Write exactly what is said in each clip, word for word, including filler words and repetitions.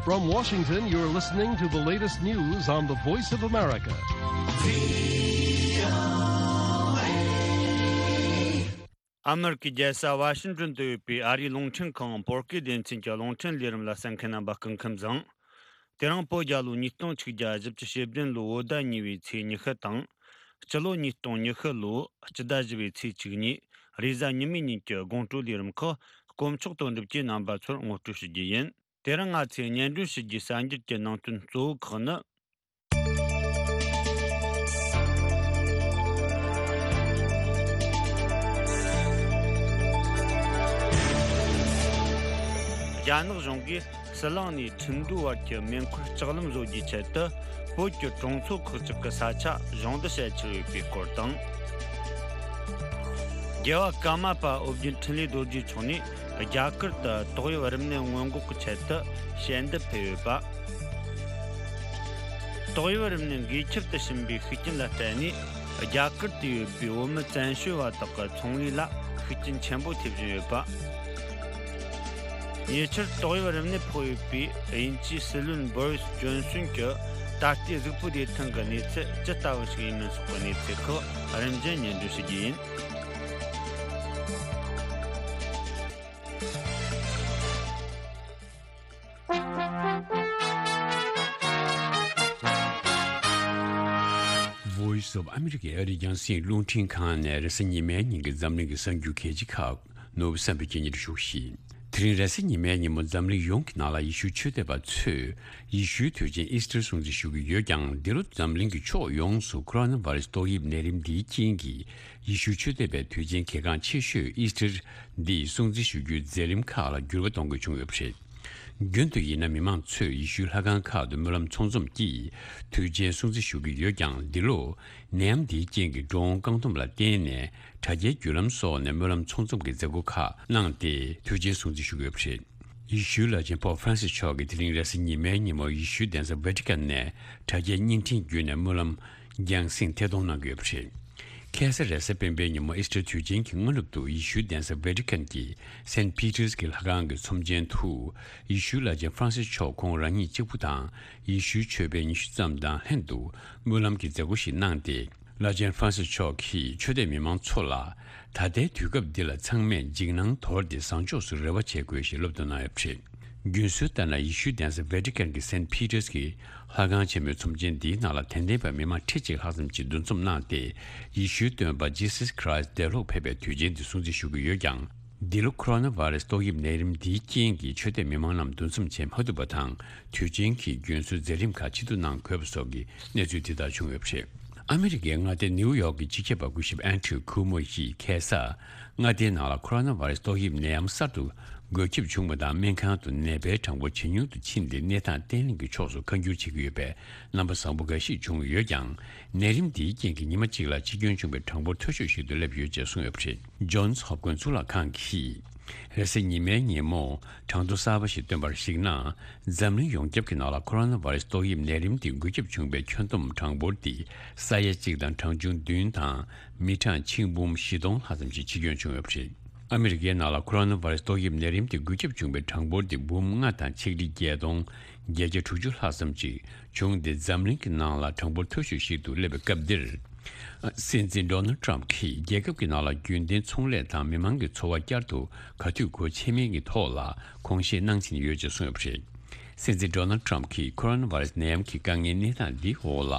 From Washington, you're listening to the latest news on the Voice of America. ཨ་མེ་རི་ཀའི་རྒྱལ་ས་ཝ་ཤིང་ཏོན་དུ་ཡོད་པའི་ཨ་རིའི་རླུང་འཕྲིན་ཁང་བོད་སྐད་སྡེ་ཚན་གྱི་རླུང་འཕྲིན་ལས་རིམ་ལ་གསན་མཁན་རྣམ་པ་སྐུ་ཁམས་བཟང་། དེ་རིང་བོད་རྒྱལ་ལོ་ཉིས་སྟོང་ཆིག་བརྒྱ་བཞི་བཅུ་ཞེ་བདུན་ལོའི་བོད་ཟླ་གཉིས་པའི་ཚེས་ཉི་ཤུ་དང་། སྤྱི་ལོ་ཉིས་སྟོང་ཉི་ཤུ་ལོའི་སྤྱི་ཟླ་བཞི་པའི་ཚེས་བཅུ་གཉིས་རེས་གཟའ་ཉི་མའི་ཉིན་གྱི་དགོང་དྲོའི་ལས་རིམ་ཁག་དཀོན་མཆོག་དོན་གྲུབ་ཀྱིས་རྣམ་པ་ཚོར་ངོ་སྤྲོད་ཞུ་རྒྱུ་ཡིན། དེ་རིང་ང་ཚོས་སྙན་སྒྲོན་ཞུ་རྒྱུའི་གསར་འགྱུར་གྱི་ནང་དོན་གཙོ་བོ་ཁག་ནི། རྒྱ་ནག་གཞུང་གིས་ཟི་ལིང་ནས་ཁྲིན་ཏུའུ་བར་གྱི་མེ་འཁོར་ལྕགས་ལམ་བཟོ་རྒྱུའི་ཆེད་དུ་བོད་ཀྱི་གྲོང་ཚོ་ཁག་ཅིག་གི་ས་ཆ་སྦྱོང་བརྡར་བྱེད་འཆར་ཡོད་པའི་སྐོར་དང་། རྒྱལ་བ་ཀརྨ་པ་ཨོ་རྒྱན་འཕྲིན་ལས་རྡོ་རྗེ་མཆོག་ནས་རྒྱ་གར་དུ་ཏོག་དབྱིབས་རིམས་ནད་སྔོན་འགོག་གི་ཆེད་དུ་ཞལ་འདེབས་ཕེབས་ཡོད་པ། ཏོག་དབྱིབས་རིམས་ནད་འགོས་ཁྱབ་ཏུ་ཕྱིན་པའི་ཤུགས་རྐྱེན་ལ་བརྟེན་ནས་རྒྱ་གར་དུ་ཡོད་པའི་བོད་མི་བཙན་བྱོལ་བ་དག་གི་ཚོང་ལས་ལ་ཤུགས་རྐྱེན་ཆེན་པོ་ཐེབས་བཞིན་ཡོད་པ། ཉེ་ཆར་ཏོག་དབྱིབས་རིམས་ནད་ཕོག་ཡོད་པའི་དབྱིན་ཇིའི་སྲིད་བློན་བོ་རིས་ཇོན་སོན་གྱི་ད་ལྟའི་གཟུགས་པོ་བདེ་ཐང་གི་གནས་ཚུལ་ཇི་ལྟ་བུ་ཞིག་ཡིན་མིན་སོགས་ཀྱི་གནས་ཚུལ་ཁག་རིམ་བཞིན་སྙན་སྒྲོན་ཞུ་རྒྱུ་ཡིན། Voice of America ཨ་རིའི་རྒྱང་སྲིང་རླུང་འཕྲིན་ཁང་ནས་རེས་གཟའ་ཉི་མའི་ཉིན་གྱི་འཛམ་གླིང་གི་གསར་འགྱུར་གལ་ཆེ་ཁག་ནོར་བུ་བསམ་འཕེལ་གྱིས་སྙན་སྒྲོན་ཞུ་གི་ཡིན། དེ་རིང་རེས་གཟའ་ཉི་མའི་ཉིན་མོ་འཛམ་གླིང་ཡོངས་ཀྱི་ནང་ལ་ཡེ་ཤུའི་ཆོས་དད་པ་ཚོས་ཡེ་ཤུའི་དུས་ཆེན་ཨིས་ཊར་སྲུང་བརྩི་ཞུ་གི་ཡོད་ཀྱང་། འདི་ལོ་འཛམ་གླིང་གི་ཕྱོགས་ཡོངས་སུ་ཁོ་རོ་ན་བྷ་རེ་སི་ཏོག་དབྱིབས་ནད་རིམས་འདིའི་རྐྱེན་གྱིས་ཡེ་ཤུའི་ཆོས་དད་པའི་དུས་ཆེན་གལ་འགངས་ཆེ་ཤོས་ཨིས་ཊར་འདི་སྲུང་བརྩི་ཞུ་རྒྱུའི་མཛད་རིམ་ཁག་ལ་འགྱུར་བ་གཏོང་དགོས་བྱུང་ཡོད་པ་རེད། རྒྱུན་དུ་ཡིན་ན་མི་མང་ཚོས་ཡེ་ཤུའི་ལྷ་ཁང་ཁག་ཏུ་སྨོན་ལམ་ཚོགས་འཛོམས་ཀྱིས་དུས་ཆེན་སྲུང་བརྩི་ཞུ་གི་ཡོད་ཀྱང་། འདི་ལོ་ནད་ཡམས་འདིའི་རྐྱེན་གྱིས་འགྲོ་འོང་བཀག་སྡོམ་ལ་བརྟེན་ནས་དྲ་རྒྱའི་བརྒྱུད་ལམ་སོགས་ནས་སྨོན་ལམ་ཚོགས་འཛོམས་ཀྱི་མཛད་སྒོ་ཁག་གནང་སྟེ་དུས་ཆེན་སྲུང་བརྩི་ཞུ་གི་ཡོད་པ་རེད། ཡེ་ཤུའི་བླ་ཆེན་པོབ་ཧྥ་རན་སིས་མཆོག་གིས་དེ་རིང་རེས་གཟའ་ཉི་མའི་ཉིན་མོ་ཡེ་ཤུའི་གདན་ས་ཝེ་ཏི་ཀན་ནས་དྲ་རྒྱའི་བརྙན་འཕྲིན་བརྒྱུད་ནས་སྨོན་ལམ་རྒྱང་སྲིང་ཐད་གཏོང་གནང་གི་ཡོད་པ་རེད། ཁ་སང་རེས་གཟའ་སྤེན་པའི་ཉིན་མོ་ཨིས་ཊར་དུས་ཆེན་གྱི་སྔ་ནུབ་ཏུ་ཡེ་ཤུའི་གདན་ས་ཝེ་ཏི་ཀན་གྱི་སེན་ཕི་ཏར་གྱི་ལྷ་ཁང་གི་ཚོམས་ཆེན་དུ་ཡེ་ཤུའི་བླ་ཆེན་ཧྥ་རན་སིས་མཆོག་ཁོང་རང་ཉིད་གཅིག་པུ་དང་ཡེ་ཤུའི་ཆོས་པ་ཉི་ཤུ་ཙམ་དང་ལྷན་དུ་སྨོན་ལམ་གྱི་མཛད་སྒོ་ཞིག་གནང་སྟེ། བླ་ཆེན་ཧྥ་རན་སིས་མཆོག་གིས་ཆོས་དད་མི་མང་ཚོ་ལ་ད་ལྟའི་དུས་སྐབས་འདི་ལ་ཚང་མས་འཇིགས་སྣང་དོར་ཏེ་བཟང་ཕྱོགས་སུ་རེ་བ་བྱེད་དགོས་ཞེས་སློབ་སྟོན་གནང་ཡོད་པ་རེད། རྒྱུན་སྲོལ་ལྟར་ན་ཡེ་ཤུའི་གདན་ས་ཝེ་ཏི་ཀན་གྱི་སེན་ཕི་ཏར་གྱི་ལྷ་ཁང་ཆེན་མོའི་ཚོམས་ཆེན་འདིའི་ནང་ལ་དད་ལྡན་པ་མི་མང་ཁྲི་གཅིག་ལྷག་ཙམ་གྱིས་འདུ་འཛོམས་གནང་སྟེ། ཡེ་ཤུའི་སྟོན་པ་ཇི་སཱས་ཁི་རཱིས་འདས་ལོག་ཕེབས་པའི་དུས་ཆེན་འདི་སྲུང་བརྩི་ཞུ་གི་ཡོད་ཀྱང་། འདི་ལོ་ཁོ་རོ་ན་བྷ་རེ་སི་ཏོག་དབྱིབས་ནད་རིམས་འདིའི་རྐྱེན་གྱིས་ཆོས་དད་མི་མང་རྣམས་འདུ་འཛོམས་བྱེད་མ་ཐུབ་པ་དང་། དུས་ཆེན་གྱི་རྒྱུན་སྲོལ་མཛད་རིམ་ཁག་ཕྱིར་བསྡུ་གནང་དགོས་པ་སོགས་ཀྱི་གནས་ཚུལ་དེ་ལྟར་བྱུང་ཡོད་པ་རེད། ཨ་མི་རི་ཀའི་མངའ་སྡེ་ནིའུ་ཡོག་གི་སྤྱི་ཁྱབ་པ་སྐུ་ཞབས་ཨན་ཌྲུ་ཁུ་མོ་ཡིས་ཁ་སང་མངའ་སྡེའི་ནང་ལ་ཁོ་རོ་ན་བྷ་རེ་སི་ཏོག་དབྱིབས་ནད་ཡམས་གསར་དུ་འགོས་ཁྱབ་བྱུང་བ་དང་། སྨན་ཁང་དུ་ནད་པའི་གྲངས་འབོར་ཇེ་ཉུང་དུ་ཕྱིན་ཏེ། གནས་སྟངས་བརྟན་ལྷིང་གི་ཕྱོགས་སུ་ཁ་འགྱུར་བྱེད་ཀྱི་ཡོད་པའི་རྣམ་པ་བཟང་པོ་འགའ་ཞིག་བྱུང་ཡོད་ཀྱང་། ནད་རིམས་འདིའི་རྐྱེན་གྱིས་ཉི་མ་གཅིག་ལ་འཆི་སྐྱོན་བྱུང་བའི་གྲངས་འབོར་མཐོ་ཤོས་ཤིག་ཏུ་སླེབས་ཡོད་ཅེས་གསུངས་ཡོད་པ་རེད། ཇོན་སི་ཧོབ་ཀིན་གཙུག་ལག་ཁང་གིས་རེས་གཟའ་ཉི་མའི་ཉིན་མོ་གྲངས་ཐོ་གསར་པ་ཞིག་བཏོན་པར་གཞིགས་ན། འཛམ་གླིང་ཡོངས་ཁྱབ་ཀྱི་ནང་ལ་ཁོ་རོ་ན་བྷ་རེ་སི་ཏོག་དབྱིབས་ནད་རིམས་དེ་འགོས་ཁྱབ་བྱུང་བའི་ཁྱོན་བསྡོམས་གྲངས་འབོར་དེ་ས་ཡ་གཅིག་དང་གྲངས་ཆུང་བདུན་དང་མི་གྲངས་ཆིག་འབུམ་བཞི་སྟོང་ལྷག་ཙམ་ཞིག་འཆི་སྐྱོན་བྱུང་ཡོད་པ་རེད། ཨ་མི་རི་ཀའི་ནང་ལ་ཁོ་རོ་ན་བྷ་རེ་སི་ཏོག་དབྱིབས་ནད་རིམས་དེ་འགོས་ཁྱབ་བྱུང་བའི་གྲངས་འབོར་དེ་འབུམ་ལྔ་དང་ཆིག་ཁྲི་བརྒྱད་སྟོང་བརྒྱད་བརྒྱ་དྲུག་ཅུ་ལྷག་ཙམ་ཞིག་བྱུང་སྟེ། འཛམ་གླིང་གི་ནང་ལ་གྲངས་འབོར་མཐོ་ཤོས་ཤིག་ཏུ་སླེབས་པའི་སྐབས་འདིར། སྲིད་འཛིན་ཌོ་ནལ་ཊམ་གྱིས་རྒྱལ་ཁབ་ཀྱི་ནང་ལ་རྒྱུན་ལྡན་ཚོང་ལས་དང་མི་མང་གི་འཚོ་བ་བསྐྱར་དུ་ག་དུས་སྒོ་ཕྱེ་མིན་གྱི་ཐོག་ལ་དགོངས་བཞེས་གནང་བཞིན་ཡོད་ཅེས་གསུངས་ཡོད་པ་རེད། སྲིད་འཛིན་ཌོ་ནལ་ཊམ་གྱིས་ཁོ་རོ་ན་བྷ་རེ་སི་ནད་ཡམས་ཀྱི་དཀའ་ངལ་གནས་སྟངས་འདིའི་འོག་ལ།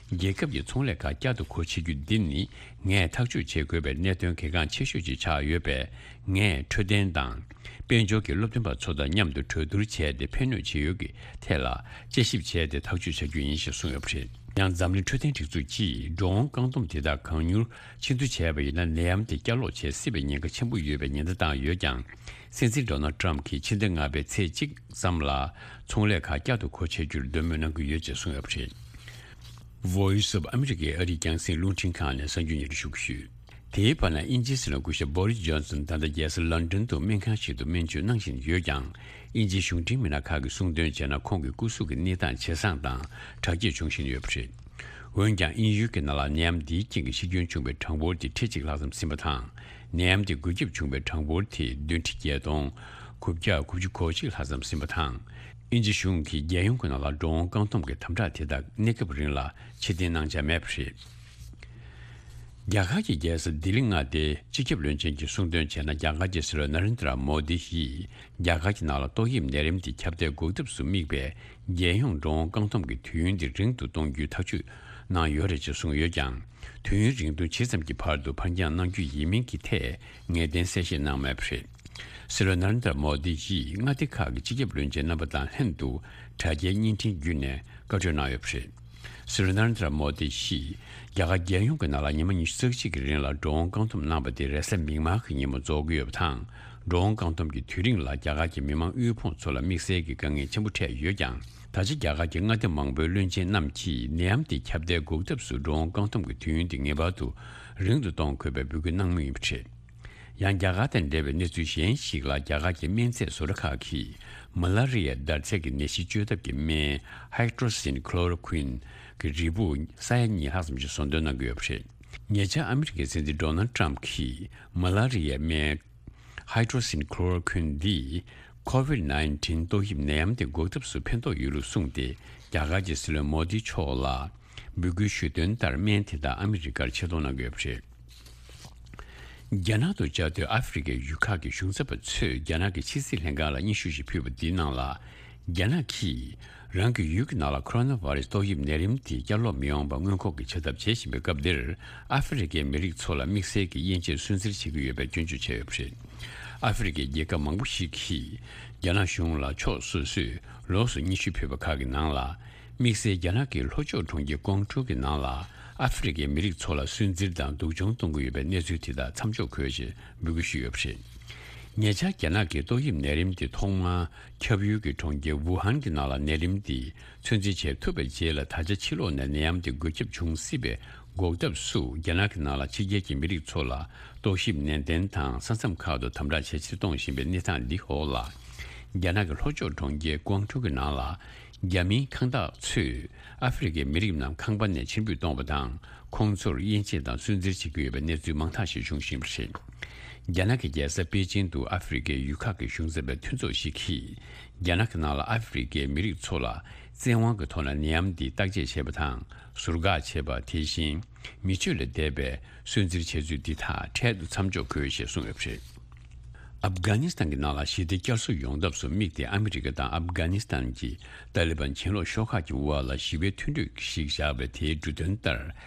རྒྱལ་ཁབ་ཀྱི་ཚོང་ལས་ཁག་བསྐྱར་དུ་སྒོ་ཕྱེ་རྒྱུ་འདི་ནི་ངས་ཐག་གཅོད་བྱེད་དགོས་པའི་གནད་དོན་གལ་འགངས་ཆེ་ཤོས་ཤིག་ཆགས་ཡོད་པས། ངས་འཕྲོད་བསྟེན་དང་། དཔལ་འབྱོར་གྱི་སློབ་སྟོན་པ་ཚོ་དང་མཉམ་དུ་གྲོས་བསྡུར་བྱས་ཏེ། ཕན་གནོད་ཇི་ཡོད་ཀྱི་ཐད་ལ་དཔྱད་ཞིབ་བྱས་ཏེ་ཐག་གཅོད་བྱ་རྒྱུ་ཡིན་ཞེས་གསུངས་ཡོད་པ་རེད། ཡང་འཛམ་གླིང་འཕྲོད་བསྟེན་སྒྲིག་འཛུགས་ཀྱིས་འགྲོ་འོང་བཀག་སྡོམ་དེ་དག་གང་མྱུར་ཆེ་བསྡུ་བྱས་པ་ཡིན་ན། ནད་ཡམས་དེ་བསྐྱར་ལོག་བྱེད་སྲིད་པའི་ཉེན་ཁ་ཆེན་པོ་ཡོད་པའི་ཉེན་བརྡ་བཏང་ཡོད་ཀྱང་། སྲིད་འཛིན་ཌོ་ནལ་ཊམ་གྱིས་ཕྱི་ཟླ་ལྔ་པའི་ཚེས་གཅིག་ཙམ་ལ་ཚོང་ལས་ཁག་བསྐྱར་དུ་སྒོ་ཕྱེ་རྒྱུར་འདོད་མོས་གནང་གི་ཡོད་ཅེས་གསུངས་ཡོད་པ་རེད། Voice of America ཨ་རིའི་རྒྱང་སྲིང་རླུང་འཕྲིན་ཁང་ནས་གསར་འགྱུར་སྙན་སྒྲོན་ཞུ་གི་ཡོད། དེའི་བར་ན་དབྱིན་ཇིའི་སྲིད་བློན་སྐུ་ཞབས་བོ་རིས་ཇོན་སོན་ད་ལྟ་རྒྱལ་ས་ལོན་ཌོན་དུ་སྨན་ཁང་ཞིག་ཏུ་སྨན་བཅོས་གནང་བཞིན་ཡོད་ཀྱང་། དབྱིན་ཇིའི་གཞུང་འབྲེལ་མི་སྣ་ཁག་གིས་གསུངས་དོན་བྱས་ན། ཁོང་གི་སྐུ་གཟུགས་ཀྱི་གནས་སྟངས་ཇེ་བཟང་དང་དྲག་སྐྱེད་བྱུང་བཞིན་ཡོད་པ་རེད། འོན་ཀྱང་། དབྱིན་ཡུལ་གྱི་ནང་ལ་ནད་ཡམས་འདིའི་རྐྱེན་གྱིས་ཤི་སྐྱོན་བྱུང་བའི་གྲངས་འབོར་དེ་ཁྲི་གཅིག་ལྷག་ཙམ་ཟིན་པ་དང་། ནད་ཡམས་དེ་འགོས་ཁྱབ་བྱུང་བའི་གྲངས་འབོར་དེ་བདུན་ཁྲི་བརྒྱད་སྟོང་དགུ་བརྒྱ་དགུ་བཅུ་གོ་གཅིག་ལྷག་ཙམ་ཟིན་པ་དང་། དབྱིན་ཇི་གཞུང་གིས་རྒྱལ་ཡོངས་ཀྱི་ནང་ལ་འགྲོ་འོང་བཀག་སྡོམ་གྱི་དམ་དྲག་དེ་དག་གནས་སྐབས་རིང་ལ་ཕྱིར་འཐེན་གནང་འཆར་མེད་པ་རེད། རྒྱ་གར་གྱི་རྒྱལ་ས་ལྡི་ལི་མངའ་སྡེའི་སྤྱི་ཁྱབ་བློན་ཆེན་གྱིས་གསུངས་དོན་བྱས་ན། རྒྱ་གར་གྱི་སྲིད་བློན་ན་རེན་དྲ་མོ་དི་ཡིས་རྒྱ་གར་གྱི་ནང་ལ་ཏོག་དབྱིབས་ནད་རིམས་དེ་ཁྱབ་གདལ་འགོག་ཐབས་སུ་དམིགས་པའི་རྒྱལ་ཡོངས་འགྲོ་འོང་བཀག་སྡོམ་གྱི་དུས་ཡུན་དེ་རིང་དུ་གཏོང་རྒྱུའི་ཐག་གཅོད་གནང་ཡོད་རེད་ཅེས་གསུངས་ཡོད་ཀྱང་། དུས་ཡུན་རིང་ཐུང་ཇི་ཙམ་གྱི་བར་དུ་ཕར་འགྱངས་གནང་རྒྱུ་ཡིན་མིན་གྱི་ཐད་ངེས་གཏན་གསལ་བཤད་གནང་མེད་པ་རེད། སྲིད་བློན་ན་རེན་དྲ་མོ་དི་ཡིས་མངའ་སྡེ་ཁག་གི་སྤྱི་ཁྱབ་བློན་ཆེན་རྣམ་པ་དང་ལྷན་དུ་དྲ་རྒྱའི་བརྙན་འཕྲིན་བརྒྱུད་ནས་བཀའ་འཁྲོལ་གནང་ཡོད་པ་རེད། སྲིད་བློན་ན་རེན་དྲ་མོ་དི་ཡིས་རྒྱ་གར་རྒྱལ་ཡོངས་ཀྱི་ནང་ལ་ཉི་མ་ཉི་ཤུ་རྩ་གཅིག་གི་རིང་ལ་འགྲོ་འོང་བཀག་སྡོམ་གནང་པ་དེ་རེས་གཟའ་མིག་དམར་གྱི་ཉིན་མོ་རྫོགས་ཀྱི་ཡོད་པ་དང་། འགྲོ་འོང་བཀག་སྡོམ་གྱི་དུས་རིང་ལ་རྒྱ་གར་གྱི་མི་མང་དབུལ་ཕོངས་ཚོ་ལ་དམིགས་བསལ་གྱི་དཀའ་ངལ་ཆེན་པོ་འཕྲད་ཡོད་ཀྱང་། ད་ཆ་རྒྱ་གར་གྱི་མངའ་སྡེ་མང་པོའི་བློན་ཆེན་རྣམས་ཀྱིས་ནད་ཡམས་དེ་ཁྱབ་གདལ་འགོག་ཐབས་སུ་འགྲོ་འོང་བཀག་སྡོམ་གྱི་དུས་ཡུན་དེ་ངེས་པར་དུ་རིང་དུ་གཏོང་དགོས་པའི་འབོད་སྐུལ་གནང་མུས་ཡིན་པ་རེད། ཡང་རྒྱ་གར་དང་འབྲེལ་བའི་གནས་ཚུལ་གཞན་ཞིག་ལ། རྒྱ་གར་གྱི་སྨན་རྫས་བཟོ་གྲྭ་ཁག་གིས་མ་ལ་རི་ཡའི་འདར་ཚད་ཀྱི་ནད་གཞི་བཅོས་ཐབས་ཀྱི་སྨན་Hydroxychloroquine གྱི་རིལ་བུ་ས་ཡ་གཉིས་ལྷག་ཙམ་ཞིག་བཟོ་འདོན་གནང་གི་ཡོད་པ་རེད། ཉེ་ཆར་ཨ་མི་རི་ཀའི་སྲིད་འཛིན་ཌོ་ནལ་ཊམ་གྱིས་མ་ལ་རི་ཡའི་སྨན་Hydroxychloroquine འདིས་COVID nineteen ཏོག་དབྱིབས་ནད་ཡམས་དེ་འགོག་ཐབས་སུ་ཕན་ཐོགས་ཡོད་ལུགས་གསུངས་ཏེ། རྒྱ་གར་གྱི་སྲིད་བློན་མོ་དི་མཆོག་ལ་འབོད་སྐུལ་ཞུས་དོན་ལྟར། སྨན་དེ་དག་ཨ་མི་རི་ཀར་ཆེད་གཏོང་གནང་གི་ཡོད་པ་རེད། རྒྱ་ནག་ཏུ་བཅའ་སྡོད་ཨ་ཧྥེ་རི་ཁའི་ཡུལ་ཁག་གི་གཞུང་ཚབ་པ་ཚོས་རྒྱ་ནག་གི་ཕྱི་སྲིད་ལྷན་ཁང་ལ་སྙན་ཞུ་ཞིག་ཕུལ་བ་འདིའི་ནང་ལ། རྒྱ་ནག་གིས་རང་གི་ཡུལ་གྱི་ནང་ལ་ཁོ་རོ་ན་བྷ་རེ་སི་ཏོག་དབྱིབས་ནད་རིམས་དེ་བསྐྱར་ལོག་མི་ཡོང་བར་སྔོན་འགོག་གི་བྱ་ཐབས་བྱེད་བཞིན་པའི་སྐབས་འདིར། ཨ་ཧྥེ་རི་ཁའི་མི་རིགས་ཚོ་ལ་དམིགས་བསལ་གྱི་དབྱེ་འབྱེད་སུན་གཙེར་བྱེད་ཀྱི་ཡོད་པའི་སྐྱོན་བརྗོད་བྱས་ཡོད་པ་རེད། ཨ་ཧྥེ་རི་ཁའི་རྒྱལ་ཁབ་མང་པོ་ཞིག་གིས་རྒྱ་ནག་གཞུང་ལ་ཕྱོགས་སོ་སོས་ལོགས་སུ་སྙན་ཞུ་ཕུལ་བ་ཁག་གི་ནང་ལ། དམིགས་བསལ་རྒྱ་ནག་གི་ལྷོ་ཕྱོགས་གྲོང་ཁྱེར་ཀོང་ཀྲོའུ་གི་ནང་ལ་ཨ་ཧྥེ་རི་ཁའི་མི་རིགས་ཚོ་ལ་སུན་གཙེར་དང་སྡུག་སྦྱོང་གཏོང་གི་ཡོད་པའི་གནས་ཚུལ་དེ་དག་མཚམས་འཇོག་དགོས་ཞེས་འབོད་སྐུལ་ཞུས་ཡོད་པ་རེད། ཉེ་ཆར་རྒྱ་ནག་གིས་ཏོག་དབྱིབས་ནད་རིམས་དེ་ཐོག་མར་ཁྱབ་ཡུལ་གྱི་གྲོང་ཁྱེར་ཝུ་ཧན་གྱི་ནང་ལ་ནད་རིམས་དེ་ཚོད་འཛིན་བྱེད་ཐུབ་པའི་རྗེས་ལ། ད་ཆ་ཕྱི་ལོགས་ནས་ནད་ཡམས་དེ་འགོས་ཁྱབ་འབྱུང་སྲིད་པའི་འགོག་ཐབས་སུ། རྒྱ་ནག་གི་ནང་ལ་ཕྱི་རྒྱལ་གྱི་མི་རིགས་ཚོ་ལ་རྟོག་ཞིབ་ནན་ཏན་དང་། ས་མཚམས་ཁག་ཏུ་དམ་དྲག་ཇེ་ཆེར་གཏོང་བཞིན་པའི་གནས་སྟངས་འདི་འོག་ལ། རྒྱ་ནག་གི་ལྷོ་ཕྱོགས་གྲོང་ཁྱེར་ཀོང་ཀྲོའུ་གི་ནང་ལ། རྒྱ་མིའི་ཁང་བདག་ཚོས་ཨ་ཧྥེ་རི་ཁའི་མི་རིགས་རྣམས་ཁང་པ་ནས་ཕྱིར་འབུད་གཏོང་བ་དང་། ཁོང་ཚོར་དབྱེ་འབྱེད་དང་སུན་གཙེར་བྱེད་ཀྱི་ཡོད་པའི་གནས་ཚུལ་མང་དག་ཞིག་འབྱུང་བཞིན་པ་རེད། རྒྱ་ནག་གི་རྒྱལ་ས་པེ་ཅིང་དུ་ཨ་ཧྥེ་རི་ཁའི་ཡུལ་ཁག་གི་གཞུང་ཚབ་པའི་མཐུན་ཚོགས་ཤིག་གིས། རྒྱ་ནག་གི་ནང་ལ་ཨ་ཧྥེ་རི་ཁའི་མི་རིགས་ཚོ་ལ་བཙན་དབང་གི་ཐོག་ནས་ནད་ཡམས་འདི་བརྟག་དཔྱད་བྱེད་པ་དང་། ཟུར་བཀག་བྱེད་པ། དེ་བཞིན་མི་སྤྱོད་ལས་འདས་པའི་སུན་གཙེར་བྱས་ཚུལ་འདི་དག་འཕྲལ་དུ་མཚམས་འཇོག་དགོས་ཞེས་གསུངས་ཡོད་པ་རེད། ཨབ་གྷ་ནི་སི་ཐན་གྱི་ནང་ལ་ཞི་བདེ་བསྐྱར་གསོ་ཡོང་ཐབས་སུ་དམིགས་ཏེ། ཨ་མི་རི་ཀ་དང་ཨབ་གྷ་ནི་སི་ཐན་གྱི་ཏཱ་ལི་བན་གྱེན་ལོག་ཤོག་ཁག་གི་དབར་ལ་ཞི་བའི་མཐུན་གྲོས་ཤིག་བཞག་པའི་དེའི་འབྲུ་དོན་ལྟར།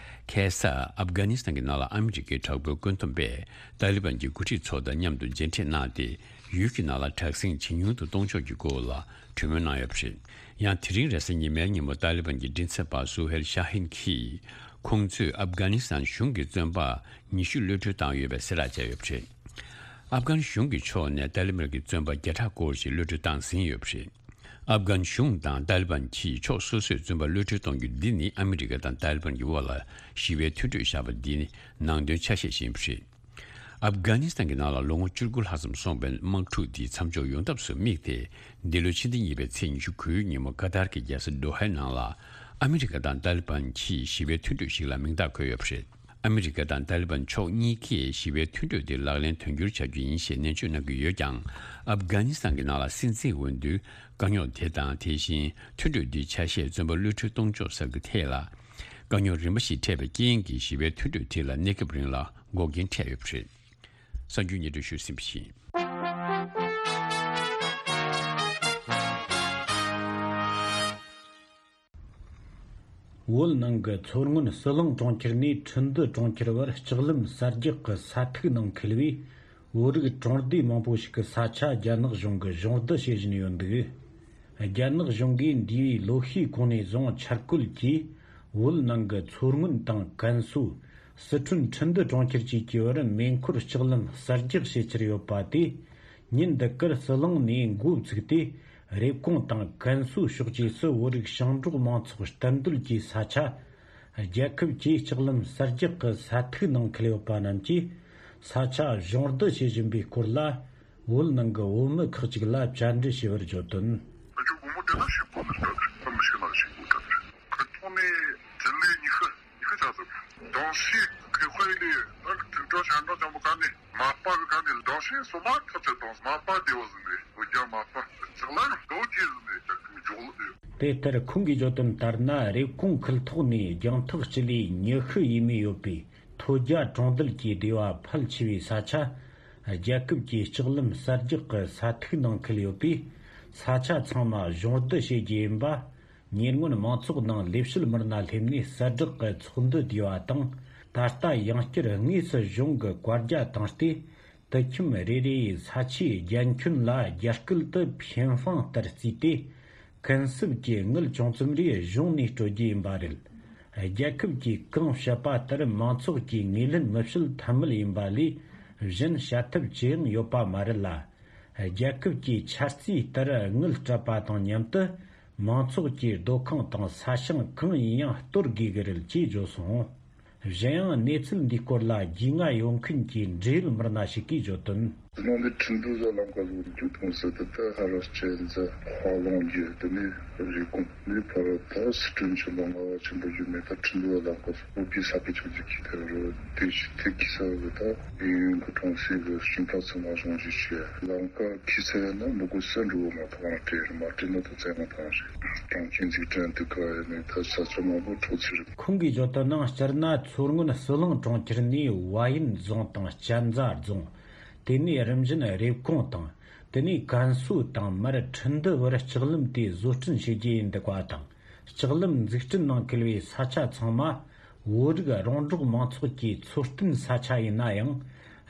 ཁ་སང་ཨབ་གྷ་ནི་སི་ཐན་གྱི་ནང་ལ་ཨ་མི་རི་ཀའི་དྲག་པོའི་བཀོད་འདོམས་པས་ཏཱ་ལི་བན་གྱི་འགོ་ཁྲིད་ཚོ་དང་མཉམ་དུ་མཇལ་འཕྲད་གནང་སྟེ། ཡུལ་གྱི་ནང་ལ་དྲག་ཟིང་ཇེ་ཉུང་དུ་གཏོང་ཕྱོགས་ཀྱི་སྐོར་ལ་གྲོས་མོལ་གནང་ཡོད་པ་རེད། ཡང་དེ་རིང་རེས་གཟའ་ཉི་མའི་ཉིན་མོ་ཏཱ་ལི་བན་གྱི་མགྲིན་ཚབ་པ་སུ་ཧེལ་ཤ་ཧིན་གྱིས། ཁོང་ཚོས་ཨབ་གྷ་ནི་སི་ཐན་གཞུང་གི་བཙོན་པ་ཉི་ཤུ་གློད་གྲོལ་བཏང་ཡོད་པའི་གསལ་བསྒྲགས་བྱས་ཡོད་པ་རེད། ཨབ་གྷན་གཞུང་གི་ཕྱོགས་ནས་ཏཱ་ལི་བན་གྱི་བཙོན་པ་བརྒྱ་ཕྲག་སྐོར་ཞིག་གློད་གྲོལ་བཏང་ཟིན་ཡོད་པ་རེད། ཨབ་གྷན་གཞུང་དང་ཏཱ་ལི་བན་གྱིས་ཕྱོགས་སོ་སོས་བཙོན་པ་གློད་གྲོལ་གཏོང་རྒྱུ་འདི་ནི་ཨ་མི་རི་ཀ་དང་ཏཱ་ལི་བན་གྱི་དབར་ལ་ཞི་བའི་མཐུན་གྲོས་བཞག་པ་འདི་ནི་ནང་དོན་ཆ་ཤས་ཤིག་ཡིན་པ་རེད། ཨབ་གྷ་ནི་སི་ཐན་གྱི་ནང་ལ་ལོ་ངོ་བཅུ་དགུ་ལྷག་ཙམ་སོང་བའི་དམག་འཁྲུག་འདི་མཚམས་འཇོག་ཡོང་ཐབས་སུ་དམིགས་ཏེ། འདི་ལོའི་ཕྱི་ཟླ་གཉིས་པའི་ཚེས་ཉི་ཤུ་དགུའི་ཉིན་མོ་ཀ་ཏར་གྱི་རྒྱལ་ས་དོ་ཧའི་ནང་ལ་ཨ་མི་རི་ཀ་དང་ཏཱ་ལི་བན་གྱིས་ཞི་བའི་མཐུན་གྲོས་ཤིག་ལ་མིང་རྟགས་འཁོད་ཡོད་པ་རེད། ཨ་མི་རི་ཀ་དང་ཏཱ་ལི་བན་ཕྱོགས་གཉིས་ཀས་ཞི་བའི་མཐུན་གྲོས་དེ་ལག་ལེན་དོན་འཁྱོལ་བྱ་རྒྱུ་ཡིན་ཞེས་ནན་བརྗོད་གནང་གི་ཡོད་ཀྱང་། ཨབ་གྷ་ནི་སི་ཐན་གྱི་ནང་ལ་སྲིད་འཛིན་འོས་བསྡུའི་དཀའ་རྙོག་དེ་དང་། དེ་བཞིན་མཐུན་གྲོས་འདིའི་ཆ་ཤས་བཙོན་པ་གློད་གྲོལ་གཏོང་ཕྱོགས་སོགས་ཀྱི་ཐད་ལ། དཀའ་རྙོག་རིམ་པ་ཞིག་འཕྲད་པའི་རྐྱེན་གྱིས། ཞི་བའི་མཐུན་གྲོས་དེ་ལ་གནས་སྐབས་རིང་ལ་འགོག་རྐྱེན་འཕྲད་ཡོད་པ་རེད། གསར་འགྱུར་སྙན་སྒྲོན་ཞུས་ཟིན་པ་ཡིན། བོད་ནང་གི་མཚོ་སྔོན་ཟི་ལིང་གྲོང་ཁྱེར་ནས་ཁྲིན་ཏུ་གྲོང་ཁྱེར་བར་ལྕགས་ལམ་གསར་རྒྱག་གི་ས་ཐིག་ནང་འཁེལ་བས། བོད་རིགས་གྲོང་སྡེ་མང་པོ་ཞིག་གི་ས་ཆ་རྒྱ་ནག་གཞུང་གིས་གཞོང་བསྡུ་བྱེད་བཞིན་ཡོད་འདུག། རྒྱ་ནག་གཞུང་གིས་འདས་པའི་ལོ་ཤས་གོང་ནས་བཟུང་འཆར་བཀོད་ཀྱིས་བོད་ནང་གི་མཚོ་སྔོན་དང་ཀན་སུའུ། སི་ཁྲོན་ཁྲིན་ཏུ་གྲོང་ཁྱེར་བཅས་ཀྱི་བར་མེ་འཁོར་ལྕགས་ལམ་གསར་རྒྱག་བྱེད་འཆར་ཡོད་པ་དེ། ཉིན་འདི་གར་ཟི་ལིང་ནས་འགོ་བཙུགས་ཏེ། རེབ་གོང་དང་ཀན་སུའུ་ཕྱོགས་བཅས་སུ་བོད་རིགས་ཞིང་འབྲོག་མང་ཚོགས་གཏན་སྡོད་ཀྱི་ས་ཆ། རྒྱལ་ཁབ་ཀྱིས་ལྕགས་ལམ་གསར་རྒྱག་གི་ས་ཐིག་ནང་འཁེལ་ཡོད་པ་རྣམས་ཀྱིས་ས་ཆ་གཞོང་བསྡུ་བྱེད་བཞིན་པའི་སྐོར་ལ། བོད་ནང་གི་བོད་མི་ཁག་ཅིག་ལ་བཅར་འདྲི་ཞུས་པར་བརྗོད་དོན། ཨ་ཅོ་བུ་མོ་དེ་ལ་ཞིག་གོ་ནས་ལྟ་བུ་ཨ་མི་ཤི་ན་ཞིག་གོ་ལྟ་བུ་ཁ་ཐོག་ནས་དྲིན་ལས་ཉི་ཤུ་ཉི་ཤུ་ཆ་ཟིན་དང་ཤེས་ཁེ་ཁོ་ཡི་ལས་ཨ་དྲིན་གྲོགས་ཤ་འདྲ་ཅང་པོ་ག་ནས་མ་པ་གི་ག་ནས་དང་ཤེས་སོ་མ་ཐག་ཆད་དང་མ་པ་དེ་བ་ཟིན་ནས་འོ་རྒྱ་མ་པ་ཅག་ལ་རྡོ་རྗེ་ཟིན་ནས་ཅག་གི་ དེ་ལྟར་ཁོང་གིས་བརྗོད་དོན་ལྟར་ན། རེབ་གོང་ཁུལ་ཐོག་ནས་རྒྱང་ཐག་སྤྱི་ལེ་ཉི་ཤུ་ཡས་མས་ཡོད་པའི་ཐོད་རྒྱ་གྲོང་རྡལ་གྱི་སྡེ་བ་ཕལ་ཆེ་བའི་ས་ཆ། རྒྱལ་ཁབ་ཀྱི་ལྕགས་ལམ་གསར་རྒྱག་གི་ས་ཐིག་ནང་འཁུལ་ཡོད་པས། ས་ཆ་ཚང་མ་གཞུང་བསྡུ་བྱེད་རྒྱུ་ཡིན་པ། ཉེ་སྔོན་མང་ཚོགས་ནང་ལས་བྱེད་མི་སྣ་སླེབས་ནས་གསལ་བསྒྲགས་ཀྱི་ཚོགས་འདུ་བསྡུས་པ་དང་། ད་ལྟ་ཡང་བསྐྱར་དངོས་སུ་གཞུང་གི་བཀའ་རྒྱ་བཏང་སྟེ། དུད་ཁྱིམ་རེ་རེ་ཡི་ས་ཆའི་རྒྱ་ཁྱོན་ལ་རྒྱ་སྐད་དུ་ཕིན་ཧྥང་ལྟར་བརྩིས་ཏེ། ཀུན་གསབ་ཀྱི་དངུལ་ཅུང་ཙམ་རེ་གཞུང་ནས་སྤྲོད་རྒྱུ་ཡིན་པ་རེད། རྒྱལ་ཁབ་ཀྱིས་གང་བཤད་པ་ལྟར་མང་ཚོགས་ཀྱིས་ངོས་ལེན་མི་བྱེད་ཐབས་མེད་ཡིན་པ་ལས་གཞན་བྱ་ཐབས་ཅི་ཡང་ཡོད་པ་མ་རེད་ལ། རྒྱལ་ཁབ་ཀྱིས་འཆར་རྩིས་ལྟར་དངུལ་སྤྲད་པ་དང་མཉམ་དུ། མང་ཚོགས་ཀྱི་སྡོད་ཁང་དང་ས་ཞིང་གང་ཡིན་ཡང་གཏོར་དགོས་ཀྱི་རེད་ཅེས་བརྗོད་སོང་། གཞན་ཡང་གནས་ཚུལ་འདིའི་སྐོར་ལ་རྒྱུས་མངའ་ཡོད་མཁན་གྱི་འབྲེལ་ཡོད་མི་སྣ་ཞིག་གིས་བརྗོད་དོན། ནང་དུ་ཁྲིན་ཏུའུ་ཟ་ལམ་ཁ་ཟུར་རྒྱུ་གཏོང་སྲིད་དུ་ད་ཧ་ར་ཅན་ཟ་ཧ་ལོང་རྒྱུ་དེ་ནས་རི་ཀོང་ནས་ཕར་ད་སི་ཁྲོན་ཆེན་པོ་ལྔ་བ་ཆེན་པོ་རྒྱུ་མེད་ད་ཁྲིན་ཏུའུ་ཟ་ལམ་ཁ་ཟུར་བོད་པའི་ས་ཕི་ཆུང་ཆུང་གི་དེ་རུ་དེ་ཞིག་ཐེག་གི་ས་བུ་ད་ཡུན་གི་གྲོང་གསེབ་གི་སྤྱི་ཚོགས་ཚང་མ་གཞུང་བཞེས་བྱས་ལམ་ཁ་ཁི་ས་ཡ་ན་མི་དགོས་ས་འགྲོ་མ་ཐག་རང་སྤྲད་རེད་མ་སྤྲད་ན་ད་བཙན་མ་བཏང་རེད། གྲོང་ཁྱེར་འཛུགས་སྐྲུན་དུ་ག་ཡ་ནས་ད་ས་ཆ་མང་པོ་འཕྲོག་ཚུལ་རེད། ཁོང་གིས་བརྗོད་དོན་ནང་སྤྱིར་ན་མཚོ་སྔོན་ཟི་ལིང་གྲོང་ཁྱེར་ནས་བལ་ཡུལ་རྫོང་དང་གཅན་ཚ་རྫོང་། དེ་ནས་རིམ་བཞིན་རེབ་གོང་དང་། དེ་ནས་ཀན་སུའུ་དང་མར་ཁྲིན་ཏུའུ་བར་ལྕགས་ལམ་དེ་བཟོ་སྐྲུན་བྱེད་རྒྱུ་ཡིན་འདུག་པ་དང་། ལྕགས་ལམ་འཛུགས་སྐྲུན་ནང་འཁུལ་བའི་ས་ཆ་ཚང་མ་བོད་རིགས་རོང་འབྲོག་མང་ཚོགས་ཀྱི་འཚོ་རྟེན་ས་ཆ་ཡིན་ན་ཡང་།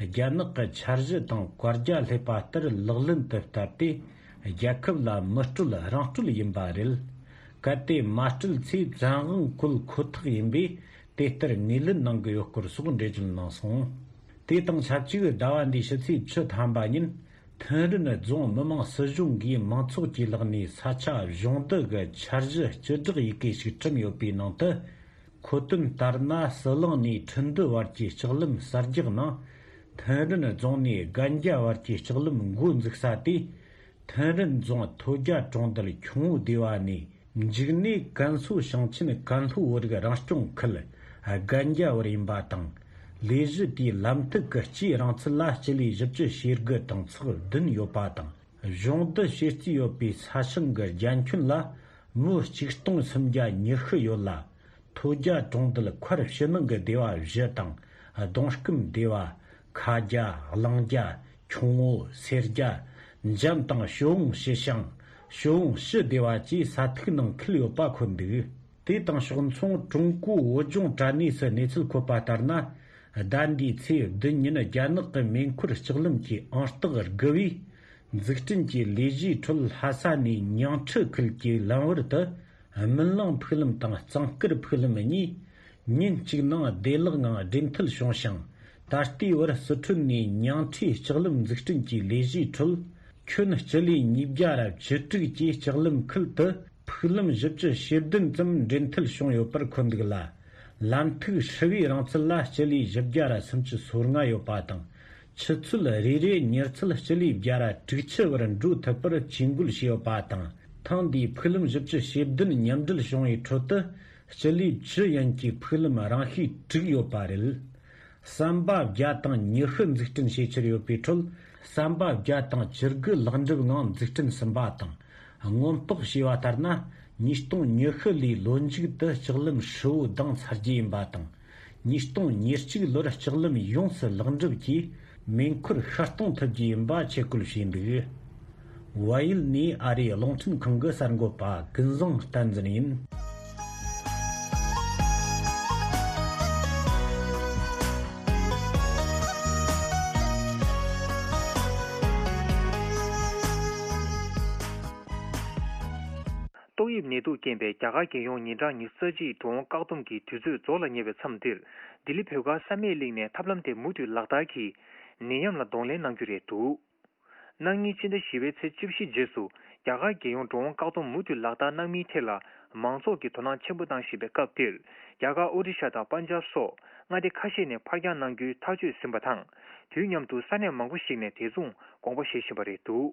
རྒྱ་ནག་གི་འཆར་གཞི་དང་བཀའ་རྒྱ་སླེབས་པ་ལྟར་ལག་ལེན་དུ་བསྟར་ཏེ། རྒྱལ་ཁབ་ལ་མི་སྤྲོད་རང་སྤྲོད་ཡིན་པ་རེད། གལ་ཏེ་མ་སྤྲོད་ཚེ་བཙན་དབང་བཀོལ་ཁོ་ཐག་ཡིན་པས། དེ་ལྟར་ངོས་ལེན་གནང་གི་ཡོད་སྐོར་སོགས་འགྲེལ་བརྗོད་གནང་སོང་། དེ་དང་ཆབས་ཅིག་ཟླ་བ་འདིའི་ཕྱི་ཚེས་བཅུ་ཐམ་པ་ཉིན། ཐེན་རིན་རྫོང་མི་དམངས་སྲིད་གཞུང་གིས་མང་ཚོགས་ཀྱི་ལག་ནས་ས་ཆ་གཞུང་བསྡུ་གི་འཆར་གཞི་སྤྱི་བསྒྲགས་ཡི་གེ་ཞིག་བསྐྲུན་ཡོད་པའི་ནང་དུ། མཁོ་དོན་ལྟར་ན། ཟི་ལིང་ནས་ཁྲིན་ཏུའུ་བར་གྱི་ལྕགས་ལམ་གསར་རྒྱག་ནང་། ཐེན་རིན་རྫོང་ནས་སྒན་རྒྱ་བར་གྱི་ལྕགས་ལམ་འགོ་འཛུགས་ས་དེ། ཐེན་རིན་རྫོང་ཐོད་རྒྱ་གྲོང་རྡལ་ཁྱུང་པོ་སྡེ་བ་ནས། མཇུག་ནས་ཀན་སུའུ་ཞིང་ཆེན་ཀན་ལྷོ་བོད་རིགས་རང་སྐྱོང་ཁུལ་སྒན་རྒྱ་བར་ཡིན་པ་དང་། ལས་གཞི་དེའི་ལམ་ཐིག་གི་སྤྱིའི་རིང་ཚད་ལ་སྤྱི་ལེ་བཞི་བཅུ་ཞེ་དགུ་དང་ཚེག་བདུན་ཡོད་པ་དང་། གཞུང་བསྡུ་བྱེད་རྩིས་ཡོད་པའི་ས་ཞིང་གི་རྒྱ་ཁྱོན་ལ་མུའུ་གཅིག་སྟོང་སུམ་བརྒྱ་ཉི་ཤུ་ཡོད་ལ། ཐོད་རྒྱ་གྲོང་རྡལ་མཁར་ཕྱི་ནང་གི་སྡེ་བ་བཞི་དང་། གདོང་སྐམ་སྡེ་བ། ཁ་རྒྱ། གླང་རྒྱ། ཁྱུང་པོ། སེར་རྒྱ། འཇམ་དང་ཞོ་འོང་ཞི་ཞང་། ཞོ་འོང་ཞི་སྡེ་བ་བཅས་ས་ཐིག་ནང་འཁུལ་ཡོད་པ་འཁོད་འདུག་དེ་དང་ཕྱོགས་མཚུངས་ཀྲུང་གོའི་བོད་ལྗོངས་དྲ་གནས་སུ་གནས་ཚུལ་འཁོད་པ་ལྟར་ན། ཟླ་འདིའི་ཚེས་བདུན་ཉིན་རྒྱ་ནག་གི་མེ་འཁོར་ལྕགས་ལམ་གྱི་ཨང་རྟགས་དགུ་བས། འཛུགས་སྐྲུན་གྱི་ལས་གཞིའི་ཁྲོད་ལྷ་ས་ནས་ཉང་ཁྲི་ཁུལ་གྱི་ལམ་བར་དུ། སྨིན་གླིང་ཕུག་ལམ་དང་གཙང་དཀར་ཕུག་ལམ་གཉིས། ཉིན་གཅིག་ནང་བདེ་བླགངང་སྦྲེལ་མཐུད་བྱུང་ཞིང་། ད་ལྟའི་བར་སི་ཁྲོན་ནས་ཉང་ཁྲིའི་ལྕགས་ལམ་འཛུགས་སྐྲུན་གྱི་ལས་གཞིའི་ཁྲོད། ཁྱོན་སྤྱི་ལེ་ཉིས་བརྒྱ་ར་བཅུ་དྲུག་གི་ལྕགས་ལམ་ཁུལ་དུ་ཕུག་ལམ་བཞི་བཅུ་ཞེ་བདུན་ཙམ་སྦྲེལ་མཐུད་བྱུང་ཡོད་པར་འཁོད་འདུག་ལ། ལམ་ཐིག་ཧྲིལ་བོའི་རིང་ཚད་ལ་སྤྱི་ལེ་བཞི་བརྒྱ་ར་སུམ་ཅུ་སོ་ལྔ་ཡོད་པ་དང་། ཆུ་ཚོད་རེ་རེའི་མྱུར་ཚད་སྤྱི་ལེ་བརྒྱ་ར་དྲུག་ཅུ་བར་འགྲོ་ཐུབ་པར་ཇུས་འགོད་བྱས་ཡོད་པ་དང་། ཐེངས་འདིའི་ཕུག་ལམ་བཞི་བཅུ་ཞེ་བདུན་མཉམ་འབྲེལ་བྱུང་བའི་ཁྲོད་དུ། སྤྱི་ལེ་བཅུ་ཡན་གྱི་ཕུག་ལམ་རང་ཤུགས་དྲུག་ཡོད་པ་རེད། ཟམ་པ་བརྒྱ་དང་ཉི་ཤུ་འཛུགས་སྐྲུན་བྱེད་འཆར་ཡོད་པའི་ཁྲོད། ཟམ་པ་བརྒྱ་དང་བཅུ་དགུ་ལེགས་འགྲུབ་ངང་འཛུགས་སྐྲུན་ཟིན་པ་དང་། སྔོན་དཔག་བྱས་པ་ལྟར་ན། ཉིས་སྟོང་ཉི་ཤུ་ལོའི་ལོ་མཇུག་ཏུ་ལྕགས་ལམ་ཧྲིལ་བོ་ལྡང་ཚར་རྒྱུ་ཡིན་པ་དང་། ཉིས་སྟོང་ཉེར་གཅིག་ལོར་ལྕགས་ལམ་ཡོངས་སུ་ལེགས་འགྲུབ་ཀྱིས་མེ་འཁོར་ཤར་གཏོང་ཐུབ་རྒྱུ་ཡིན་པ་ཆེད་བསྐོས་བྱས་འདུག་བལ་ཡུལ་ནས་ཨ་རིའི་རླུང་འཕྲིན་ཁང་གི་གསར་འགོད་པ་ཀུན་བཟང་བསྟན་འཛིན་ཡིན། ཏོག་དབྱིབས་ནད་དུག་རྐྱེན་པས་རྒྱ་གར་རྒྱལ་ཡོངས་ཉིན་གྲངས་ཉི་ཤུ་རྩ་གཅིག་འགྲོ་འོང་བཀག་སྡོམ་གྱི་དུས་ཚོད་རྫོགས་ལ་ཉེ་བའི་མཚམས་འདིར། ལྡི་ལི་བོད་སྒར་བསམ་ཡས་གླིང་ནས་ཐབས་ལམ་དེ་མུ་མཐུད་ལག་བསྟར་གྱིས། ནད་ཡམས་ལ་གདོང་ལེན་གནང་རྒྱུ་རེད་འདུག་གནངས་ཉིན་སྤྱི་ཟླ་བཞི་པའི་ཚེས་བཅུ་བཞི་རྗེས་སུ་རྒྱ་གར་རྒྱལ་ཡོངས་འགྲོ་འོང་བཀག་སྡོམ་མུ་མཐུད་ལག་བསྟར་གནང་མིན་ཐད་ལ་མང་ཚོགས་ཀྱིས་དོ་སྣང་ཆེན་པོ་གནང་བཞིན་པའི་སྐབས་འདིར། རྒྱ་གར་ཨོ་རི་ཤ་དང་པན་ཇབ་སོགས་མངའ་སྡེ་ཁ་ཤས་ནས་ཕར་འགྱངས་གནང་རྒྱུའི་ཐག་གཅོད་ཟིན་པ་དང་། དུས་མཉམ་དུ་ས་གནས་མང་པོ་ཞིག་ནས་དེ་མཚུངས་དགོངས་པ་བཞེས་བཞིན་པ་རེད་འདུག་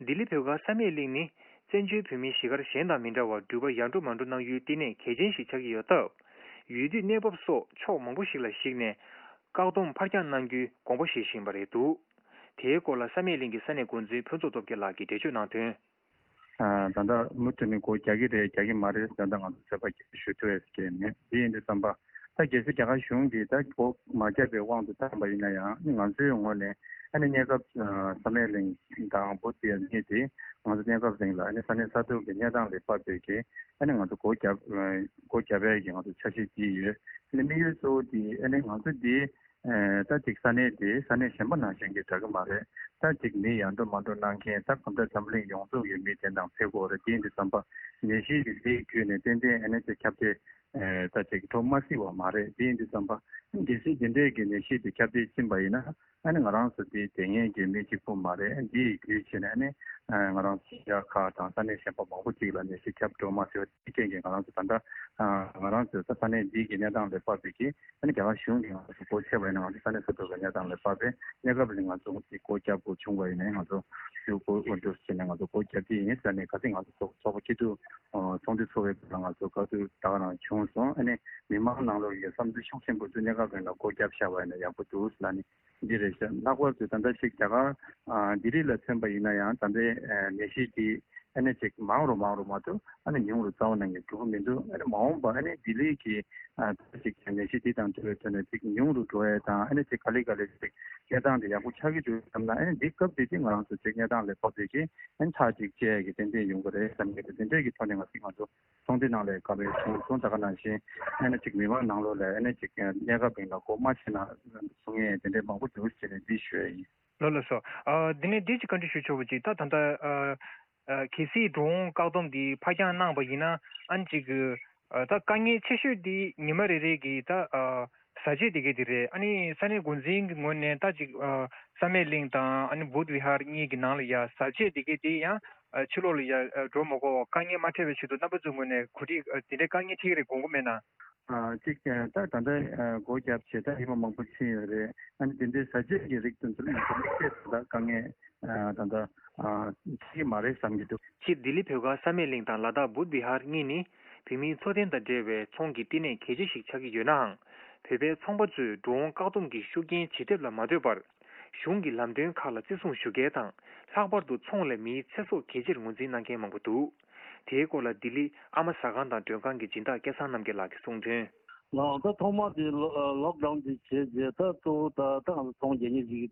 ལྡི་ལི་བོད་སྒར་བསམ་ཡས་གླིང་ནི་བཙན་བྱོལ་བོད་མིའི་གཞིས་སྒར་གཞན་དང་མི་འདྲ་བར་འགྲུལ་པ་ཡར་འགྲོ་མར་འགྲོ་གནང་ཡུལ་བསྟི་གནས་གལ་ཆེན་ཞིག་ཆགས་ཀྱི་ཡོད་སྟབས། ཡུལ་དུས་གནས་བབ་སོགས་ཕྱོགས་མང་པོ་ཞིག་ལ་གཞིགས་ནས། བཀག་སྡོམ་ཕར་འགྱངས་གནང་རྒྱུའི་དགོངས་པ་བཞེས་བཞིན་པ་རེད་འདུག་དེའི་སྐོར་ལ་བསམ་ཡས་གླིང་གི་ས་གནས་འགོ་འཛིན་ཕུན་ཚོགས་སྟོབས་རྒྱལ་ལགས་ཀྱིས་འགྲེལ་བརྗོད་གནང་དོན། ད་ལྟ་མུ་མཐུད་ནས་སྒོ་རྒྱག་གི་རེད་རྒྱག་གི་མ་རེད་ད་ལྟ་ང་ཚོ་ཚོད་དཔག་ཞུ་ཐུབ་ཡས་ཀྱི་མེད། དེ་ཡིན་དུས་ཙམ་པ་ད་གལ་སྲིད་རྒྱ་གར་གཞུང་གིས་ད་སྒོ་མ་བརྒྱབ་པའི་དབང་དུ་བཏང་པ་ཡིན་ན་ཡང་ང་ཚོའི་ངོས་ནས་ཨ་ནི་གནས་སྐབས་བསམ་ཡས་གླིང་དང་བོད་ཟེར་ཡས་གཉིས་དེ་ང་ཚོ་གནས་སྐབས་རིང་ལ་ཨ་ནི་ས་གནས་ས་ཐོག་གི་གནས་སྟངས་ལ་དཔག་པའི་གི་ཨ་ནི་ང་ཚོ་སྒོ་བརྒྱབ་སྒོ་བརྒྱབ་ཡས་ཀྱི་ང་ཚོ་འཆར་གཞི་བརྩིས་ཡོད། ཨ་ནི་དམིགས་ཡུལ་གཙོ་བོ་དེ་ཨ་ནི་ང་ཚོ་འདི། ད་ཅིག་ས་གནས་དེ་ས་གནས་གཞན་པ་ནང་བཞིན་གྱི་འདྲ་གི་མ་རེད། ད་ཅིག་མི་ཡར་འགྲོ་མར་འགྲོ་གནང་མཁན་ད་གང་ལྟར་འཛམ་གླིང་ཡོངས་རྫོགས་ཀྱི་མི་དེ་དང་ཕེབས་དགོས་རེད། དེ་ཡིན་དུས་ཙམ་པ་ནད་གཞི་དེ་དེའི་བརྒྱུད་ནས་ཏན་ཏན་ཨ་ནི་ཅིག་ཁྱབ་གདལ་ད་ཅིག་འགྲོ་མ་སྲིད་པ་མ་རེད། དེ་ཡིན་དུས་ཙམ་པ་གལ་སྲིད་དེ་འདྲས་ཀྱི་ནད་གཞི་དེ་ཁྱབ་གདལ་ཕྱིན་པ་ཡིན་ན་ཨ་ནི་ང་རང་ཚོ་དེ་དེ་ངེས་ཀྱི་མི་གཅིག་པུ་མ་རེད། འདི་ཡི་བརྒྱུད་བྱས་ནས་ཨ་ནི་ང་རང་ཚོ་ཤར་ཁག་དང་ས་གནས་གཞན་པ་མང་པོ་ཅིག་ལ་ནད་གཞི་ཁྱབ་འགྲོ་མ་སྲིད་པ་དེ་རྐྱེན་གྱིས་ང་རང་ཚོ་ད་ལྟ་ང་རང་ཚོའི་ས་གནས་འདི་གི་གནས་སྟངས་ལ་དཔག་པའི་གི་ཨ་ནི་རྒྱ་གར་གཞུང་གིས་ང་ཚོ་སྒོ་ཕྱེ་བ་ཡིན་ན་ང་ཚོ་ས་གནས་ས་ཐོག་གི་གནས་སྟངས་ལ་དཔག་པའི་གནས་སྐབས་ལ་ང་ཚོ་སྒོ་བརྒྱབ་དགོས་བྱུང་བ་ཡིན་ན་ང་ཚོ་ཤུགས་སྒོ་འོ་འདུག་ཟེར་ནས་ང་ཚོ་སྒོ་བརྒྱབ་ཀྱི་ཡིན་ཟེར་ནས་ག་ཚོད་ང་ཚོ་ཚོགས་ཚོགས་པ་སྐྱིད་སྡུག་ཚོགས་འདུ་ཚོགས་པའི་སྐབས་ལ་ང་ཚོ་བཀའ་བསྡུར་ད་ག་རང་བྱུང་སོང་། ཨ་ནི་མི་མང་ནང་ལོགས་ཀྱི་བསམ་ཚུལ་ཤུགས་ཆེན་པོ་ཚོས་གནས་སྐབས་རིང་ལ་སྒོ་བརྒྱབ་བཞག་པ་ཡིན་ན་ཡག་པོ་འདུག་ཟེར་ལ་ནི་འདི་རེད་ཤག་ལྷག་པར་དུ་ད་ལྟ་ཞིག་རྒྱ་གར་ལྡི་ལི་ལ་མཚོན་པ་ཡིན་ན་ཡང་ད་ལྟའི་ནད་གཞི་འདི་ཨ་ནི་ཅིག་མང་རུ་མང་རུ་མ་གཏོགས་ཨ་ནི་ཉུང་རུ་རྩ་བ་ནས་འགྲོ་གི་མི་འདུག་ཨ་ནི་མ་འོངས་པ་ཨ་ནི་ལྡི་ལི་གི་ཨ་ཅིག་ནད་གཞི་འདི་དང་འབྲེལ་བའི་ཐོག་ནས་ཅིག་ཉུང་རུ་འགྲོ་ཡས་དང་ཨ་ནི་ཅིག་ག་ལེ་ག་ལེ་ཅིག་གནས་སྟངས་འདི་ཡག་པོ་ཆགས་ཀྱི་འདུག་བསམ་ན་ཨ་ནི་འདི་སྐབས་འདི་ཅིག་ང་རང་ཚོ་ཅིག་གནས་སྟངས་ལ་དཔག་པའི་གི་ཨ་ནི་ཐག་ཅིག་བཅད་ཡས་ཀྱི་ཏན་ཏན་ཡོང་གི་རེད་བསམ་གྱི་འདུག་དེ་འདྲས་ཀྱི་ཐོག་ནས་ང་ཚོ་ང་ཚོ་ཚོགས་འདུ་ནང་ལ་ག་རེ་བྱུང་སོང་ད་ག་ནང་བཞིན་ཨ་ནི་ཅིག་མི་མང་ནང་ལོགས་ལ་ཨ་ནི་ཅིག་གནས་སྐབས་རིང་ལ་སྒོ་མ་ཕྱེ་ན་གསུང་ཡས་དེ་འདྲས་མང་པོ་འདུག་ཅེས་ནས་འདི་ཞུ་ཡས་ཡིན། ལགས་ལགས་སོ། ཨ་འདི་ནས་འདི་ཅིག་བཀའ་འདྲི་ཞུ་ཆོག་པ་ཅིག་ད་ད་ལྟ་ཨ་ཨ་གལ་སྲིད་འགྲོ་འོང་བཀག་སྡོམ་འདི་ཕར་འགྱངས་གནང་བ་ཡིན་ན་ཨ་ནི་ཅིག་ཨ་ད་དཀའ་ངལ་ཆེ་ཤོས་འདི་ཉི་མ་རེ་རེ་གི་ད་ཨ་བཟའ་ཆས་དེ་གས་དེ་རེད། ཨ་ནི་ས་གནས་འགོ་འཛིན་གྱི་ངོས་ནས་ད་ཅིག་ཨ་བསམ་ཡས་གླིང་དང་ཨ་ནི་བུདྡྷ་བི་ཧར་གཉིས་ཀྱི་ནང་ལ་ཡ་བཟའ་ཆས་དེ་གས་དེ་ཡང་ཨ་ཕྱི་ལོགས་ལ་ཡ་ཨ་འགྲོ་མ་དགོས་པ་དཀའ་ངལ་མ་འཕྲད་པའི་ཆེད་དུ་རྣམ་པ་ཚོའི་ངོས་ནས་གོ་སྒྲིག་ཨ་དེ་འདྲའི་དཀའ་ངལ་འཕྲད་ཀྱི་རེད་དགོངས་པ་མེད་ན། ཨ་གཅིག་ཀྱང་ད་ད་ལྟ་ཨ་སྒོ་བརྒྱབ་བྱས་ད་ཉི་མ་མང་པོ་ཕྱིན་ཡོད་རེད། ཨ་ནི་དེ་འདྲའི་བཟའ་ཆས་ཀྱི་རིགས་དེ་ཚོ་ལ་ང་ཚོ་དམིགས་བསལ་ད་དཀའ་ངལ་ཨ་ད་ལྟ་ཨ་འཕྲད་ཀྱི་མ་རེད་བསམ་གྱི་འདུག་སྤྱིར་ལྡི་ལི་བོད་སྒར་བསམ་ཡས་གླིང་དང་ལ་དྭགས་བུདྡྷ་བི་ཧར་གཉིས་ནི་བོད་མིའི་འཚོ་རྟེན་དང་འབྲེལ་བའི་ཚོང་གི་བསྟི་གནས་གལ་ཆེ་ཞིག་ཆགས་ཀྱི་ཡོད་ནའང་། བོད་པའི་ཚོང་པ་ཚོས་འགྲོ་འོང་བཀག་སྡོམ་གྱི་ཤུགས་རྐྱེན་ཇེ་ཐེབས་ལ་མ་ལྟོས་པར། གཞུང་གི་ལམ་སྟོན་ཁག་ལ་བརྩི་སྲུང་ཞུ་མཁན་དང་། ལྷག་པར་དུ་ཚོང་ལས་མིའི་ཚེ་སྲོག་གལ་ཆེར་ངོས་འཛིན་གནང་མཁན་མང་པོ་འདུག་དེའི་སྐོར་ལ་ལྡི་ལི་ཨ་མ་ཟ་ཁང་དང་མགྲོན་ཁང་གི་སྦྱིན་བདག་སྐལ་བཟང་རྣམ་རྒྱལ་ལགས་ཀྱིས་གསུངས་དོན། ལགས་ད་ཐོག་མ་དེ་ལོ་ལོག་ཌའུན་དེ་བྱས་རྗེས་ད་གཙོ་བོ་ད་ད་ང་ཚོ་ཚོང་རྒྱག་མཁན་ཅིག་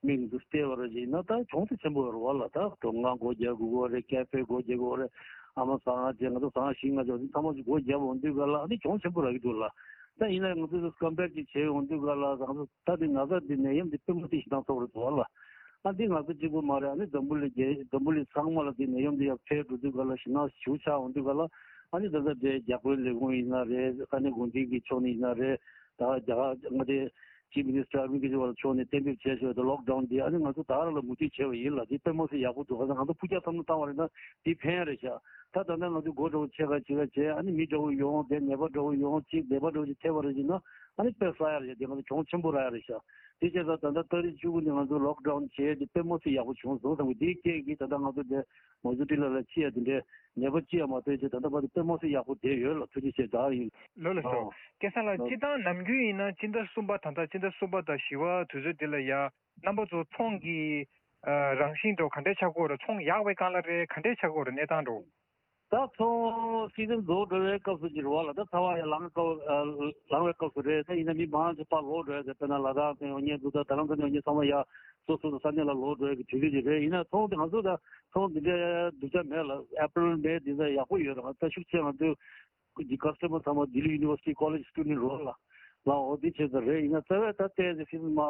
མིང་དུ་བལྟས་པ་ར་ཅིག་ན་ད་གྱོང་ཚད་ཆེན་པོ་ཡོད་རེད་བ་ལ། ད་གྲོང་ཁང་སྒོ་རྒྱག་དགོས་ཀྱི་རེད། ཀེ་ཧྥེ་སྒོ་རྒྱག་དགོས་རེད། ཨ་མ་ཟ་ཁང་བྱས་ང་ཚོ་ཟ་ཁང་བཞི་ལྔ་ཅིག་ཚང་མ་ཅིག་སྒོ་བརྒྱབ་འོང་དུས་ག་ལ་ཨ་ནི་གྱོང་ཆེན་པོ་རག་གི་འདུག་ལ། ད་ཡིན་ན་ང་ཚོ་ཀམ་པེར་ཅིག་བྱས་འོང་དུས་ག་ལ་ང་ཚོ་ད་དེ་ང་ཚོ་དེ་ནད་ཡམས་དེ་དཔེ་མ་སྲིད་ཞེ་སྡང་ཚ་པོ་རེད་འདུག་བ་ལ། ཨ་འདི་ང་ཚོ་གཅིག་པུ་མ་རེད། ཨ་ནི་འཛམ་བུ་གླིང་རྒྱལ་འཛམ་བུ་གླིང་ཚང་མ་ལ་འདི་ནད་ཡམས་འདི་ཡར་འཕེལ་འགྲོ་དུས་ག་ལ་ཞེ་སྡང་ཞེ་པོ་ཆགས་འོང་དུས་ག་ལ་ཨ་ནི་ད་ལྟ་འདྲའི་རྒྱ་བོད་ལས་ཁུངས་ཡིན་ན་རེད། ས་གནས་འགོ་འཛིན་གྱི་ཕྱོགས་ནས་ཡིན་ན་རེད། ད་རྒྱ་གར་མངའ་སྡེ་ཅིབ་མི་ནི་སི་ཊར་ཨ་ར་བིན་ཀེ་ཇི་ཝལ་ཕྱོགས་ནས་གཏན་འབེབས་བྱས་ཆོག་ད་ལོག་ཌའུན་འདི་ཨ་ནི་ང་ཚོ་ད་ར་ལ་མུ་མཐུད་བྱས་པ་ཡིན་ལ། འདི་དཔེ་མ་སྲིད་ཡག་པོ་འདུག་ག་ང་ཚོ་ཕུགས་རྒྱང་བསམ་བློ་བཏང་བ་རེད་ན་འདི་ཕན་ཡ་རེད་ཤག་ད་ད་ལྟ་ང་ཚོ་སྒོ་འདྲ་བོ་ཕྱེ་ག་ཕྱེ་ག་བྱས་ཨ་ནི་མི་འདྲ་བོ་ཡོང་དེ་ནད་པ་འདྲ་བོ་ཡོང་ཅིག་ནད་པ་འདྲ་བོ་ཅིག་ཐེབས་པ་རེད་ཅིག་ན་ཨ་ནི་དཔེ་ཟ་ཡ་རེད་ཤག་དེ་ང་ཚོ་གྱོང་ཆེན་པོ་རག་ཡ་རེད་ཤག་དེ་བྱས་ཙང་ད་ལྟ་ཏ་རིག་བཅུ་དགུ་ནས་ང་ཚོ་ལོག་ཌའུན་བྱས་དེ་དཔེ་མ་སྲིད་ཡག་པོ་བྱུང་སོང་བསམ་གི། དེའི་རྐྱེན་གྱིས་ད་ལྟ་ང་ཚོ་དེ་མང་གཙོ་ཏི་ལ་ལ་ཅི་ཡ་དེ་འདྲའི་ནད་པ་ཅི་ཡ་མ་ཐོན་ཅིག་ད་ལྟ་བར་དུ་དཔེ་མ་སྲིད་ཡག་པོ་བསྡད་ཡོད་ལ། ཐུགས་རྗེ་ཆེ་ད་ཡིན། ལོ་ལ་ཤོག་ཨོ། སྐལ་བཟང་ལགས་ལོ། སྤྱིར་བཏང་ནམ་རྒྱུན་ཡིན་ན་སྤྱི་ཟླ་གསུམ་པ་ད་ལྟ་སྤྱི་ཟླ་གསུམ་པ་དང་བཞི་པ་དུས་ཚོད་འདི་ལ་ཡ་རྣམ་པ་ཚོ་ཚོང་གི་ཨ་རང་བཞིན་འགྲོ་ག་འདྲས་ཆགས་ཀྱི་ཡོད་རེད། ཚོང་ཡག་པའི་སྒང་ལ་རེད་ག་འདྲས་ཆགས་ཀྱི་ཡོད་རེད་གནས་སྟངས་འགྲོ། ད་ཚོང་སི་ཛན་རྫོགས་འགྲོ་བའི་སྐབས་སུ་གྱུར་བ་ལ་ད་ཚ་བ་ཡང་ལངས་སྐབས་ལངས་པའི་སྐབས་སུ་རེད། ད་ཡིན་ན་མི་མང་ཆེ་ཕར་ལོག་འགྲོ་ཡ་དེ་དཔེར་ན་ལ་དྭགས་ནས་ཡོང་མཁན་འདུག་ད་རྡ་རམ་ས་ནས་ཡོང་མཁན་ཚང་མ་ཡ་སོ་སོ་ས་གནས་ལ་ལོག་འགྲོ་ཡ་གི་དུས་ཚོད་ཅིག་རེད། ཡིན་ན་ཚོང་དེ་ང་ཚོ་ད་ཚོང་འདི་འདྲའི་སྡུག་ཅག་མེད་ལ། ཨེ་པྲིལ་མེ་འདི་ཚོ་ཡག་པོ་ཡོད་རེད། ང་ད་ཤུགས་ཆེ་ང་ཚོའི་གི་ཀ་སི་ཊ་མར་ཚང་མ་ལྡི་ལི་ཡུ་ནི་ཝར་སི་ཊི་ཀོ་ལེཇ་སི་ཊུ་ཌེན་ཊི་རེད་ལ། ལ་འོ་འདི་བྱས་ཙང་རེད། ཡིན་ན་རྩ་བའི་ད་ལྟའི་སི་ཛན་མ་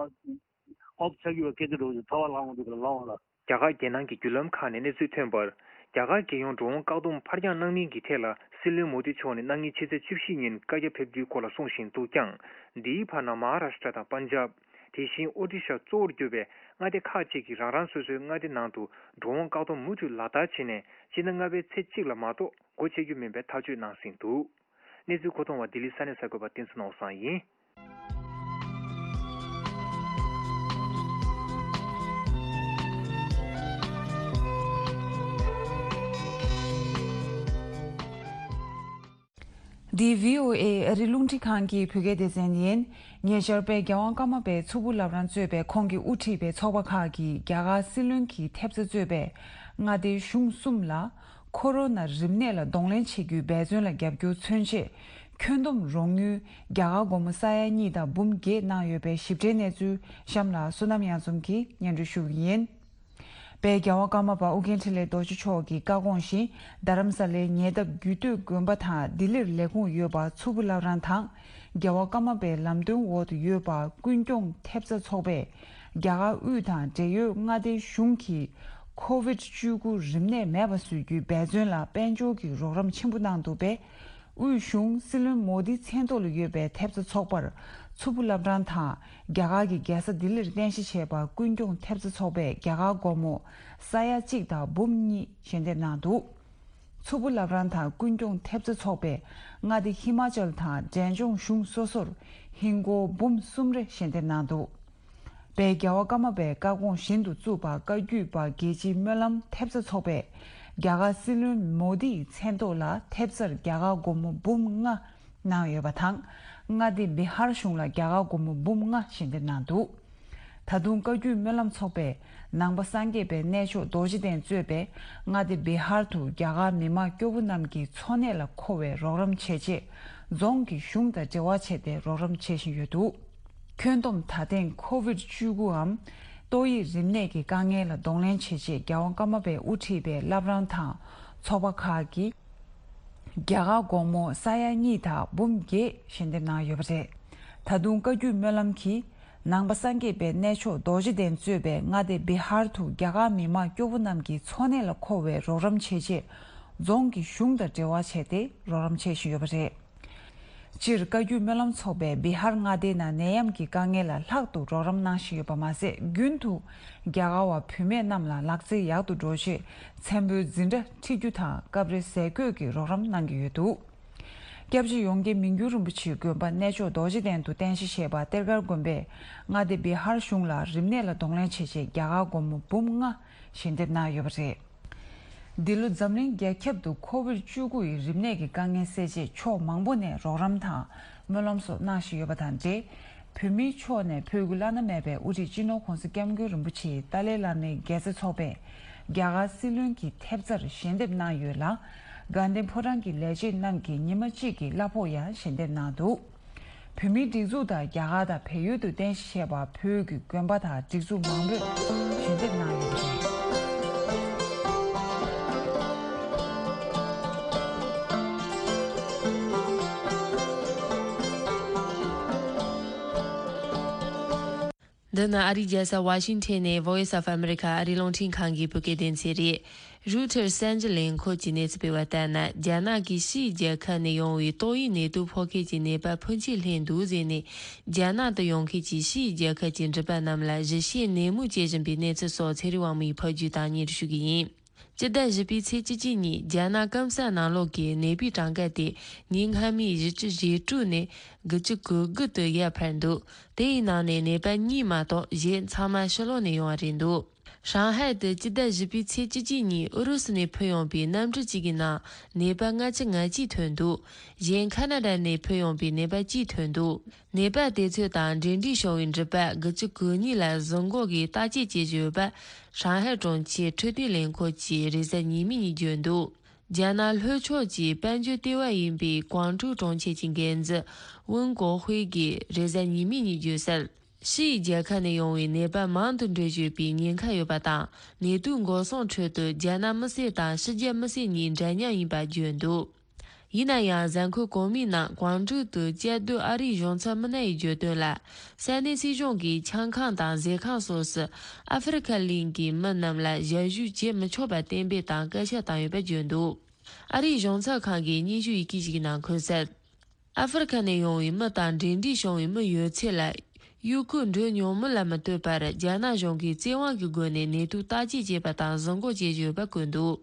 ཨོཕ་ཆགས་ཀྱི་བ་སྐད་ཆ་འགྲོ་ཚ་བ་ལངས་འོང་འདུག་ག་ལ་ལངས་འོང་ལ། རྒྱ་གར་རྒྱལ་ནང་གི་བརྒྱུད་ལམ་ཁག་ནས་གནས་ཚུལ་ཐོན་པར། རྒྱ་གར་རྒྱལ་ཡོངས་འགྲོ་འོང་བཀག་སྡོམ་ཕར་འགྱངས་གནང་མིན་གྱི་ཐད་ལ་སྲིད་བློན་མོ་དི་མཆོག་ནས་གནངས་ཉིན་ཕྱི་ཚེས་བཅུ་བཞི་ཉིན་བཀའ་རྒྱ་ཕེབས་རྒྱུའི་སྐོར་ལ་གསུངས་བཞིན་འདུག་ཀྱང་། འདིའི་བར་ན་མ་ཧཱ་རཱ་ཤི་ཏྲ་དང་པན་ཇབ། དེ་བཞིན་ཨོ་ཏི་ཤ་གཙོ་བོར་གྱུར་པའི་མངའ་སྡེ་ཁག་ཅིག་གིས་རང་རང་སོ་སོའི་མངའ་སྡེ་ནང་དུ་འགྲོ་འོང་བཀག་སྡོམ་མུ་མཐུད་ལག་བསྟར་བྱས་ནས་སྤྱི་ཟླ་ལྔ་པའི་ཚེས་གཅིག་ལ་མ་གཏོགས་སྒོ་ཕྱེ་རྒྱུ་མིན་པའི་ཐག་གཅོད་གནང་ཟིན་འདུག་གནས་ཚུལ་མཁོ་གཏོང་བ་ལྡི་ལི་ས་གནས་གསར་འགོད་པ་བསྟན་འཛིན་ནོར་བཟང་ཡིན། འདི་བྷི་ཨོ་ཨེ་ཨ་རི་རླུང་འཕྲིན་ཁང་གི་བོད་སྐད་སྡེ་ཚན་ཡིན། ཉེ་ཆར་དཔལ་རྒྱལ་དབང་ཀརྨ་པའི་མཚུར་ཕུ་བླ་བྲང་གཙོས་པའི་ཁོང་གིས་དབུ་ཁྲིད་པའི་ཚོགས་པ་ཁག་གིས་རྒྱ་གར་སྲིད་བློན་གྱི་ཐེབས་རྩ་གཙོས་པའི་ མངའ་སྡེའི་གཞུང་གསུམ་ལ་ཁོ་རོ་ན་རིམས་ནད་ལ་གདོང་ལེན་བྱེད་རྒྱུའི་འབད་བརྩོན་ལ་རྒྱབ་སྐྱོར་མཚོན་ཆེད། ཁྱོན་བསྡོམས་རོགས་དངུལ་རྒྱ་གར་སྒོར་མོ་ས་ཡ་གཉིས་དང་འབུམ་བརྒྱད་གནང་ཡོད་པའི་ཞིབ་ཕྲའི་གནས་ཚུལ་གཤམ་ལ་བསོད་ནམས་གཡང་འཛོམས་ཀྱིས་སྙན་སྒྲོན་ཞུ་གི་ཡིན། དཔལ་རྒྱལ་བ་ཀརྨ་པ་ཨོ་རྒྱན་འཕྲིན་ལས་རྡོ་རྗེ་མཆོག་གི་བཀའ་དགོངས་བཞིན། རྡ་རམ་ས་ལའི་ཉེ་འདབས་རྒྱུད་སྟོད་དགོན་པ་དང་ལྡི་ལིར་ལས་ཁུངས་ཡོད་པ་མཚུར་ཕུ་བླ་བྲང་དང་། རྒྱལ་བ་ཀརྨ་པའི་ལམ་སྟོན་འོག་ཏུ་ཡོད་པ་ཀུན་སྐྱོང་ཐེབས་རྩ་ཚོགས་པས། རྒྱ་གར་དབུས་དང་འབྲེལ་ཡོད་མངའ་སྡེའི་གཞུང་གིས་ཁོ་བིད་བཅུ་དགུ་རིམས་ནད་མེད་པ་བཟོ་རྒྱུའི་འབད་བརྩོན་ལ་དཔལ་འབྱོར་གྱི་རོགས་རམ་ཆེན་པོ་གནང་འདུག་པས། དབུས་གཞུང་སྲིད་བློན་མོ་དིའི་མཚན་ཐོག་ལ་ཡོད་པའི་ཐེབས་རྩ་ཚོགས་པར་མཚུར་ཕུ་བླ་བྲང་དང་རྒྱ་གར་གྱི་རྒྱལ་ས་ལྡི་ལིར་རྟེན་གཞི་བྱས་པ་ཀུན་སྐྱོང་ཐེབས་རྩ་ཚོགས་པས་རྒྱ་གར་སྒོར་མོ་ས་ཡ་གཅིག་དང་འབུམ་གཉིས་ཞལ་འདེབས་གནང་འདུག་མཚུར་ཕུ་བླ་བྲང་དང་ཀུན་སྐྱོང་ཐེབས་རྩ་ཚོགས་པས་མངའ་སྡེ་ཧི་མ་ཅལ་དང་འབྲས་ལྗོངས་གཞུང་སོ་སོར་ཧིན་སྒོར་འབུམ་གསུམ་རེ་ཞལ་འདེབས་གནང་འདུག་དཔལ་རྒྱལ་བ་ཀརྨ་པའི་བཀའ་དགོངས་བཞིན་དུ་བཙུགས་པ་བཀའ་བརྒྱུད་པ་རྒྱལ་སྤྱིའི་སྨོན་ལམ་ཐེབས་རྩ་ཚོགས་པས་རྒྱ་གར་སྲིད་བློན་མོ་དིའི་མཚན་ཐོག་ལ་ཐེབས་རྩར་རྒྱ་གར་སྒོར་མོ་འབུམ་ལྔ་གནང་ཡོད་པ་དང་། མངའ་སྡེ་བི་ཧར་གཞུང་ལ་རྒྱ་གར་སྒོར་མོ་འབུམ་ལྔ་ཞལ་འདེབས་གནང་འདུག་ད་དུང་བཀའ་བརྒྱུད་སྨོན་ལམ་ཚོགས་པས་ནང་པ་སངས་རྒྱས་པའི་གནས་མཆོག་རྡོ་རྗེ་གདན་གཙོས་པའི་མངའ་སྡེ་བི་ཧར་དུ་རྒྱ་གར་མི་མང་སྐྱོ་བོ་རྣམས་ཀྱི་འཚོ་གནས་ལ་མཁོ་བའི་རོགས་རམ་བྱེད་ཆེད། རྫོང་གི་གཞུང་དང་འབྲེལ་བ་བྱས་ཏེ་རོགས་རམ་བྱེད་བཞིན་ཡོད་འདུག་ཁྱོན་བསྡོམས་ད་ཐེངས་ཁོ་བིད་བཅུ་དགུའམ་ཏོག་དབྱིབས་རིམས་ནད་ཀྱི་དཀའ་ངལ་ལ་གདོང་ལེན་བྱེད་ཆེད་རྒྱལ་བ་ཀརྨ་པས་དབུ་ཁྲིད་པའི་བླ་བྲང་དང་ཚོགས་པ་ཁག་གིས་རྒྱ་གར་སྒོར་མོ་ས་ཡ་གཉིས་དང་འབུམ་བརྒྱད་ཞལ་འདེབས་གནང་ཡོད་པ་རེད། ད་དུང་བཀའ་བརྒྱུད་སྨོན་ལམ་གྱིས་ནང་པ་སངས་རྒྱས་པའི་གནས་མཆོག་རྡོ་རྗེ་གདན་གཙོས་པའི་མངའ་སྡེ་བི་ཧར་དུ་རྒྱ་གར་མི་མང་སྐྱོ་བོ་རྣམས་ཀྱི་འཚོ་གནས་ལ་མཁོ་བའི་རོགས་རམ་བྱེད་ཆེད་རྫོང་གི་གཞུང་དང་འབྲེལ་བ་བྱས་ཏེ་རོགས་རམ་བྱེད་བཞིན་ཡོད་པ་རེད། སྤྱིར་བཀའ་བརྒྱུད་སྨོན་ལམ་ཚོགས་པས་བི་ཧར་མངའ་སྡེའི་ནང་ནད་ཡམས་ཀྱི་དཀའ་ངལ་ལ་ལྷག་ཏུ་རོགས་རམ་གནང་བཞིན་ཡོད་པ་མ་ཟད། རྒྱུན་དུ་རྒྱ་གར་བ་བུད་མེད་རྣམས་ལ་ལག་རྩལ་ཡག་ཏུ་འགྲོ་ཆེད་མཚན་པོའི་འཛིན་གྲྭ་ཁྲིད་རྒྱུ་དང་སྐབས་རེ་ཟས་གོས་ཀྱི་རོགས་རམ་གནང་གི་ཡོད་འདུག་སྐྱབས་རྗེ་ཡོངས་དགེ་མི་འགྱུར་རིན་པོ་ཆེའི་དགོན་པ་གནས་མཆོག་རྡོ་རྗེ་གདན་དུ་རྟེན་གཞི་བྱས་པ་གཏེར་སྒར་དགོན་པས་མངའ་སྡེ་བི་ཧར་གཞུང་ལ་རིམས་ནད་ལ་གདོང་ལེན་བྱེད་ཆེད་རྒྱ་གར་སྒོར་མོ་འབུམ་ལྔ་ཞལ་འདེབས་གནང་ཡོད་པ་རེད། འདི་ལོ་འཛམ་གླིང་རྒྱ་ཁྱབ་ཏུ་ཁོ་བིད་བཅུ་དགུ་ཡི་རིམས་ནད་ཀྱི་དཀའ་ངལ་སེལ་ཆེད་ཕྱོགས་མང་པོ་ནས་རོགས་རམ་དང་སྨོན་ལམ་སོགས་གནང་བཞིན་ཡོད་པ་དང་འབྲེལ། བོད་མིའི་ཕྱོགས་ནས་ཕུལ་རྒྱུ་བླ་ན་མེད་པའི་དབུ་ཁྲིད་སྤྱི་ནོར་༧གོང་ས་༧སྐྱབས་མགོན་རིན་པོ་ཆེའི་ཏཱ་ལའི་བླ་མའི་དགེ་རྩ་ཚོགས་པས་རྒྱ་གར་སྲིད་བློན་གྱི་ཐེབས་རྩར་ཞལ་འདེབས་གནང་ཡོད་ལ། དགའ་ལྡན་ཕོ་བྲང་གི་ལས་བྱེད་རྣམས་ཀྱིས་ཉི་མ་གཅིག་གི་གླ་ཕོགས་ཡང་ཞལ་འདེབས་གནང་འདུག་བོད་མིའི་སྒྲིག་འཛུགས་དང་རྒྱ་གར་དང་བལ་ཡུལ་དུ་རྟེན་གཞི་བྱས་པ་བོད་ཀྱི་དགོན་པ་དང་སྒྲིག་འཛུགས་མང་པོས་ཞལ་འདེབས་གནང་ཡོད་པ་རེད། འདི་ནི་ཨ་རིའི་རྒྱལ་ས་ཝ་ཤིང་ཊོན་ནས་Voice of America ཨ་རིའི་རླུང་འཕྲིན་ཁང་གི་བོད་སྐད་སྡེ་ཚན་རེད། རུའུ་ཊར་གསར་འགྱུར་ལས་ཁུངས་ཀྱིས་གནས་ཚུལ་སྤེལ་བ་ལྟར་ན། རྒྱ་ནག་གིས་ཕྱིའི་རྒྱལ་ཁབ་ནས་ཡོང་བའི་ཏོག་དབྱིབས་ནད་དུག་ཕོག་མཁན་གྱི་ནད་པ་ཕོན་ཆེ་ལྷན་དུ་བཟོས་ནས། རྒྱ་ནག་ཏུ་ཡོང་མཁན་གྱི་ཕྱིའི་རྒྱལ་ཁབ་ཀྱི་འགྲུལ་པ་རྣམས་ལ་གཞི་བྱེས་ནད་མུག་བཅོས་བཞིན་པའི་གནས་ཚུལ་སོགས་ཚེ་རིང་དབང་མོས་ཕབ་སྒྱུར་དང་སྙན་སྒྲོན་ཞུ་གི་ཡིན། སྤྱི་ཟླ་བཞི་པའི་ཚེས་བཅུ་གཅིག་ཉིན་རྒྱ་ནག་སྐམ་ས་ནང་ལོགས་ཀྱི་ནད་པའི་གྲངས་ཀ་དེ་ཉིན་སྔ་མའི་བཞི་བཅུ་ཞེ་དྲུག་ནས་དགུ་བཅུ་གོ་དགུ་དུ་ཡར་འཕར་འདུག་དེའི་ནང་ནས་ནད་པ་གཉིས་མ་གཏོགས་གཞན་ཚང་མ་ཕྱི་ལོགས་ནས་ཡོང་བ་རེད་འདུག་ཧྲང་ཧའེ་དུ་སྤྱི་ཟླ་བཞི་པའི་ཚེས་བཅུ་གཅིག་ཉིན་ཨུ་རུ་སུ་ནས་ཕུད་ཡོང་པའི་གནམ་གྲུ་གཅིག་གི་ནང་ནད་པ་ལྔ་བཅུ་ང་གཅིག་ཐོན་འདུག་གཞན་ཁ་ན་ཌ་ནས་ཕུད་ཡོང་པའི་ནད་པ་གཅིག་ཐོན་འདུག་ནད་པ་དེ་ཚོ་དང་འབྲེལ་འདྲིས་བྱུང་བའི་འགྲུལ་པ་དགུ་བཅུ་གོ་གཉིས་ལ་གཟིགས་འགོག་གིས་བརྟག་དཔྱད་བྱེད་བཞིན་ཡོད་པ། ཧྲང་ཧའེ་གྲོང་ཁྱེར་འཕྲོད་བསྟེན་ལས་ཁུངས་ཀྱིས་རེས་གཟའ་ཉི་མའི་ཉིན་བརྗོད་འདུག་རྒྱ་ནག་ལྷོ་ཕྱོགས་ཀྱི་དཔལ་འབྱོར་ལྟེ་བ་ཡིན་པའི་ཀོང་ཀྲོའུ་གྲོང་ཁྱེར་གྱི་འགན་འཛིན་ཝུན་ཀོ་ཧུའེ་གིས་རེས་གཟའ་ཉི་མའི་ཉིན་བརྗོད་གསལ། ཕྱིའི་རྒྱལ་ཁབ་ནས་ཡོང་བའི་ནད་པ་མང་དུ་འགྲོ་བཞིན་པའི་ཉེན་ཁ་ཡོད་པ་དང་། ནད་དུག་འགོག་སྲུང་ཁྲོད་དུ་རྒྱ་ནག་མི་སེར་དང་ཕྱི་རྒྱལ་མི་སེར་གཉིས་འདྲ་མཉམ་ཡིན་པ་བརྗོད་འདུག་ཡིན་ན་ཡང་། གཟའ་འཁོར་གོང་མའི་ནང་ཀོང་ཀྲོའུ་དུ་བཅའ་སྡོད་ཨ་རིའི་གཞུང་ཚབ་མི་སྣ་ཡིས་བརྗོད་དོན་ལ། ས་གནས་སྲིད་གཞུང་གིས་ཆང་ཁང་དང་ཟས་ཁང་སོགས་སུ་ཨ་ཧྥེ་རི་ཁ་གླིང་གི་མི་རྣམས་ལ་ཞབས་ཞུ་བྱེད་མི་ཆོག་པ་གཏན་འབེབས་དང་སྐད་ཆ་བཏང་ཡོད་པ་བརྗོད་འདུག་ཨ་རིའི་གཞུང་ཚབ་ཁང་གིས་སྙན་ཞུ་ཡི་གེ་ཞིག་གི་ནང་འཁོད་གསལ། ཨ་ཧྥེ་རི་ཁ་ནས་ཡོང་བའི་མི་དང་འབྲེལ་འདྲིས་བྱུང་བའི་མི་ཡོད་ཚད་ལ། ཡུལ་ཁུལ་འགྲོ་མྱོང་མིན་ལ་མི་ལྟོས་པར། རྒྱ་ནག་གཞུང་གིས་བཙན་དབང་གི་སྒོ་ནས་ནད་དུག་བརྟག་དཔྱད་བྱས་པ་དང་གཟིགས་འགོག་བྱེད་བཞིན་ཡོད་པ་བཀོད་འདུག་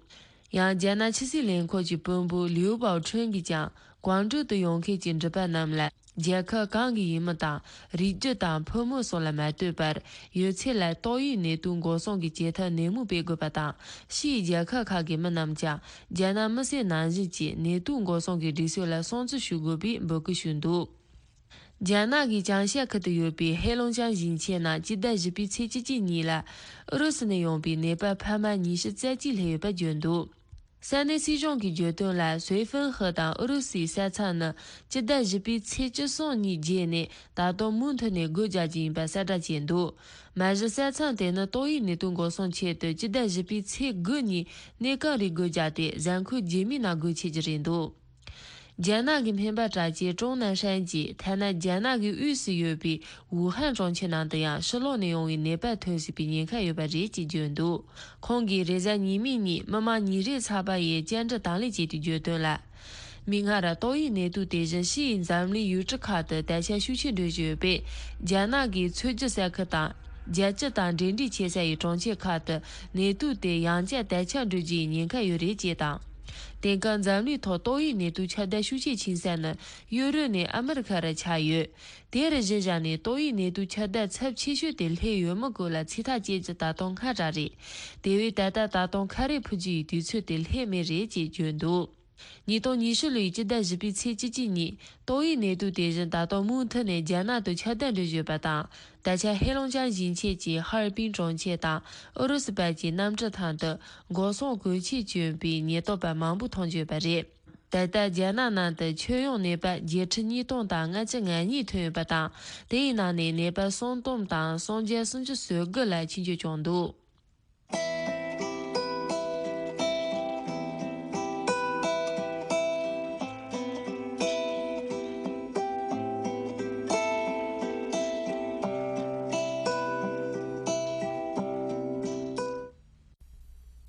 ཡང་། རྒྱ་ནག་ཕྱི་སྲིད་ལས་ཁུངས་ཀྱི་དཔོན་པོ་ལིའུ་པའོ་ཁྲུན་གྱིས་ཀྱང་། ཀོང་ཀྲོའུ་དུ་ཡོང་མཁན་གྱི་འགྲུལ་པ་རྣམས་ལ། རྒྱལ་ཁབ་གང་གི་ཡིན་མིན་དང་། རིགས་རྒྱུད་དང་ཕོ་མོ་སོགས་ལ་མ་ལྟོས་པར། ཡོད་ཚད་ལ་ཏོག་དབྱིབས་ནད་དུག་འགོག་སྲུང་གི་བྱེད་ཐབས་ནན་མོ་སྤེལ་དགོས་པ་དང་། ཕྱིའི་རྒྱལ་ཁབ་ཁག་གི་མི་རྣམས་ཀྱང་། རྒྱ་ནག་མི་སེར་ནང་བཞིན་གྱི་ནད་དུག་འགོག་སྲུང་གི་སྒྲིག་སྲོལ་ལ་སྲུང་བརྩི་ཞུ་དགོས་པའི་འབོད་སྐུལ་ཞུས་འདུག་རྒྱ་ནག་གི་ཅང་ཤེ་ཁུལ་དུ་ཡོད་པའི་ཧེ་ལུང་ཅང་ཞིང་ཆེན་ནང་སྤྱི་ཟླ་བཞི་པའི་ཚེས་བཅུ་གཅིག་ཉིན་ལ་ཨུ་རུ་སུ་ནས་ཡོང་པའི་ནད་པ་འཕར་མ་ཉི་ཤུ་རྩ་གཅིག་སླེབས་ཡོད་པ་བརྗོད་འདུག་ས་གནས་སྲིད་གཞུང་གིས་བརྗོད་དོན་ལ། སུའེ་ཧྥེན་ཧེ་དང་ཨུ་རུ་སུའི་ས་མཚམས་ནི་སྤྱི་ཟླ་བཞི་པའི་ཚེས་བཅུ་གསུམ་ཉིན་བརྒྱད་ནས་ད་དུང་མུ་མཐུད་ནས་སྒོ་རྒྱག་རྒྱུ་ཡིན་པ་གསལ་བསྒྲགས་བྱས་འདུག་མ་གཞི་ས་མཚམས་དེ་ནི་ཏོག་དབྱིབས་ནད་དུག་འགོག་སྲུང་ཆེད་དུ་སྤྱི་ཟླ་བཞི་པའི་ཚེས་དགུ་ཉིན་གནས་སྐབས་རིང་སྒོ་བརྒྱབ་སྟེ། གཟའ་འཁོར་རྗེས་མའི་ནང་སྒོ་ཕྱེ་རྒྱུ་རེད་འདུག་རྒྱ་ནག་གི་སྨན་པ་གྲགས་ཅན་ཀྲུང་ནན་ཧྲན་གྱིས། ཐ་ན་རྒྱ་ནག་གི་དབུས་སུ་ཡོད་པའི་ཝུ་ཧན་གྲོང་ཁྱེར་ནང་དུ་ཡང་ཕྱི་ལོགས་ནས་ཡོང་བའི་ནད་པ་ཐོན་སྲིད་པའི་ཉེན་ཁ་ཡོད་པ་རེད་ཅེས་བརྗོད་འདུག་ཁོང་གིས་རེས་གཟའ་ཉི་མའི་ཉིན་མི་མང་ཉིན་རེའི་ཚགས་པར་ཡི་བཅར་འདྲི་དང་ལེན་བྱས་ཏེ་བརྗོད་དོན་ལ། མིག་སྔར་ཏོག་དབྱིབས་ནད་དུག་དེ་བཞིན་ཕྱི་ཡི་འཛམ་གླིང་ཡུལ་གྲུ་ཁག་ཏུ་དར་ཁྱབ་ཤུགས་ཆེ་འགྲོ་བཞིན་ཡོད་པས། རྒྱ་ནག་གིས་མཚོ་རྒྱུད་ས་ཁུལ་དང་རྒྱལ་སྤྱི་དང་འབྲེལ་འདྲིས་ཆེ་ས་ཡི་གྲོང་ཁྱེར་ཁག་ཏུ་ནད་དུག་དེ་ཡང་བསྐྱར་དར་ཁྱབ་འགྲོ་རྒྱུའི་ཉེན་ཁ་ཡོད་རེད་ཅེས་དང་། དེང་སྐབས་འཛམ་གླིང་ཐོག་ཏོག་དབྱིབས་ནད་དུག་ཁྱབ་གདལ་ཤུགས་ཆེ་ཕྱིན་ས་ནི་ཡུ་རོབ་ནས་ཨ་མི་རི་ཁ་རུ་ཆགས་ཡོད། དེར་གཞི་བཞག་ནས་ཏོག་དབྱིབས་ནད་དུག་ཁྱབ་གདལ་ཚབས་ཆེ་ཤོས་དེ་སླེབས་ཡོད་མེད་སྐོར་ལ་ཚིག་ཐག་བཅད་རྒྱུ་ད་དུང་སྔ་དྲགས་རེད། དེ་བས་ད་ལྟ་ད་དུང་ཁ་རས་ཕུད་རྒྱུ་ཡི་དུས་ཚོད་དེ་སླེབས་མེད་རེད་ཅེས་བརྗོད་འདུག་ཉིས་སྟོང་ཉི་ཤུ་ལོའི་སྤྱི་ཟླ་བཞི་པའི་ཚེས་བཅུ་གཅིག་ཉིན་ཏོག་དབྱིབས་ནད་དུག་དེ་བཞིན་ད་དུང་མུ་མཐུད་ནས་རྒྱ་ནག་ཏུ་ཁྱབ་གདལ་འགྲོ་བཞིན་ཡོད་པ་དང་། ད་ཆ་ཧེ་ལུང་ཅང་ཞིང་ཆེན་གྱི་ཧར་པིན་གྲོང་ཁྱེར་དང་ཨུ་རུ་སུ་བར་གྱི་གནམ་གྲུ་ཐང་དུ་འགོག་སྲུང་གོས་ཆས་གྱོན་པའི་ཉེན་རྟོག་པ་མང་པོ་མཐོང་རྒྱུ་ཡོད་པ་རེད། ད་ལྟ་རྒྱ་ནག་ནང་དུ་ཁྱོན་ཡོངས་ནད་པ་བརྒྱད་ཁྲི་ཉིས་སྟོང་དང་ལྔ་བཅུ་ང་གཉིས་ཐོན་ཡོད་པ་དང་། དེའི་ནང་ནས་ནད་པ་སུམ་སྟོང་དང་སུམ་བརྒྱ་སུམ་ཅུ་སོ་དགུ་ལ་ཆེད་བསྐྱོད་བྱུང་འདུག་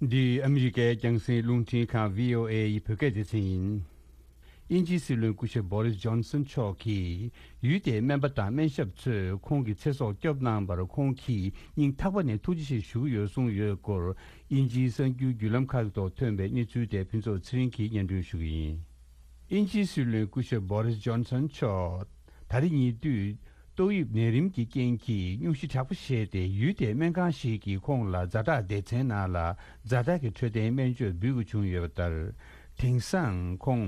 འདི་ཨ་མི་རི་ཀའི་རྒྱང་སྲིང་རླུང་འཕྲིན་ཁང་བྷི་ཨོ་ཨེ་ཡི་བོད་སྐད་སྡེ་ཚན་ཡིན། དབྱིན་ཇིའི་སྲིད་བློན་སྐུ་ཞབས་བྷོ་རིས་ཇོན་སན་མཆོག་གིས་ཡུལ་དེའི་སྨན་པ་དང་སྨན་ཞབས་ཚོས་ཁོང་གི་ཚེ་སྲོག་སྐྱོབ་གནང་བར་ཁོང་གིས་སྙིང་ཐག་པ་ནས་ཐུགས་རྗེ་ཆེ་ཞུ་གི་ཡོད་གསུངས་ཡོད་སྐོར། དབྱིན་ཇིའི་གསར་འགྱུར་བརྒྱུད་ལམ་ཁག་གི་ཐོག་ཐོན་པའི་གནས་ཚུལ་དེ་ཕུན་ཚོགས་ཚེ་རིང་གིས་སྙན་སྒྲོན་ཞུ་གི་ཡིན། དབྱིན་ཇིའི་སྲིད་བློན་སྐུ་ཞབས་བྷོ་རིས་ཇོན་སན་མཆོག་ད་རེས་ཉེ་དུས་ཏོག་དབྱིབས་ནད་རིམས་ཀྱི་རྐྱེན་གྱིས་སྙུང་གཞི་དྲག་པོ་བཞེས་ཏེ། ཡུལ་དེའི་སྨན་ཁང་ཞིག་གིས་ཁོང་ལ་ཛ་དྲག་སྡེ་ཚན་ནང་ལ་ཛ་དྲག་གི་འཕྲོད་བསྟེན་སྨན་བཅོས་འབུལ་དགོས་བྱུང་ཡོད་པ་ལྟར། དེང་སང་ཁོང་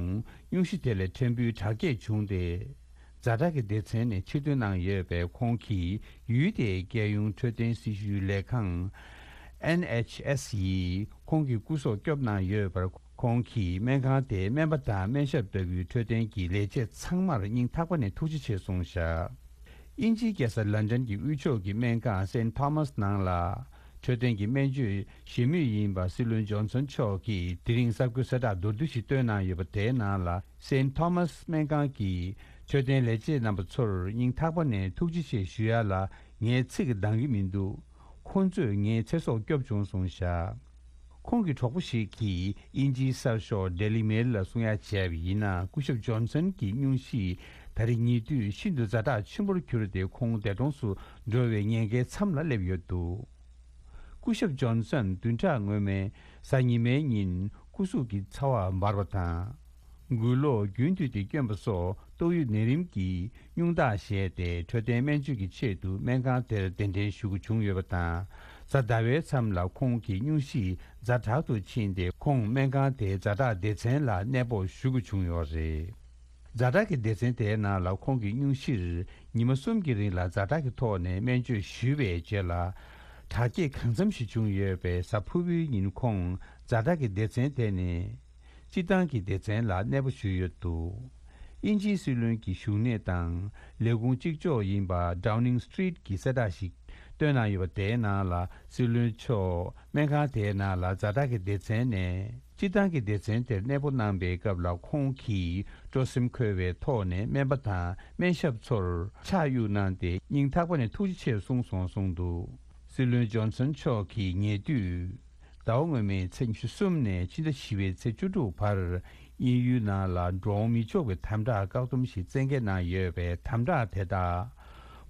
སྙུང་གཞི་དེ་ལས་ཕྲན་བུ་དྲག་སྐྱེད་བྱུང་སྟེ། ཛ་དྲག་གི་སྡེ་ཚན་ནས་ཕྱིར་འདོན་གནང་ཡོད་པས། ཁོང་གིས་ཡུལ་དེའི་རྒྱལ་ཡོངས་འཕྲོད་བསྟེན་སྲི་ཞུའི་ལས་ཁང་། ཨེན་ཨེཆ་ཨེས་ཡིས་ཁོང་གི་སྐུ་སྲོག་སྐྱོབ་གནང་ཡོད་པར། ཁོང་གིས་སྨན་ཁང་དེའི་སྨན་པ་དང་སྨན་ཞབས་ལྟ་བུའི་འཕྲོད་བསྟེན་གྱི་ལས་བྱེད་ཚང་མར་སྙིང་ཐག་པ་ནས་ཐུགས་རྗེ་ཆེ་གསུངས་བཞག་དབྱིན་ཇིའི་རྒྱལ་ས་ལན་ཌན་གྱི་དབུས་ཕྱོགས་ཀྱི་སྨན་ཁང་སེན་ཐོ་མཱས་ནང་ལ། འཕྲོད་བསྟེན་གྱི་སྨན་བཅོས་བྱེད་མུས་ཡིན་པ་སྲིད་བློན་ཇོན་སན་མཆོག་གིས་དེ་རིང་གསར་འགོད་གསལ་བསྒྲགས་མདོར་བསྡུས་ཤིག་བཏོན་གནང་ཡོད་པ། དེའི་ནང་ལ། སེན་ཐོ་མཱས་སྨན་ཁང་གི་འཕྲོད་བསྟེན་ལས་བྱེད་རྣམ་པ་ཚོར་སྙིང་ཐག་པ་ནས་ཐུགས་རྗེ་ཆེ་ཞུ་ཡ་ལ་ངས་ཚིག་འདང་གི་མི་འདུག་ཁོང་ཚོས་ངའི་ཚེ་སྲོག་སྐྱོབ་བྱུང་གསུངས་བཞག་ཁོང་གི་གྲོགས་པོ་ཞིག་གིས་དབྱིན་ཇིའི་གསར་ཤོག་ཌེ་ལི་མེལ་ལ་གསུང་ཡ་བྱས་པ་ཡིན་ན། སྐུ་ཞབས་ཇོན་སན་གྱི་སྙུང་གཞི་ད་རེས་ཉེ་དུས་ཤིན་ཏུ་ཛ་དྲག་ཆེན་པོར་གྱུར་ཏེ། ཁོང་འདས་གྲོངས་སུ་འགྲོ་བའི་ཉེན་ཁའི་མཚམས་ལ་སླེབས་ཡོད་འདུག་སྐུ་ཞབས་ཇོན་སན་བདུན་ཕྲག་སྔོན་མའི་གཟའ་ཉི་མའི་ཉིན་སྐུ་གཟུགས་ཀྱི་ཚ་བ་འབར་བ་དང་། མགུལ་གློག་རྒྱུན་མཐུད་དེ་བསྐྱོན་པ་སོགས་ཏོག་དབྱིབས་ནད་རིམས་ཀྱི་སྙུང་ཐག་བཞེས་ཏེ། འཕྲོད་བསྟེན་སྨན་བཅོས་ཀྱི་ཆེད་དུ་སྨན་ཁང་དེར་གདན་འདྲེན་ཞུ་དགོས་བྱུང་ཡོད་པ་དང་། གཟའ་ཟླ་བའི་མཚམས་ལ་ཁོང་གི་སྙུང་གཞི་ཛ་དྲག་ཏུ་ཕྱིན་ཏེ། ཁོང་སྨན་ཁང་དེའི་ཛ་དྲག་སྡེ་ཚན་ལ་གནས་སྤོ་ཞུ་དགོས་བྱུང་ཡོད་རེད། ཛ་དྲག་གི་སྡེ་ཚན་དེའི་ནང་ལ་ཁོང་གི་སྙུང་གཞིར་ཉི་མ་གསུམ་གྱི་རིང་ལ་ཛ་དྲག་གི་ཐོག་ནས་སྨན་བཅོས་ཞུས་པའི་རྗེས་ལ། དྲག་སྐྱེད་གང་འཚམ་ཞིག་བྱུང་ཡོད་པས། གཟའ་ཕུར་བུའི་ཉིན་ཁོང་ཛ་དྲག་གི་སྡེ་ཚན་དེ་ནས་སྤྱིར་བཏང་གི་སྡེ་ཚན་ལ་གནས་སྤོ་ཞུས་ཡོད་འདུག་དབྱིན་ཇིའི་སྲིད་བློན་གྱི་བཞུགས་གནས་དང་ལས་ཁུངས་གཅིག་ལྕོགས་ཡིན་པ་Downing Street གྱིས་གསལ་བསྒྲགས་ཤིག་བཏོན་གནང་ཡོད་པ། དེའི་ནང་ལ། སྲིད་བློན་མཆོག་སྨན་ཁང་དེའི་ནང་ལ་ཛ་དྲག་གི་སྡེ་ཚན་ནས་སྤྱིར་བཏང་གི་སྡེ་ཚན་དེར་གནས་སྤོ་གནང་པའི་སྐབས་ལ། ཁོང་གིས་སྤྲོ་སེམས་འཁོལ་བའི་ཐོག་ནས་སྨན་པ་དང་སྨན་ཞབས་ཚོར་ཕྱག་གཡུག་གནང་སྟེ། སྙིང་ཐག་པ་ནས་ཐུགས་རྗེ་ཆེ་གསུངས་སོང་གསུངས་འདུག་སྲིད་བློན་ཇོན་སན་མཆོག་གིས་ཉེ་དུས་ཟླ་བ་སྔོན་མའི་ཚེས་ཉི་ཤུ་གསུམ་ནས་ཕྱི་ཟླ་བཞི་པའི་ཚེས་བཅུ་དྲུག་བར། དབྱིན་ཡུལ་ནང་ལ་འགྲོ་འོང་མི་ཆོག་པའི་དམ་དྲག་བཀག་སྡོམ་ཞིག་བཙན་འགེལ་གནང་ཡོད་པས། དམ་དྲག་དེ་དག་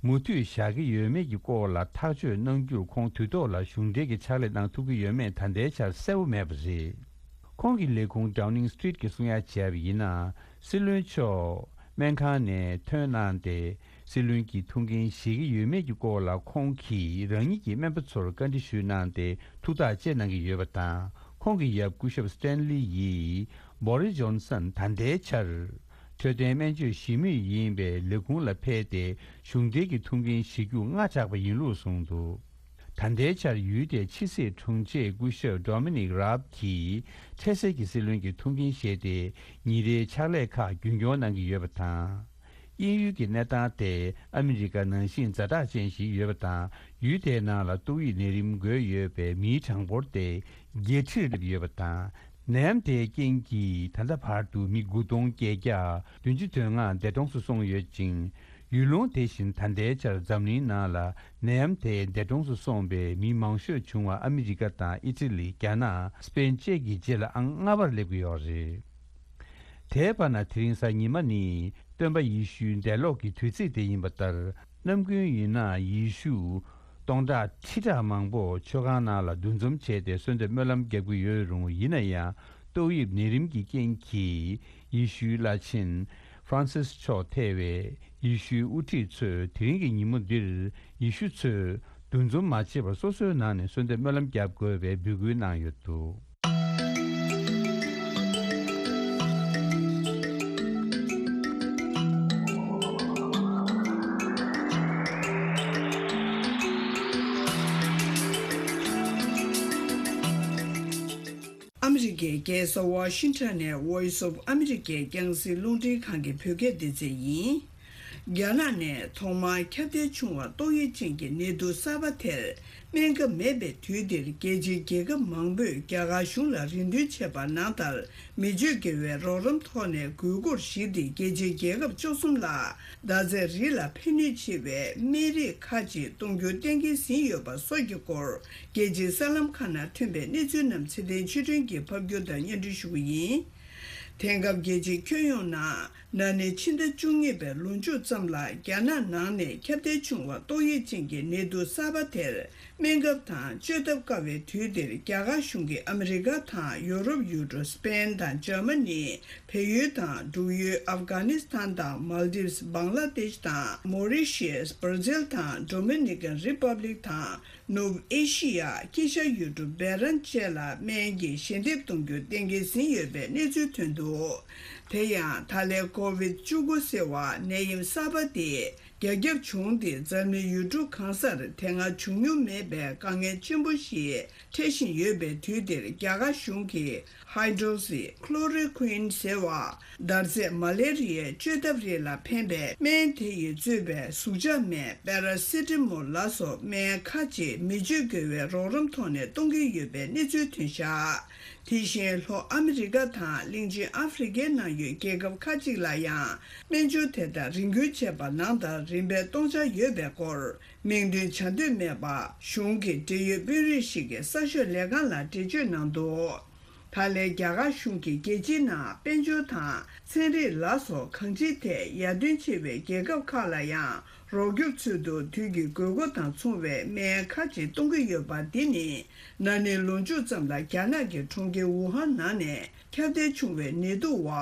མུ་མཐུད་བཞག་གི་ཡོད་མེད་ཀྱི་སྐོར་ལ་ཐག་གཅོད་གནང་རྒྱུར། ཁོང་དུས་ཐོག་ལ་གཞུང་འབྲེལ་གྱི་ཕྱག་ལས་གནང་ཐུབ་ཀྱི་ཡོད་མེད་ད་ལྟའི་ཆར་གསལ་པོ་མེད་པ་རེད། ཁོང་གི་ལས་ཁུངས་Downing Street གྱིས་གསུང་ཡ་བྱས་པ་ཡིན་ན། སྲིད་བློན་མཆོག་སྨན་ཁང་ནས་ཐོན་གནང་སྟེ། སྲིད་བློན་གྱི་ཐུགས་འགན་བཞེས་ཀྱི་ཡོད་མེད་ཀྱི་སྐོར་ལ། ཁོང་གིས་རང་ཉིད་ཀྱི་སྨན་པ་ཚོར་བཀའ་འདྲི་ཞུས་གནང་སྟེ། ཐུགས་ཐག་བཅད་གནང་གི་ཡོད་པ་དང་། ཁོང་གི་ཡབ་སྐུ་ཞབས་Stanley ཡིས་Boris Johnson ད་ལྟའི་ཆར་ འཕྲོད་བསྟེན་སྨན་བཅོས་ཞི་མོལ་ཡིན་པའི་ལས་ཁུངས་ལ་ཕེབས་ཏེ་གཞུང་འབྲེལ་གྱི་ཐུགས་འགན་བཞེས་རྒྱུ་སྔ་དྲགས་པ་ཡིན་ལུགས་གསུངས་འདུག་ད་ལྟའི་ཆར་ཡུལ་དེའི་ཕྱི་སྲིད་དྲུང་ཆེ་སྐུ་ཞབས་Dominic Raab གྱིས་འཕྲལ་སེལ་གྱི་སྲིད་བློན་གྱི་ཐུགས་འགན་བཞེས་ཏེ་ཉིན་རེའི་ཕྱག་ལས་ཁག་རྒྱུན་སྐྱོང་གནང་གི་ཡོད་པ་དང་། དབྱིན་ཡུལ་གྱི་གནས་སྟངས་དེ་ཨ་མི་རི་ཀ་ནང་བཞིན་ཛ་དྲག་ཅན་ཞིག་ཡོད་པ་དང་། ཡུལ་དེའི་ནང་ལ་ཏོག་དབྱིབས་ནད་རིམས་འགོས་ཡོད་པའི་མིའི་གྲངས་འབོར་དེ་བརྒྱད་ཁྲིར་སླེབས་ཡོད་པ་དང་། ནད་ཡམས་དེའི་རྐྱེན་གྱིས་ད་ལྟ་བར་དུ་མི་དགུ་སྟོང་བརྒྱད་བརྒྱ་བདུན་ཅུ་དོན་ལྔ་འདས་གྲོངས་སུ་སོང་ཡོད་ཅིང་། ཡུལ་ལུང་དེ་བཞིན་ད་ལྟའི་ཆར་འཛམ་གླིང་ནང་ལ་ནད་ཡམས་དེས་འདས་གྲོངས་སུ་སོང་པའི་མི་མང་ཤོས་བྱུང་བ་ཨ་མི་རི་ཀ་དང་ཨི་ཊ་ལི། རྒྱ་ནག་སྤེན་བཅས་ཀྱི་རྗེས་ལ་ཨང་ལྔ་པར་སླེབས་ཀྱི་ཡོད་རེད། དེའི་བར་ན་དེ་རིང་གཟའ་ཉི་མ་ནི་སྟོན་པ་ཡེ་ཤུའི་འདས་ལོག་གི་དུས་ཚིགས་དེ་ཡིན་པ་ལྟར། ནམ་རྒྱུན་ཡིན་ན་ཡེ་ཤུ་སྟོང་ཕྲག་ཁྲི་ཕྲག་མང་པོ་མཆོད་ཁང་ནང་ལ་འདུ་འཛོམས་བྱས་ཏེ་གསོལ་འདེབས་སྨོན་ལམ་རྒྱབ་ཀྱི་ཡོད་རུང་། ཡིན་ན་ཡང་ཏོག་དབྱིབས་ནད་རིམས་ཀྱི་རྐྱེན་གྱིས་ཡེ་ཤུའི་བླ་ཆེན་ཧྥ་རན་སིས་མཆོག་ཐེ་བའི་ཡེ་ཤུའི་དབུ་ཁྲིད་ཚོས་དེ་རིང་གི་ཉིན་མོ་འདིར་ཡེ་ཤུ་ཚོས་འདུ་འཛོམས་མ་བྱེད་པར་སོ་སོའི་ནང་ནས་གསོལ་འདེབས་སྨོན་ལམ་རྒྱབ་དགོས་པའི་འབོད་སྐུལ་གནང་ཡོད་འདུག་ཨ་མི་རི་ཀའི་རྒྱལ་ས་ཝ་ཤིང་ཊོན་ནས་Voice of America རྒྱང་སྲིང་རླུང་འཕྲིན་ཁང་གི་བོད་སྐད་སྡེ་ཚན་ཡིན། རྒྱ་ནག་ནས་ཐོག་མར་ཁྱབ་གདལ་བྱུང་བ་ཏོག་དབྱིབས་ཅན་གྱི་ནད་དུག་གསར་པ་དེར་སྨན་ཁབ་མེད་པའི་དུས་འདིར། རྒྱལ་སྤྱིའི་རྒྱལ་ཁབ་མང་པོས་རྒྱ་གར་གཞུང་ལ་རེ་འདུན་བྱས་པ་ནང་ལྟར། མི་སྤྱོད་དགེ་བའི་རོགས་རམ་ཐོག་ནས་དགོས་མཁོར་གཞིགས་ཏེ། རྒྱལ་སྤྱིའི་རྒྱལ་ཁབ་བཅུ་གསུམ་ལ་ཟླ་ཚེས་རིགས་ལ་ཕན་ནུས་ཆེ་བའི་སྨན་རིགས་ཁག་ཅིག་གཏོང་རྒྱུ་གཏན་འཁེལ་ཟིན་ཡོད་པ་སོགས་ཀྱི་སྐོར། རྒྱལ་སྤྱིའི་གསར་ལམ་ཁག་ནང་ཐོན་པའི་གནས་ཚུལ་རྣམས་ཚེ་བརྟན་ཆོས་སྒྲོན་གྱིས་ཕབ་སྒྱུར་དང་སྙན་སྒྲོན་ཞུ་གི་ཡིན། དེང་སྐབས་རྒྱལ་སྤྱིའི་ཁྱོན་ཡོངས་ནང་ན་ནིང་ཕྱི་ཟླ་བཅུ་གཉིས་པའི་ལོ་མཇུག་ཙམ་ལ་རྒྱ་ནག་ནང་ནས་ཁྱབ་གདལ་བྱུང་བ་ཏོག་དབྱིབས་ཅན་གྱི་ནད་དུག་གསར་པ་དེར་སྨན་ཁབ་དང་བཅོས་ཐབས་དཀའ་བའི་དུས་འདིར། རྒྱ་གར་གཞུང་གིས་ཨ་མི་རི་ཀ་དང་ཡོ་རོབ་ཡུལ་གྲུ་སི་པེན་དང་འཇར་མ་ནི། བལ་ཡུལ་དང་འབྲུག་ཡུལ་ཨབ་གྷ་ནི་སི་ཐན་དང་མལ་དིབས། བང་ལ་དེཤ་དང་མོ་རི་ཤི་ཡས། སྦར་ཛིལ་དང་ཌོ་མི་ནི་ཀན་རི་པབ་ལིག་དང་། ནུབ་ཨེ་ཤི་ཡ་དཀྱིལ་ཤར་ཡུལ་གྲུ་སྦེལ་རམ་བཅས་ལ་སྨན་གྱི་ཞལ་འདེབས་གཏོང་རྒྱུ་གཏན་འཁེལ་ཟིན་ཡོད་པའི་གནས་ཚུལ་ཐོན་འདུག་དེ་ཡང་ད་ལན་ཀོ་བིད་བཅུ་དགུ་ཟེར་བ་ནད་ཡམས་གསར་པ་དེ་རྒྱ་ཁྱབ་བྱུང་སྟེ། འཛམ་གླིང་ཡུལ་གྲུ་གང་སར་དེ་སྔ་བྱུང་མྱོང་མེད་པའི་དཀའ་ངལ་ཆེན་པོ་ཞིག་འཕྲད་བཞིན་ཡོད་པའི་དུས་འདིར། རྒྱ་གར་གཞུང་གིས་ཧའི་ཌོ་སི་ཁི་ལོ་རོ་ཀུན་ཟེར་བ། འདར་ཚད་མ་ལེ་རི་ཡའི་བཅོས་ཐབས་རིགས་ལ་ཕན་པའི་སྨན་དེ་ཡིས་གཙོས་པའི་ཟུག་གཅོག་སྨན་པེ་ར་སི་ཊ་མོལ་ལ་སོགས་སྨན་ཁག་ཅིག་མི་སྤྱོད་དགེ་བའི་རོགས་རམ་ཐོག་ནས་གཏོང་གི་ཡོད་པའི་གནས་ཚུལ་ཐོན་བཞག་དེ་བཞིན་ལྷོ་ཨ་མི་རི་ཀ་དང་གླིང་ཆེན་ཨ་ཧྥེ་རི་ཁའི་ནང་ཡོད་རྒྱལ་ཁབ་ཁག་ཅིག་ལ་ཡང་སྨན་སྦྱོར་དེ་ལྟར་རེ་སྐུལ་བྱས་པ་ནང་ལྟར་རིན་པའི་སྟོང་ཆ་ཡོད་པའི་སྐོར། མིང་འདོན་བྱ་འདོད་མེད་པ་གཞུང་གི་འབྲེལ་ཡོད་དཔོན་རིགས་ཤིག་གིས་གསར་ཤོག་ལས་ཁང་ལ་འགྲེལ་བརྗོད་གནང་འདུག་ད་ལན་རྒྱ་གར་གཞུང་གིས་རྒྱལ་སྤྱིའི་ནང་དཔལ་འབྱོར་དང་ཚན་རིག་ལ་སོགས་གང་ཅིའི་ཐད་ཡར་ཐོན་ཆེ་བའི་རྒྱལ་ཁབ་ཁག་ལ་ཡང་རོགས་སྐྱོབ་ཚུལ་དུ་དུས་ཀྱི་དགོས་མཁོ་དང་མཚུངས་པའི་སྨན་ཁག་ཅིག་གཏོང་གི་ཡོད་པ་འདི་ནི། ན་ནིང་ལོ་མཇུག་ཙམ་ལ་རྒྱ་ནག་གི་གྲོང་ཁྱེར་ཝུ་ཧན་ནང་ནས་ཁྱབ་གདལ་བྱུང་བའི་ནད་དུག་བ།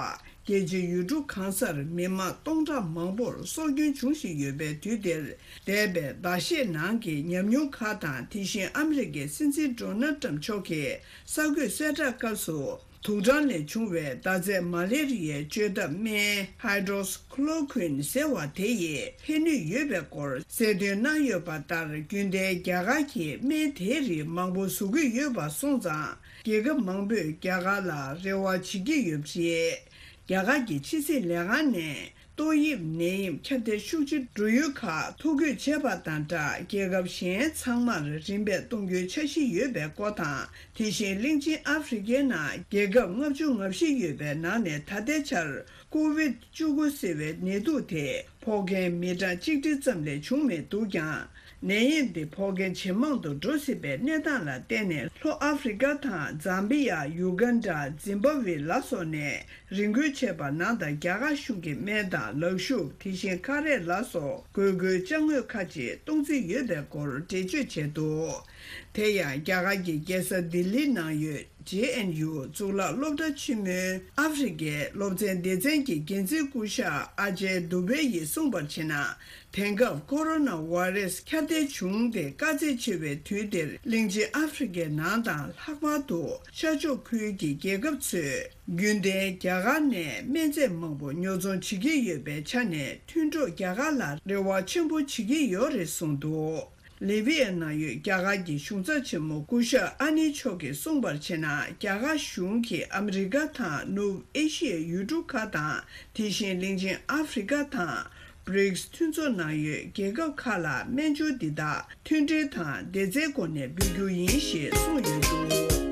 རྒྱལ་སྤྱིའི་ཡུལ་གྲུ་གང་སར་མི་མང་སྟོང་ཕྲག་མང་པོར་སྲོག་སྐྱོན་བྱུང་བཞིན་ཡོད་པའི་དུས་འདིར། འདས་པའི་ཟླ་ཤས་ནང་གི་ཉམས་མྱོང་ཁག་དང་། དེ་བཞིན་ཨ་མི་རི་ཀའི་སྲིད་འཛིན་ཌོ་ནལ་ཏྲམ་མཆོག་གིས་གསར་འགོད་གསལ་བསྒྲགས་སྐབས་སུ། དུག་སྦྲང་ལས་བྱུང་བའི་འདར་ཚད་མ་ལེ་རི་ཡའི་བཅོས་ཐབས་སྨན་ཧའི་ཌོ་སི་ཁི་ལོ་ཀུན་ཟེར་བ་དེ་ཡིས་ཕན་ནུས་ཡོད་པའི་སྐོར་གསལ་སྟོན་གནང་ཡོད་པ་ལྟར། རྒྱུན་ལྡན་རྒྱ་གར་གྱིས་སྨན་དེའི་རིགས་མང་པོ་བཟོ་གི་ཡོད་པ་སོང་ཙང་། རྒྱལ་ཁབ་མང་པོས་རྒྱ་གར་ལ་རེ་བ་བྱེད་ཀྱི་ཡོད་པ་རེད། རྒྱ་གར་གྱི་ཕྱི་སྲིད་ལས་ཁང་ནས་ཏོག་དབྱིབས་ནད་ཡམས་ཁྱབ་གདལ་ཤུགས་ཆེ་འགྲོ་ཡུལ་ཁག་ཐོ་འགོད་བྱས་པ་དང་སྦྲགས། རྒྱལ་ཁབ་གཞན་ཚང་མར་རིམ་པས་གཏོང་རྒྱུའི་འཆར་གཞི་ཡོད་པའི་སྐོར་དང་། དེ་བཞིན་གླིང་ཆེན་ཨ་ཧྥེ་རི་ཁའི་ནང་རྒྱལ་ཁབ་ལྔ་བཅུ་ང་བཞི་ཡོད་པའི་ནང་ནས་ད་ལྟའི་ཆར་ཀོ་བིད་བཅུ་དགུ་ཟེར་བའི་ནད་དུག་དེ་ཕོག་མཁན་མི་གྲངས་གཅིག་ཁྲི་ཙམ་ལས་བྱུང་མི་འདུག་ཀྱང་། ནད་ཡམས་འདི་ཕོག་མཁན་ཇེ་མང་དུ་འགྲོ་སྲིད་པའི་གནས་སྟངས་ལ་བརྟེན་ནས། ལྷོ་ཨ་ཧྥེ་རི་ཁ་དང་ཛམ་བི་ཡ། ཡུ་གན་ཌ། ཛིམ་བྷ་ཝེ་ལ་སོགས་ནས་རེ་སྐུལ་བྱས་པ་ནང་ལྟར། རྒྱ་གར་གཞུང་གིས་སྨན་དང་ལག་ཤུབས། དེ་བཞིན་ཁ་རས་ལ་སོགས་དགོས་མཁོའི་ཅ་དངོས་ཁག་ཅིག་གཏོང་རྩིས་ཡོད་པའི་སྐོར་འགྲེལ་བརྗོད་བྱས་འདུག་དེ་ཡང་རྒྱ་གར་གྱི་རྒྱལ་ས་ལྡི་ལིའི་ནང་ཡོད་ ཇེ་ཨེན་ཡུ་གཙུག་ལག་སློབ་གྲྭ་ཆེན་མོའི་ཨ་ཧྥེ་རི་ཁའི་སློབ་ཚན་སྡེ་ཚན་གྱི་འགན་འཛིན་སྐུ་ཞབས་ཨ་ཇེ་དུ་བེ་ཡིས་གསུངས་པར་བྱས་ན། དེང་སྐབས་ཀོ་རོ་ན་བྷ་རེ་སི་ཁྱབ་གདལ་བྱུང་སྟེ་དཀའ་ཚེགས་ཆེ་བའི་དུས་འདིར། གླིང་ཆེན་ཨ་ཧྥེ་རི་ཁའི་ནང་དང་ལྷག་པར་དུ་ཤར་ཕྱོགས་ཁུལ་གྱི་རྒྱལ་ཁབ་ཚོས་རྒྱུན་ལྡན་རྒྱ་གར་ནས་སྨན་རྫས་མང་པོ་ཉོ་ཚོང་བྱེད་ཀྱི་ཡོད་པའི་ཆ་ནས། མཐུན་གྲོགས་རྒྱ་གར་ལ་རེ་བ་ཆེན་པོ་བྱེད་ཀྱི་ཡོད་རེད་གསུངས་འདུག་ལི་བི་ཡའི་ནང་ཡོད་རྒྱ་གར་གྱི་གཞུང་ཚབ་ཆེན་མོ་སྐུ་ཞབས་ཨ་ནི་མཆོག་གིས་གསུངས་པར་བྱས་ན། རྒྱ་གར་གཞུང་གིས་ཨ་མི་རི་ཀ་དང་ནུབ་ཨེ་ཤི་ཡའི་ཡུལ་གྲུ་ཁག་དང་། དེ་བཞིན་གླིང་ཆེན་ཨ་ཧྥེ་རི་ཀ་དང་བྷི་རིགས་མཐུན་ཚོགས་ནང་ཡོད་རྒྱལ་ཁབ་ཁག་ལ་སྨན་སྦྱོར་འདི་དག་མཐུན་སྒྲིལ་དང་སྡེ་ཚན་སྒོ་ནས་འབུལ་རྒྱུ་ཡིན་ཞེས་གསུངས་ཡོད་འདུག་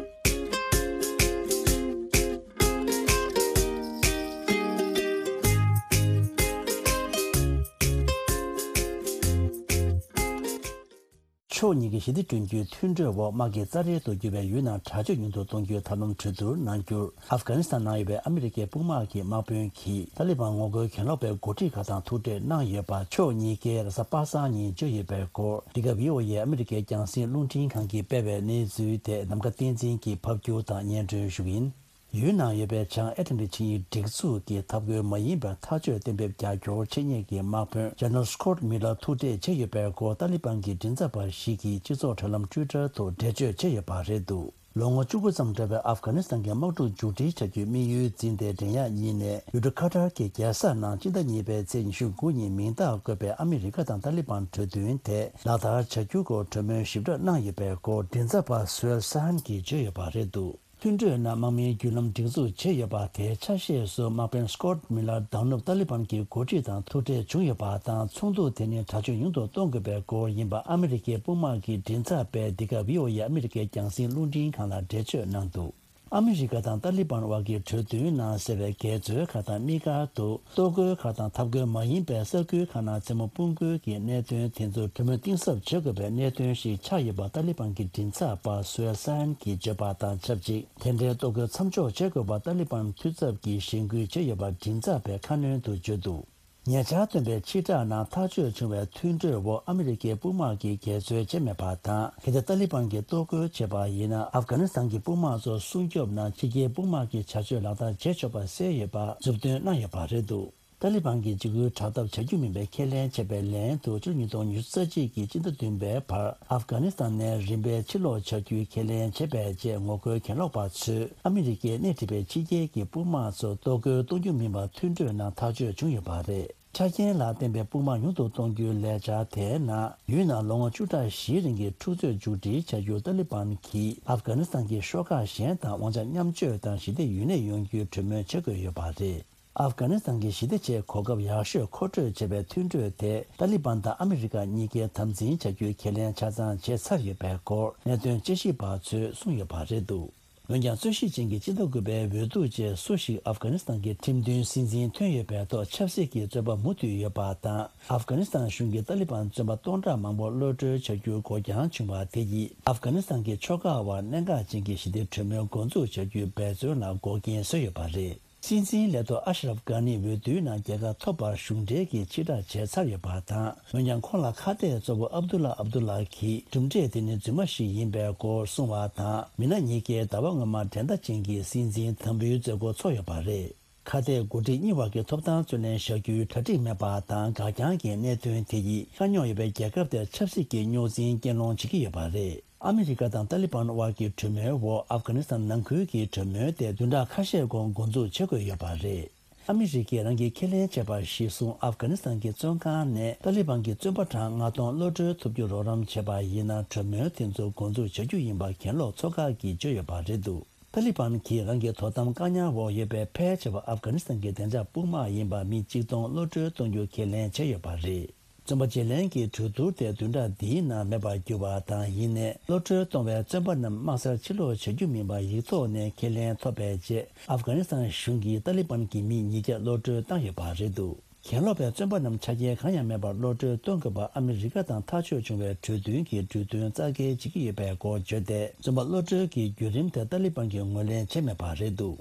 ཕྱོགས་གཉིས་ཀྱི་ཞི་བདེ་བསྐྲུན་རྒྱུའི་མཐུན་གྲོས་འོག་དམག་གི་རྩ་འགྲན་དུ་གྱུར་བའི་ཡུལ་ནང་དྲག་སྤྱོད་ཉུང་དུ་གཏོང་རྒྱུའི་ཐབས་ལམ་གྲོས་བསྡུར་གནང་རྒྱུར། ཨབ་གྷ་ནི་སི་ཐན་ནང་ཡོད་པའི་ཨ་མི་རི་ཀའི་དཔུང་དམག་གི་དམག་དཔོན་གྱིས་ཏཱ་ལི་བན་ངོ་རྒོལ་གྱེན་ལོག་པའི་འགོ་ཁྲིད་ཁག་དང་ཐུག་འཕྲད་གནང་ཡོད་པ། ཕྱོགས་གཉིས་ཀས་རེས་གཟའ་པ་སངས་ཉིན་བརྗོད་ཡོད་པའི་སྐོར། འདི་ག་ཝི་ཨོ་ཨེ་ཨ་མི་རི་ཀའི་རྒྱང་སྲིང་རླུང་འཕྲིན་ཁང་གིས་སྤེལ་བའི་གནས་ཚུལ་དེ་ནམ་མཁའ་བསྟན་འཛིན་གྱིས་ཕབ་སྒྱུར་དང་སྙན་སྒྲོན་ཞུ་གི་ཡིན། ཡུལ་ནང་ཡོད་པའི་བྱང་ཨེ་ཊ་ལན་ཊིག་ཆིངས་ཡིག་སྒྲིག་འཛུགས་ཀྱི་ཐབས་བཀོད་མ་ཡིན་པར་ཐག་གཅོད་གཏན་འབེབས་རྒྱབ་སྐྱོར་བྱེད་མཁན་གྱི་དམག་དཔོན་ཇེ་ནེ་རལ་སི་ཀོ་ཊི་མི་ལར་ཐུག་འཕྲད་བྱས་ཡོད་པའི་སྐོར། ཏཱ་ལི་བན་གྱི་མགྲིན་ཚབ་པ་ཞིག་གིས་སྤྱི་ཚོགས་དྲ་ལམ་ཊུའི་ཊར་ཐོག་འགྲེལ་བརྗོད་བྱས་ཡོད་པ་རེད་འདུག་ལོ་ངོ་བཅུ་དགུ་ཙམ་འགྲོ་བའི་ཨབ་གྷ་ནི་སི་ཐན་གྱི་དམག་འཁྲུག་མཇུག་སྒྲིལ་བྱ་རྒྱུའི་དམིགས་ཡུལ་འཛིན་ཏེ། འགྲན་ཡག་གཉིས་ནས་ཡུལ་གྲུ་ཁ་ཏར་གྱི་རྒྱལ་ས་ནང་སྤྱི་ཟླ་གཉིས་པའི་ཚེས་ཉི་ཤུ་དགུ་ཉིན་མིང་རྟགས་བཀོད་པའི་ཨ་མི་རི་ཀ་དང་ཏཱ་ལི་བན་གྲོས་མཐུན་དེ་ལག་བསྟར་བྱ་རྒྱུའི་སྐོར་གྲོས་མོལ་ཞིབ་ཕྲ་གནང་ཡོད་པའི་སྐོར་མགྲིན་ཚབ་པ་སུའེལ་སན་གྱིས་བརྗོད་ཡོད་པ་རེད་འདུག་མཐུན་གྲོས་ནང་དམག་མིའི་བརྒྱུད་ལམ་སྒྲིག་འཛུགས་བྱས་ཡོད་པ་དེའི་ཆ་ཤས་སུ། དམག་དཔོན་སི་ཀོ་ཊི་མི་ལར་མདང་ནུབ་ཏཱ་ལི་བན་གྱི་འགོ་ཁྲིད་དང་ཐུག་འཕྲད་བྱུང་ཡོད་པ་དང་། ཚོགས་འདུ་དེ་ནི་དྲག་སྤྱོད་ཉུང་དུ་གཏོང་དགོས་པའི་སྐོར་ཡིན་པ་ཨ་མི་རི་ཀའི་དཔུང་དམག་གི་མགྲིན་ཚབ་པས་འདི་ག་ཝི་ཨོ་ཨེ་ཨ་མི་རི་ཀའི་རྒྱང་སྲིང་རླུང་འཕྲིན་ཁང་ལ་འགྲེལ་བརྗོད་གནང་འདུག་ཨ་མི་རི་ཀ་དང་ཏཱ་ལི་བན་དབར་གྱི་གྲོས་མཐུན་ནང་གསལ་བའི་འགལ་འཛོལ་ཁག་དང་། དམིགས་བཀར་དུ་གཏོར་རྒོལ་ཁག་དང་། འཐབ་རྒོལ་མ་ཡིན་པའི་ས་ཁུལ་ཁག་ནང་མཚན་མོ་དཔུང་རྒོལ་གྱི་གནད་དོན་དེ་ཚོར་གྲོས་མོལ་གཏིང་ཟབ་བྱེད་དགོས་པའི་གནད་དོན་ཞིག་ཆགས་ཡོད་པ་ཏཱ་ལི་བན་གྱི་མགྲིན་ཚབ་པ་སུའེལ་སན་གྱིས་བརྗོད་པ་དང་ཆབས་ཅིག་དེ་འདྲའི་གཏོར་རྒོལ་མཚམས་འཇོག་བྱེད་དགོས་པ་ཏཱ་ལི་བན་འཐུས་ཚབ་ཀྱིས་གཞེན་སྐུལ་བྱས་ཡོད་པ་མགྲིན་ཚབ་པས་ཁ་སྣོན་དུ་བརྗོད་འདུག་ཉེ་ཆར་བཏོན་པའི་ཕྱིར་བསྒྲགས་ནང་ཐག་གཅོད་བྱུང་བའི་མཐུན་གྲོས་འོག་ཨ་མི་རི་ཀའི་དཔུང་དམག་གིས་འགལ་འཛོལ་བྱས་མེད་པ་དང་། གལ་ཏེ་ཏཱ་ལི་བན་གྱིས་གཏོར་རྒོལ་བྱས་པ་ཡིན་ན། ཨབ་གྷ་ནི་སི་ཐན་གྱི་དཔུང་དམག་ཚོ་སྲུང་སྐྱོབ་ནང་ཕྱི་རྒྱལ་དཔུང་དམག་གི་བྱ་སྤྱོད་ལག་བསྟར་བྱེད་ཆོག་པ་གསལ་ཡོད་པ་མཛུབ་སྟོན་གནང་ཡོད་པ་རེད་འདུག་ཏཱ་ལི་བན་གྱིས་འཇིགས་སྐུལ་དྲག་འཐབ་བྱ་རྒྱུ་མིན་པའི་ཁས་ལེན་བྱས་པའི་ལན་དུ། ཕྱི་ལོ་ཉིས་སྟོང་ཉི་ཤུ་རྩ་གཅིག་གི་སྤྱི་ཟླ་བདུན་པའི་བར་ཨབ་གྷ་ནི་སི་ཐན་ནས་རིམ་པས་ཕྱིར་ལོག་བྱ་རྒྱུའི་ཁས་ལེན་བྱས་པའི་རྗེས། ངོ་རྒོལ་གྱེན་ལོག་པ་ཚོས་ཨ་མི་རི་ཀས་སྣེ་ཁྲིད་པའི་ཕྱི་རྒྱལ་གྱི་དཔུང་དམག་ཚོ་གཏོར་རྒོལ་གཏོང་རྒྱུ་མིན་པར་མཐུན་གྲོས་ནང་ཐག་གཅོད་བྱུང་ཡོད་པ་རེད། ཆ་རྐྱེན་ལ་བརྟེན་པའི་དཔུང་དམག་ཉུང་དུ་གཏོང་རྒྱུའི་ལས་འཆར་དེའི་ནང་། ཡུལ་ནང་ལོ་ངོ་བཅུ་ཕྲག་བཞིའི་རིང་གི་འཁྲུག་རྩོད་མཇུག་སྒྲིལ་བྱ་རྒྱུར་ཏཱ་ལི་བན་གྱིས་ཨབ་གྷ་ནི་སི་ཐན་གྱི་ཤོག་ཁག་གཞན་དང་དབང་ཆ་མཉམ་སྤྱོད་དང་ཞི་བདེ་ཡུན་གནས་ཡོང་རྒྱུའི་གྲོས་མོལ་བྱེད་དགོས་ཡོད་པ་རེད། ཨབ་གྷ་ནི་སི་ཐན་གྱི་ཞི་བདེ་ཆེད་གོ་སྐབས་ཡག་ཤོས་མཁོ་སྤྲོད་བྱས་པའི་མཐུན་གྲོས་དེ། ཏཱ་ལི་བན་དང་ཨ་མི་རི་ཀ་གཉིས་ཀས་དམ་འཛིན་བྱ་རྒྱུའི་ཁས་ལེན་ཆ་ཚང་བྱས་ཚར་ཡོད་པའི་སྐོར་གནད་དོན་དཔྱད་ཞིབ་པ་ཚོས་གསུངས་ཡོད་པ་རེད་འདུག་འོན་ཀྱང་། རྩོད་གཞི་ཅན་གྱི་སྤྱི་ཟླ་དགུ་པའི་འོས་བསྡུ་རྗེས། སུ་ཞིག་ཨབ་གྷ་ནི་སི་ཐན་གྱི་ཁྲིམས་མཐུན་སྲིད་འཛིན་ཐོན་ཡོད་པའི་ཐོག་ཆབ་སྲིད་ཀྱི་བཙོན་པ་མུ་མཐུད་ཡོད་པ་དང་། ཨབ་གྷ་ནི་སི་ཐན་གཞུང་གིས་ཏཱ་ལི་བན་བཙོན་པ་སྟོང་ཕྲག་མང་པོ་གློད་གྲོལ་བྱ་རྒྱུར་འགོར་འགྱངས་བྱུང་བ་དེ་ཡིས། ཨབ་གྷ་ནི་སི་ཐན་གྱི་ཕྱོགས་ཁག་དབར་གནད་འགག་ཅན་གྱི་ཞི་བདེ་གྲོས་མོལ་འགོ་འཛུགས་བྱ་རྒྱུའི་འབད་བརྩོན་ལ་འགོག་རྐྱེན་བཟོས་ཡོད་པ་རེད། སྲིད་འཛིན་ལས་ཐོག་ཨ་ཤ་རབ་གྷ་ནི་འོས་བསྡུའི་ནང་རྒྱལ་ཁ་ཐོབ་པར་གཞུང་འབྲེལ་གྱིས་ཕྱིར་བསྒྲགས་བྱས་ཚར་ཡོད་པ་དང་། འོན་ཀྱང་། ཁོང་ལ་ཁ་གཏད་གཙོ་བོ་ཨབ་དུ་ལ་ཨབ་དུ་ལ་གྱིས་གྲུབ་འབྲས་དེ་ནི་རྫུན་མ་ཞིག་ཡིན་པའི་སྐོར་གསུངས་པ་དང་། མི་སྣ་གཉིས་ཀས་ཟླ་བ་སྔོན་མ་འགྲན་ཟླ་ཅན་གྱི་སྲིད་འཛིན་དང་པོའི་མཛད་སྒོ་ཚོགས་ཡོད་པ་རེད། ཁ་གཏད་འགོ་ཁྲིད་གཉིས་བར་གྱི་ཐོབ་ཐང་རྩོད་ལེན་བྱ་རྒྱུའི་གྲ་སྒྲིག་མེད་པ་དང་། འགག་རྐྱང་གི་གནད་དོན་དེ་ཡིས་དཀའ་རྙོག་ཡོད་པའི་རྒྱལ་ཁབ་དེར་ཆབ་སྲིད་ཀྱི་རྙོག་འཛིང་རྐྱེན་སློང་བྱེད་ཀྱི་ཡོད་པ་རེད། ཨ་མི་རི་ཀ་དང་ཏཱ་ལི་བན་དབར་གྱི་གྲོས་མོལ་འོག་ཨབ་གྷ་ནི་སི་ཐན་ནང་ཁུལ་གྱི་གྲོས་མོལ་དེ་བདུན་ཕྲག་ཁ་ཤས་གོང་འགོ་འཛུགས་བྱེད་དགོས་ཡོད་པ་རེད། ཨ་མི་རི་ཀས་རང་གིས་ཁས་ལེན་བྱས་པ་གཞིར་བཟུང་། ཨབ་གྷ་ནི་སི་ཐན་གྱི་བཙོན་ཁང་ནས་ཏཱ་ལི་བན་གྱི་བཙོན་པ་གྲངས་ལྔ་སྟོང་གློད་གྲོལ་ཐུབ་རྒྱུར་རོགས་རམ་བྱས་པ་ཡིན་ན། གྲོས་མོལ་དེ་ཚོ་འགོ་འཛུགས་བྱ་རྒྱུ་ཡིན་པ་གྱེན་ལོག་ཚོགས་ཁག་གིས་བརྗོད་ཡོད་པ་རེད་འདུག་ཏཱ་ལི་བན་གྱིས་རང་གི་དོ་དམ་བཀག་ཉར་འོག་ཡོད་པའི་ཕལ་ཆེ་བ་ཨབ་གྷ་ནི་སི་ཐན་གྱི་བདེ་འཇགས་དཔུང་དམག་ཡིན་པ་མི་གཅིག་སྟོང་གློད་གྲོལ་གཏོང་རྒྱུ་ཁས་ལེན་བྱས་ཡོད་པ་རེད། བཙོན་པ་བརྗེ་ལེན་གྱི་གྲོས་བསྡུར་དེ་བདུན་ཕྲག་འདིའི་ནང་མེད་པར་གྱུར་བ་དང་། ཡིན་ནའི། གློད་གྲོལ་གཏོང་བའི་བཙོན་པ་རྣམས་དམག་སར་ཕྱིར་ལོག་བྱ་རྒྱུ་མིན་པར་ཡིག་ཐོག་ནས་ཁས་ལེན་ཐོབ་པའི་རྗེས། ཨབ་གྷ་ནི་སི་ཐན་གཞུང་གིས་ཏཱ་ལི་བན་གྱི་མི་ཉིས་བརྒྱ་གློད་གྲོལ་བཏང་ཡོད་པ་རེད་འདུག་གྱེན་ལོག་པའི་བཙོན་པ་རྣམས་ཆ་རྐྱེན་གང་ཡང་མེད་པར་གློད་གྲོལ་གཏོང་དགོས་པར་ཨ་མི་རི་ཀ་དང་ཐག་གཅོད་བྱུང་བའི་གྲོས་མཐུན་གྱི་གྲོས་མཐུན་རྩ་འགེལ་བྱེད་ཀྱི་ཡོད་པའི་སྐོར་བརྗོད་དེ། བཙོན་པ་གློད་གྲོལ་གྱི་བརྒྱུད་རིམ་དེ་ཏཱ་ལི་བན་གྱིས་ངོས་ལེན་བྱས་མེད་པ་རེད་འདུག་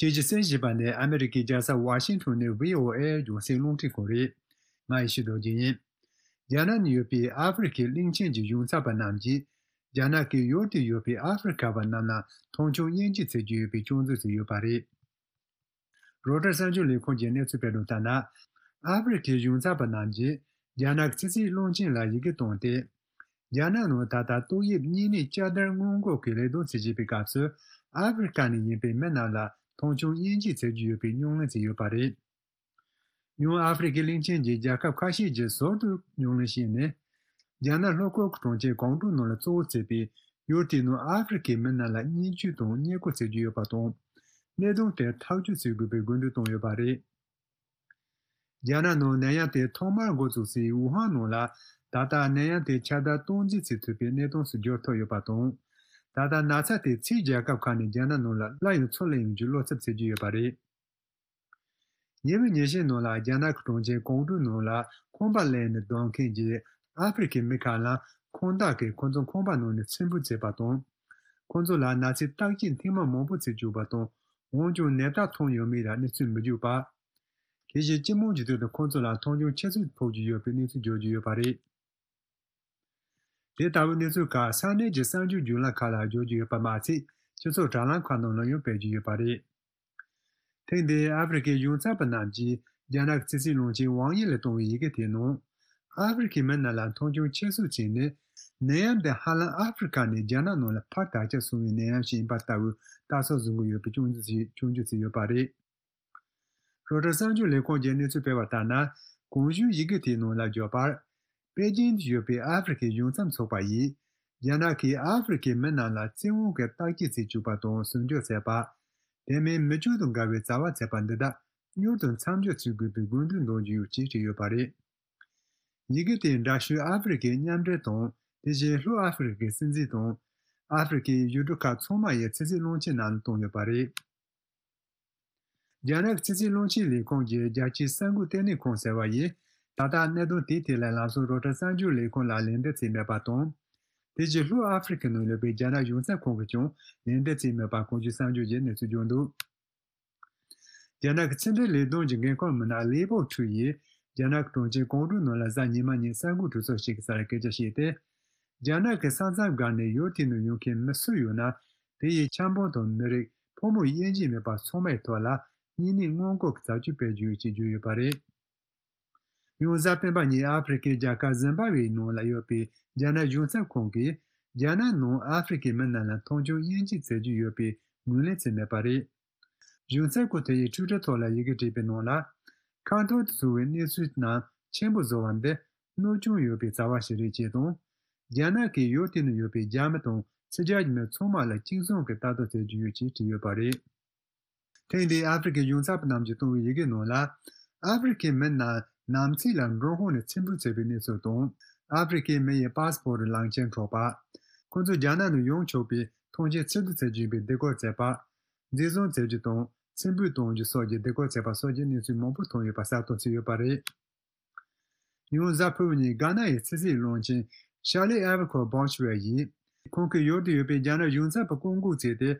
ཁྱེད་ཀྱིས་གསན་བཞིན་པ་ནི་ཨ་མི་རི་ཀའི་རྒྱལ་ས་ཝ་ཤིང་ཊོན་ནས་བྷི་ཨོ་ཨེ་རྒྱང་སྲིང་རླུང་འཕྲིན་ཁང་རེད། ང་ཡེ་ཤེས་རྡོ་རྗེ་ཡིན། རྒྱ་ནག་ནང་ཡོད་པའི་ཨ་ཧྥེ་རི་ཁའི་གླིང་ཆེན་གྱི་གཞུང་ཚབ་པ་རྣམས་ཀྱིས། རྒྱ་ནག་གིས་ཡུལ་དེར་ཡོད་པའི་ཨ་ཧྥེ་རི་ཁ་བ་རྣམས་ལ་མཐོང་ཆུང་དབྱེ་འབྱེད་བྱེད་ཀྱི་ཡོད་པའི་སྐྱོན་འཛུགས་བྱས་ཡོད་པ་རེད། རོའི་ཊར་གསར་འགྱུར་ལས་ཁང་གིས་གནས་ཚུལ་སྤེལ་དོན་ལྟར་ན། ཨ་ཧྥེ་རི་ཁའི་གཞུང་ཚབ་པ་རྣམས་ཀྱིས་རྒྱ་ནག་གི་ཕྱི་སྲིད་བློན་ཆེན་ལ་ཡི་གེ་བཏང་སྟེ། རྒྱ་ནག་ནང་ད་ལྟ་ཏོག་དབྱིབས་གཉན་ནད་བསྐྱར་དར་སྔོན་འགོག་གི་ལས་དོན་བྱེད་བཞིན་པའི་སྐབས་སུ། ཨ་ཧྥེ་རི་ཁ་ནས་ཡིན་པའི་མི་རྣམས་ལ་མཐོང་ཆུང་དབྱེ་འབྱེད་བྱེད་ཀྱི་ཡོད་པའི་ཉམས་ལེན་བྱས་ཡོད་པ་རེད། ཡང་ཨ་ཧྥེ་རི་ཁའི་གླིང་ཆེན་གྱི་རྒྱལ་ཁབ་ཁ་ཤས་ཀྱིས་ཟུར་དུ་ཉམས་ལེན་བྱས་ནས། རྒྱ་ནག་ལྷོ་ཁུལ་གྱི་གྲོང་ཁྱེར་ཀོང་ཀྲོའུ་ནང་ལ་གཙོ་བོ་བྱས་པའི་ཡུལ་དེའི་ནང་ཨ་ཧྥེ་རི་ཁའི་མི་རྣམས་ལ་བརྙས་བཅོས་དང་བརྙས་བཀོལ་བྱེད་ཀྱི་ཡོད་པ་དང་། གནད་དོན་དེར་ཐག་གཅོད་བྱེད་དགོས་པའི་དགོས་འདུན་བཏོན་ཡོད་པ་རེད། རྒྱ་ནག་ནང་ནད་ཡམས་དེ་ཐོག་མར་འགོ་བཙུགས་སའི་ཝུ་ཧན་ནང་ལ། ད་ལྟ་ནད་ཡམས་དེ་ཁྱབ་གདལ་སྟངས་འཛིན་བྱེད་ཐུབ་པའི་གནས་སྟངས་སུ་འགྱུར་ཐུབ་ཡོད་པ་དང་། ད་ལྟ་ན་ཚ་དེ་ཕྱིའི་རྒྱལ་ཁབ་ཁག་ནས་རྒྱ་ནག་ནང་ལ་སླར་ཡང་ཚུར་སླེབས་ཡོང་རྒྱུའི་བློ་འཚབ་བྱེད་ཀྱི་ཡོད་པ་རེད། ཉེ་བའི་ཉིན་ཤས་ནང་ལ་རྒྱ་ནག་གི་གྲོང་ཁྱེར་ཀོང་ཀྲོའུ་ནང་ལ་ཁང་པ་གླས་ནས་སྡོད་མཁན་གྱི་ཨ་ཧྥེ་རི་ཁའི་མི་ཁག་ལ་ཁང་བདག་གིས་ཁོ་ཚོའི་ཁང་པ་ནང་ནས་ཚེ་འཕོས་བྱས་པ་དང་། ཁོ་ཚོ་ལ་ན་ཚའི་བརྟག་དཔྱད་ཐེངས་མ་མང་པོ་བྱེད་བཅུག་པ་དང་། འོན་ཀྱང་ནད་རྟགས་མཐོང་ཡོད་མེད་ལ་གནས་ཚུལ་མི་འཇོག་པ། དེ་བཞིན་སྤྱི་དམངས་ཀྱི་ཁྲོད་དུ་ཁོ་ཚོ་ལ་མཐོང་ཆུང་ཆེ་ཚུལ་ཕོག་གི་ཡོད་པའི་གནས་ཚུལ་བརྗོད་ཀྱི་ཡོད་པ་རེད། དེ་ལྟ་བུའི་གནས་ཚུལ་ཁག་ས་གནས་ཀྱི་གསར་འགྱུར་བརྒྱུད་ལམ་ཁག་ལ་བརྗོད་ཀྱི་ཡོད་པ་མ་ཚད། སྤྱི་ཚོགས་དྲ་ལམ་ཁག་ནང་ལ་ཡང་སྤེལ་གྱི་ཡོད་པ་རེད། ཐེངས་འདིའི་ཨ་ཧྥེ་རི་ཁའི་གཞུང་ཚབ་པ་རྣམས་ཀྱིས་རྒྱ་ནག་གི་ཕྱི་སྲིད་བློན་ཆེན་ཝང་དབྱི་ལ་བཏང་བའི་ཡི་གེ་དེའི་ནང་། ཨ་ཧྥེ་རི་ཁའི་མི་རྣམས་ལ་མཐོང་ཆུང་ཆེ་སུ་བྱས་ནས། ནད་ཡམས་འདི་ཧ་ལམ་ཨ་ཧྥེ་རི་ཁ་ནས་རྒྱ་ནག་ནང་ལ་ཕར་དར་ཁྱབ་སོང་བའི་ནད་ཡམས་ཤིག་ཡིན་པ་ལྟ་བུའི་ལྟ་ཚུལ་བཟུང་གི་ཡོད་པའི་སྐྱོན་བརྗོད་བྱས་སྐྱོན་བརྗོད་བྱས་ཡོད་པ་རེད། རོའི་ཊར་གསར་འགྱུར་ལས་ཁང་གིས་གནས་ཚུལ་སྤེལ་བ་ལྟར་ན། གོང་ཞུས་ཡི་གེ་དེའི་ནང་ལ་བརྗོད་པར། པེ་ཅིང་དུ་ཡོད་པའི་ཨ་ཧྥེ་རི་ཁའི་གཞུང་ཚབ་ཚོགས་པ་ཡིས། རྒྱ་ནག་གིས་ཨ་ཧྥེ་རི་ཁའི་མི་རྣམས་ལ་བཙན་དབང་གིས་བརྟག་དཔྱད་བྱེད་བཅུག་པ་དང་ཟུར་འཇོག་བྱས་པ། དེ་མིན་མི་སྤྱོད་དང་འགལ་བའི་བྱ་བ་བྱས་པ་འདི་དག་མྱུར་དུ་མཚམས་འཇོག་བྱེད་དགོས་པའི་དགོས་འདུན་འདོན་གྱི་ཡོད་ཅེས་བྲིས་ཡོད་པ་རེད། ཡི་གེ་དེའི་འདྲ་བཤུས་ཨ་ཧྥེ་རི་ཁའི་མཉམ་འབྲེལ་དང་། དེ་བཞིན་ལྷོ་ཨ་ཧྥེ་རི་ཁའི་སྲིད་འཛིན་དང་། ཨ་ཧྥེ་རི་ཁའི་ཡུལ་གྲུ་ཁག་ཚང་མ་ཡི་ཕྱི་སྲིད་བློན་ཆེན་རྣམས་ལ་བཏང་ཡོད་པ་རེད། རྒྱ་ནག་ཕྱི་སྲིད་བློན་ཆེན་ལས་ཁུངས་ཀྱི་རྒྱལ་སྤྱིའི་གསར་འགོད་ལྟེ་གནས་ཁང་ཟེར་བ་ཡིས། ད་ལྟ་གནད་དོན་དེའི་ཐད་ལ་ལམ་སང་རོའི་ཊར་གསར་འགྱུར་ལས་ཁང་ལ་ལན་འདེབས་བྱས་མེད་པ་དང་། དེ་བཞིན་ལྷོ་ཨ་ཧྥེ་རི་ཁའི་ནང་ཡོད་པའི་རྒྱ་ནག་གཞུང་ཚབ་ཁང་གིས་ཀྱང་ལན་འདེབས་བྱས་མེད་པ་གོང་ཞུས་གསར་འགྱུར་གྱིས་གནས་ཚུལ་བརྗོད་འདུག་རྒྱ་ནག་གི་ཕྱི་འབྲེལ་ལས་དོན་གྱི་འགན་ཁུར་མི་སྣ་ལི་པོ་ཁྲུའུ་ཡིས། རྒྱ་ནག་གི་གྲོང་ཁྱེར་ཀོང་ཀྲོའུ་ནང་ལ་གཟའ་ཉི་མ་ཉིན་གསར་འགོད་གྲོས་ཚོགས་ཤིག་གི་སར་སྐད་ཆ་བཤད་དེ། རྒྱ་ནག་གི་ས་མཚམས་བརྒལ་ནས་ཡུལ་དེའི་ནང་ཡོང་མཁན་མི་སུ་ཡོད་ན། དེ་ཡི་ཆབ་འབངས་དང་མི་རིགས་ཕོ་མོ་དབྱེ་འབྱེད་མེད་པར་ཚང་མའི་ཐོག་ལ་གཉན་ནད་སྔོན་འགོག་གི་བྱ་སྤྱོད་སྤེལ་རྒྱུ་ཡོད་ཅེས་བརྗོད་ཡོད་པ་རེད། ཡང་གཟའ་སྤེན་པ་ཉིན་ཨ་ཧྥེ་རི་ཁའི་རྒྱལ་ཁབ་ཟིམ་བྷ་ཝེའི་ནང་ལ་ཡོད་པའི་རྒྱ་ནག་གཞུང་ཚབ་ཁང་གིས། རྒྱ་ནག་ནང་ཨ་ཧྥེ་རི་ཁའི་མི་རྣམས་ལ་མཐོང་ཆུང་དབྱེ་འབྱེད་བྱེད་རྒྱུ་ཡོད་པའི་ངོས་ལེན་བྱས་མེད་པ་རེད། གཞུང་ཚབ་ཁང་དེ་ཡིས་ཊུའི་ཊར་ཐོག་ལ་ཡི་གེ་བྲིས་པའི་ནང་ལ། ཁ་འཐོར་དུ་བྱུང་བའི་གནས་ཚུལ་རྣམས་ཆེན་པོ་བཟོ་བ་འདི་གནོད་སྐྱོན་ཡོད་པའི་བྱ་བ་ཞིག་རེད་ཅེས་དང་། རྒྱ་ནག་གིས་ཡུལ་དེའི་ནང་ཡོད་པའི་རྒྱ་མི་དང་ཕྱི་རྒྱལ་གྱི་མི་ཚང་མ་ལ་གཅིག་མཚུངས་ཀྱི་ལྟ་རྟོག་བྱེད་ཀྱི་ཡོད་ཅེས་བྲིས་ཡོད་པ་རེད། ཐེངས་འདིའི་ཨ་ཧྥེ་རི་ཁའི་གཞུང་ཚབ་རྣམས་ཀྱིས་བཏང་བའི་ཡི་གེ་ནང་ལ། ཨ་ཧྥེ་རི་ཁའི་མི་རྣམས་ནམ་ཚིགས་ལ་མགྲོན་ཁང་ནས་ཚེ་འཕོས་བྱས་པའི་གནས་ཚུལ་དང་། ཨ་ཧྥེ་རི་ཁའི་མི་ཡི་པ་སི་པོར་ཊི་ལག་འཁྱེར་འཕྲོག་པ། ཁོ་ཚོ་རྒྱ་ནག་ནང་ཡོང་ཆོག་པའི་ཐོངས་མཆན་ཕྱིར་བསྡུ་བྱེད་རྒྱུ་ཡིན་པའི་སྡིགས་སྐུལ་བྱས་པ། འཛིན་བཟུང་བྱེད་རྒྱུ་དང་། ཚེ་འཕོས་གཏོང་རྒྱུ་སོགས་ཀྱི་སྡིགས་སྐུལ་བྱས་པ་སོགས་ཀྱི་གནས་ཚུལ་མང་པོ་ཐོན་ཡོད་པ་གསལ་སྟོན་བྱས་ཡོད་པ་རེད། ཡང་གཟའ་ཕུར་བུ་ཉིན་གྷ་ན་ཡི་ཕྱི་སྲིད་བློན་ཆེན་ཤར་ལི་ཨེ་ཝར་ཁོ་བྷོ་ཆི་ཝེ་ཡིས། ཁོང་གིས་ཡུལ་དུ་ཡོད་པའི་རྒྱ་ནག་གཞུང་ཚབ་པ་བསྐོ་འགུག་བྱས་ཏེ།